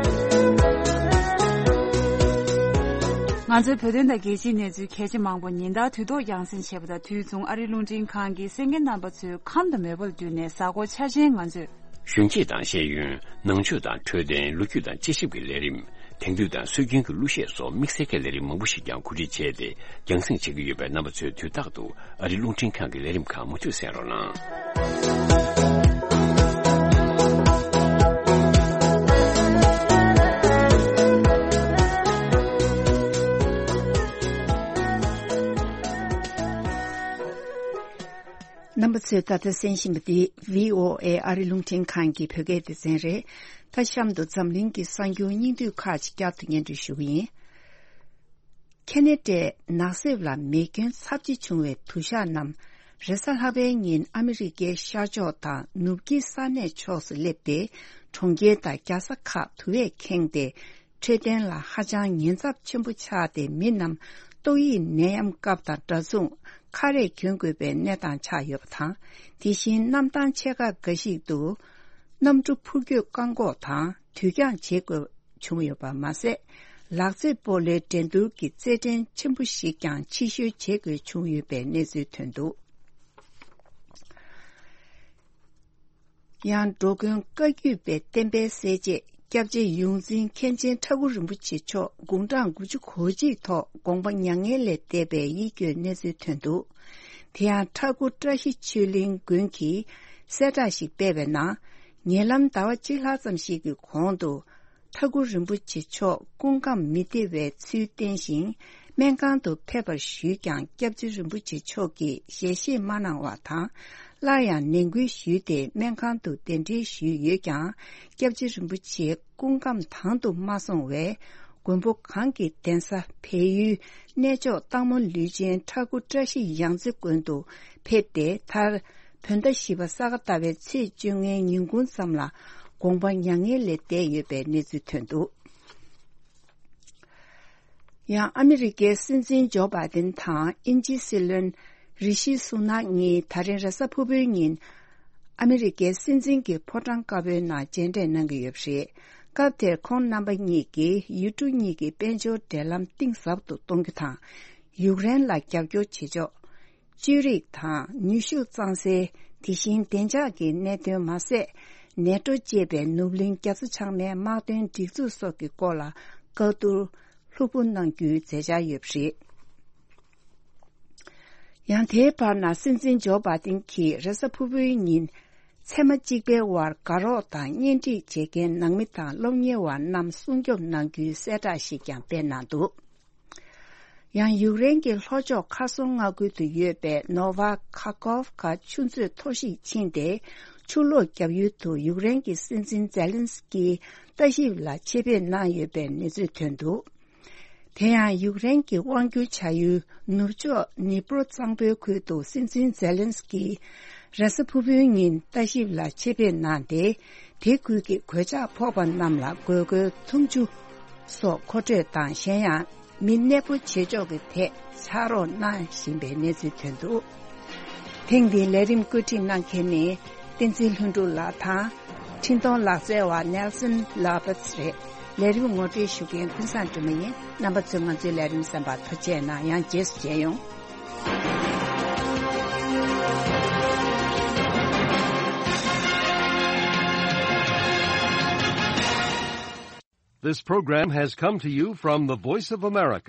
ང་ཚོའི་བོད་དོན་དང་རྒྱལ་སྤྱིའི་གནས་ཚུལ་གལ་ཆེ་མང་པོ་ཉིན་ལྟར་དུས་ཐོག་རྒྱང་སྲིང་བྱེད་པ་དང་། དུས་མཚུངས་ཨ་རིའི་རླུང་འཕྲིན་ཁང་གིས་གསན་མཁན་རྣམ་པ་ཚོའི་ཁམས་དང་མོས་པ་ལ་བསྟུན་ནས། གཟའ་འཁོར་འཆར་ཅན་ང་ཚོས། གཞོན་སྐྱེས་དང་ཤེས་ཡོན། ནང་ཆོས་དང་འཕྲོད་བསྟེན། ལོ་རྒྱུས་དང་དཔྱད་ཞིབ་ཀྱི་ལས་རིམ། དེང་དུས་དང་སྲོལ་རྒྱུན་གྱི་གླུ་གཞས་སོགས་དམིགས་བསལ་གྱི་ལས་རིམ་མང་པོ་ཞིག་ཀྱང་གོ་སྒྲིག་བྱས་ཏེ་རྒྱང་སྲིང་བྱེད་ཀྱི་ཡོད་པས། རྣམ་པ་ཚོས་དུས་རྟག་ཏུ་ཨ་རིའི་རླུང་འཕྲིན་ཁང་གི་ལས་རིམ་ཁག་མུ་མཐུད་གསན་རོགས་གནང་། རྣམ་པ་ཚོས་ད་ལྟ་གསན་བཞིན་པ་འདི་V O A ཨ་རི་རླུང་འཕྲིན་ཁང་གི་བོད་སྐད་སྡེ་ཚན་རེད། ད་གཤམ་དུ་འཛམ་གླིང་གི་གསར་འགྱུར་སྙིང་བསྡུས་ཁག་ཅིག་བསྐྱར་དུ་སྙན་སྒྲོན་ཞུ་གི་ཡིན། ཁེ་ན་ཌའི་ནགས་གསེབ་ལ་མེ་སྐྱོན་ཚབས་ཆེ་བྱུང་བའི་དུ་ཞག་རྣམས། རེས་གཟའ་ལྷག་པའི་ཉིན་ཨ་མི་རི་ཀའི་ཤར་ཕྱོགས་དང་ནུབ་དཀྱིལ་ས་གནས་ཕྱོགས་སུ་སླེབས་ཏེ། གྲོང་ཁྱེར་དང་རྒྱལ་ས་ཁག་དུ་བས་ཁེངས་ཏེ། འཕྲོད་བསྟེན་ལ་ཧ་ཅང་ཉེན་ཚབས་ཆེན་པོ་ཆགས་ཏེ། མི་རྣམས་ཏོག་དབྱིབས་ནད་ཡམས་སྐབས་དང་འདྲ་མཚུངས་ཁ་རས་གྱོན་དགོས་པའི་གནས་སྟངས་ཆགས་ཡོད་པ་དང་། དེ་བཞིན་གནམ་ཐང་ཆེ་ཁག་འགའ་ཞིག་ཏུ་གནམ་གྲུ་འཕུར་སྐྱོད་བཀག་འགོག་དང་དུས་འགྱངས་བྱེད་དགོས་བྱུང་ཡོད་པ་མ་ཟད། ལག་རྩེད་སྤོ་ལོའི་འགྲན་བསྡུར་གྱི་རྩེད་འགྲན་ཆེན་པོ་ཞིག་ཀྱང་ཕྱིར་བཤོལ་བྱེད་དགོས་བྱུང་ཡོད་པའི་གནས་ཚུལ་ཐོན་འདུག། ཡང་འགྲོ་མགོན་བཀའ་བརྒྱུད་པའི་བསྟན་པའི་གསལ་བྱེད་སྐྱབས་རྗེ་ཡོངས་འཛིན་མཁན་ཆེན་ཁྲ་འགུ་རིན་པོ་ཆེ་མཆོག་དགུང་གྲངས་དགུ་བཅུ་གོ་གཅིག་ཐོག་དགོངས་པ་མྱ་ངན་ལས་འདས་པའི་ཡིད་སྐྱོའི་གནས་ཚུལ་ཐོན་འདུག། དེ་ཡང་ཁྲ་འགུ་བཀྲ་ཤིས་ཆོས་གླིང་དགོན་གྱིས་གསལ་བསྒྲགས་ཤིག་སྤེལ་བའི་ནང་། ཉེ་ལམ་ཟླ་བ་གཅིག་ལྷག་ཙམ་ཞིག་གི་གོང་དུ། ཁྲ་འགུ་རིན་པོ་ཆེ་མཆོག་སྐུ་ཁམས་མི་བདེ་བའི་ཚུལ་བསྟན་ཞིང་། སྨན་ཁང་དུ་ཕེབས་པར་ཞུས་ཀྱང་། སྐྱབས་རྗེ་རིན་པོ་ཆེ་མཆོག་གིས་ཞལ་བཞེས་མ་གནང་བ་དང་། སླར་ཡང་ནན་སྐུལ་ཞུས་ཏེ། སྨན་ཁང་དུ་གདན་འདྲེན་ཞུས་ཡོད་ཀྱང་། སྐྱབས་རྗེ་རིན་པོ་ཆེའི་སྐུ་ཁམས་དང་དུ་མ་སོང་བས། མགོན་པོ་གང་གི་གདན་ས་བལ་ཡུལ་གནས་མཆོག་སྟག་མོ་ལུས་ཅན་ཁྲ་འགུ་བཀྲ་ཤིས་ཡང་རྩེ་དགོན་དུ་ཕེབས་ཏེ། མཐར་བོད་ཟླ་བཞི་པ་ས་ག་ཟླ་བའི་ཚེས་བཅོ་ལྔའི་ཉིན་གུང་ཙམ་ལ་དགོངས་པ་མྱ་ངན་ལས་འདས་ཡོད་པའི་གནས་ཚུལ་ཐོན་འདུག། ཡང་ཨ་མི་རི་ཀའི་སྲིད་འཛིན་ཇོ་བྷའི་ཏིན་དང་དབྱིན་ཇིའི་སྲིད་བློན་རི་ཤི་སུ་ནག་གཉིས་ད་རིང་རེས་གཟའ་ཕུར་བུའི་ཉིན་ཨ་མི་རི་ཀའི་སྲིད་འཛིན་གྱི་ཕོ་བྲང་དཀར་པོའི་ནང་མཇལ་འཕྲད་གནང་གི་ཡོད་པ་རེད། སྐབས་དེར་ཁོང་རྣམ་པ་གཉིས་ཀྱིས་ཡུལ་གྲུ་གཉིས་ཀྱི་དཔལ་འབྱོར་འབྲེལ་ལམ་གཏིང་ཟབ་ཏུ་གཏོང་རྒྱུ་དང་། ཡུཀ་རེན་ལ་རྒྱབ་སྐྱོར་བྱེད་ཕྱོགས། བཅོས་རིག་དང་ནུས་ཤུགས་གཙང་སེལ། དེ་བཞིན་བདེ་འཇགས་ཀྱི་གནད་དོན་མ་ཟད། ནེ་ཏྲོ་ཅེས་པའི་ནུབ་གླིང་རྒྱ་མཚོ་བྱང་མའི་དམག་དོན་སྒྲིག་འཛུགས་སོགས་ཀྱི་སྐོར་ལ་བཀའ་བསྡུར། ལྷུག་པོ་གནང་རྒྱུའི་མཛད་འཆར་ཡོད་པ་རེད། ཡང་དེའི་བར་ན་སྲིད་འཛིན་ཇོ་བྷ་དིན་གྱིས་རེས་གཟའ་ཕུར་བུའི་ཉིན་མཚན་མ་གཅིག་པའི་བར་དགའ་རོགས་དང་གཉེན་སྒྲིག་བྱེད་མཁན་ནང་མི་དང་སློབ་གཉེར་བ་རྣམས་སྲུང་སྐྱོབ་གནང་རྒྱུའི་གསལ་བསྒྲགས་ཤིག་ཀྱང་སྤེལ་གནང་འདུག་ཡང་ཡུཀ་རེན་གྱི་ལྷོ་ཕྱོགས་ཁར་སོང་མངའ་ཁུལ་དུ་ཡོད་པའི་ནོ་ཝ་ཁ་ཀོབ་ཀ་ཆུ་མཛོད་མཐོ་གཞིས་ཕྱིན་ཏེ། ཆུ་ལོག་བརྒྱབ་ཡུལ་དུ་ཡུཀ་རེན་གྱི་སྲིད་འཛིན་ཛེ་ལན་སི་ཀི་ལྟ་ཞིབ་ལ་ཆེད་ཕེབས་གནང་ཡོད་པའི་གནས་ཚུལ་ཐོན་འདུག་དེ་ཡང་ཡུཀ་རེན་གྱི་དབང་སྒྱུར་བྱ་ཡུལ་ནུབ་ཕྱོགས་ནི་པྲོ་གཙང་པོའི་ཁུལ་དུ་སྲིད་འཛིན་ཛེ་ལན་སི་ཀི་རེས་གཟའ་ཕུར་བུའི་ཉིན་ལྟ་ཞིབ་ལ་ཆེད་ཕེབས་གནང་སྟེ། དེ་ཁུལ་གྱི་གོད་ཆག་ཕོག་པ་རྣམས་ལ་དགོས་མཁོའི་འཐུང་ཆུ་སོགས་མཁོ་སྤྲོད་དང་། གཞན་ཡང་མི་གནས་སྤོ་བྱེད་ཕྱོགས་ཀྱི་ཐད་ཕྱག་རོགས་གནང་བཞིན་པའི་གནས་ཚུལ་ཐོན་འདུག་ཐེངས་འདིའི་ལས་རིམ་བཀོད་སྒྲིག་གནང་མཁན་ནི་བསྟན་འཛིན་ལྷུན་གྲུབ་ལགས་དང་། འཕྲིན་གཏོང་ལག་རྩལ་བ་ནེལ་སན་ལ་བྷ་ཚི་རེད། ལས་རིམ་ངོ་སྤྲོད་ཞུ་མཁན་ཀུན་བཟང་སྒྲོལ་མ་ཡིན། རྣམ་པ་ཚོས་ང་ཚོའི་ལས་རིམ་གསན་པར་ཐུགས་རྗེ་གནང་། ཡང་རྗེས་སུ་མཇལ་ཡོང་། This program has come to you from the Voice of America.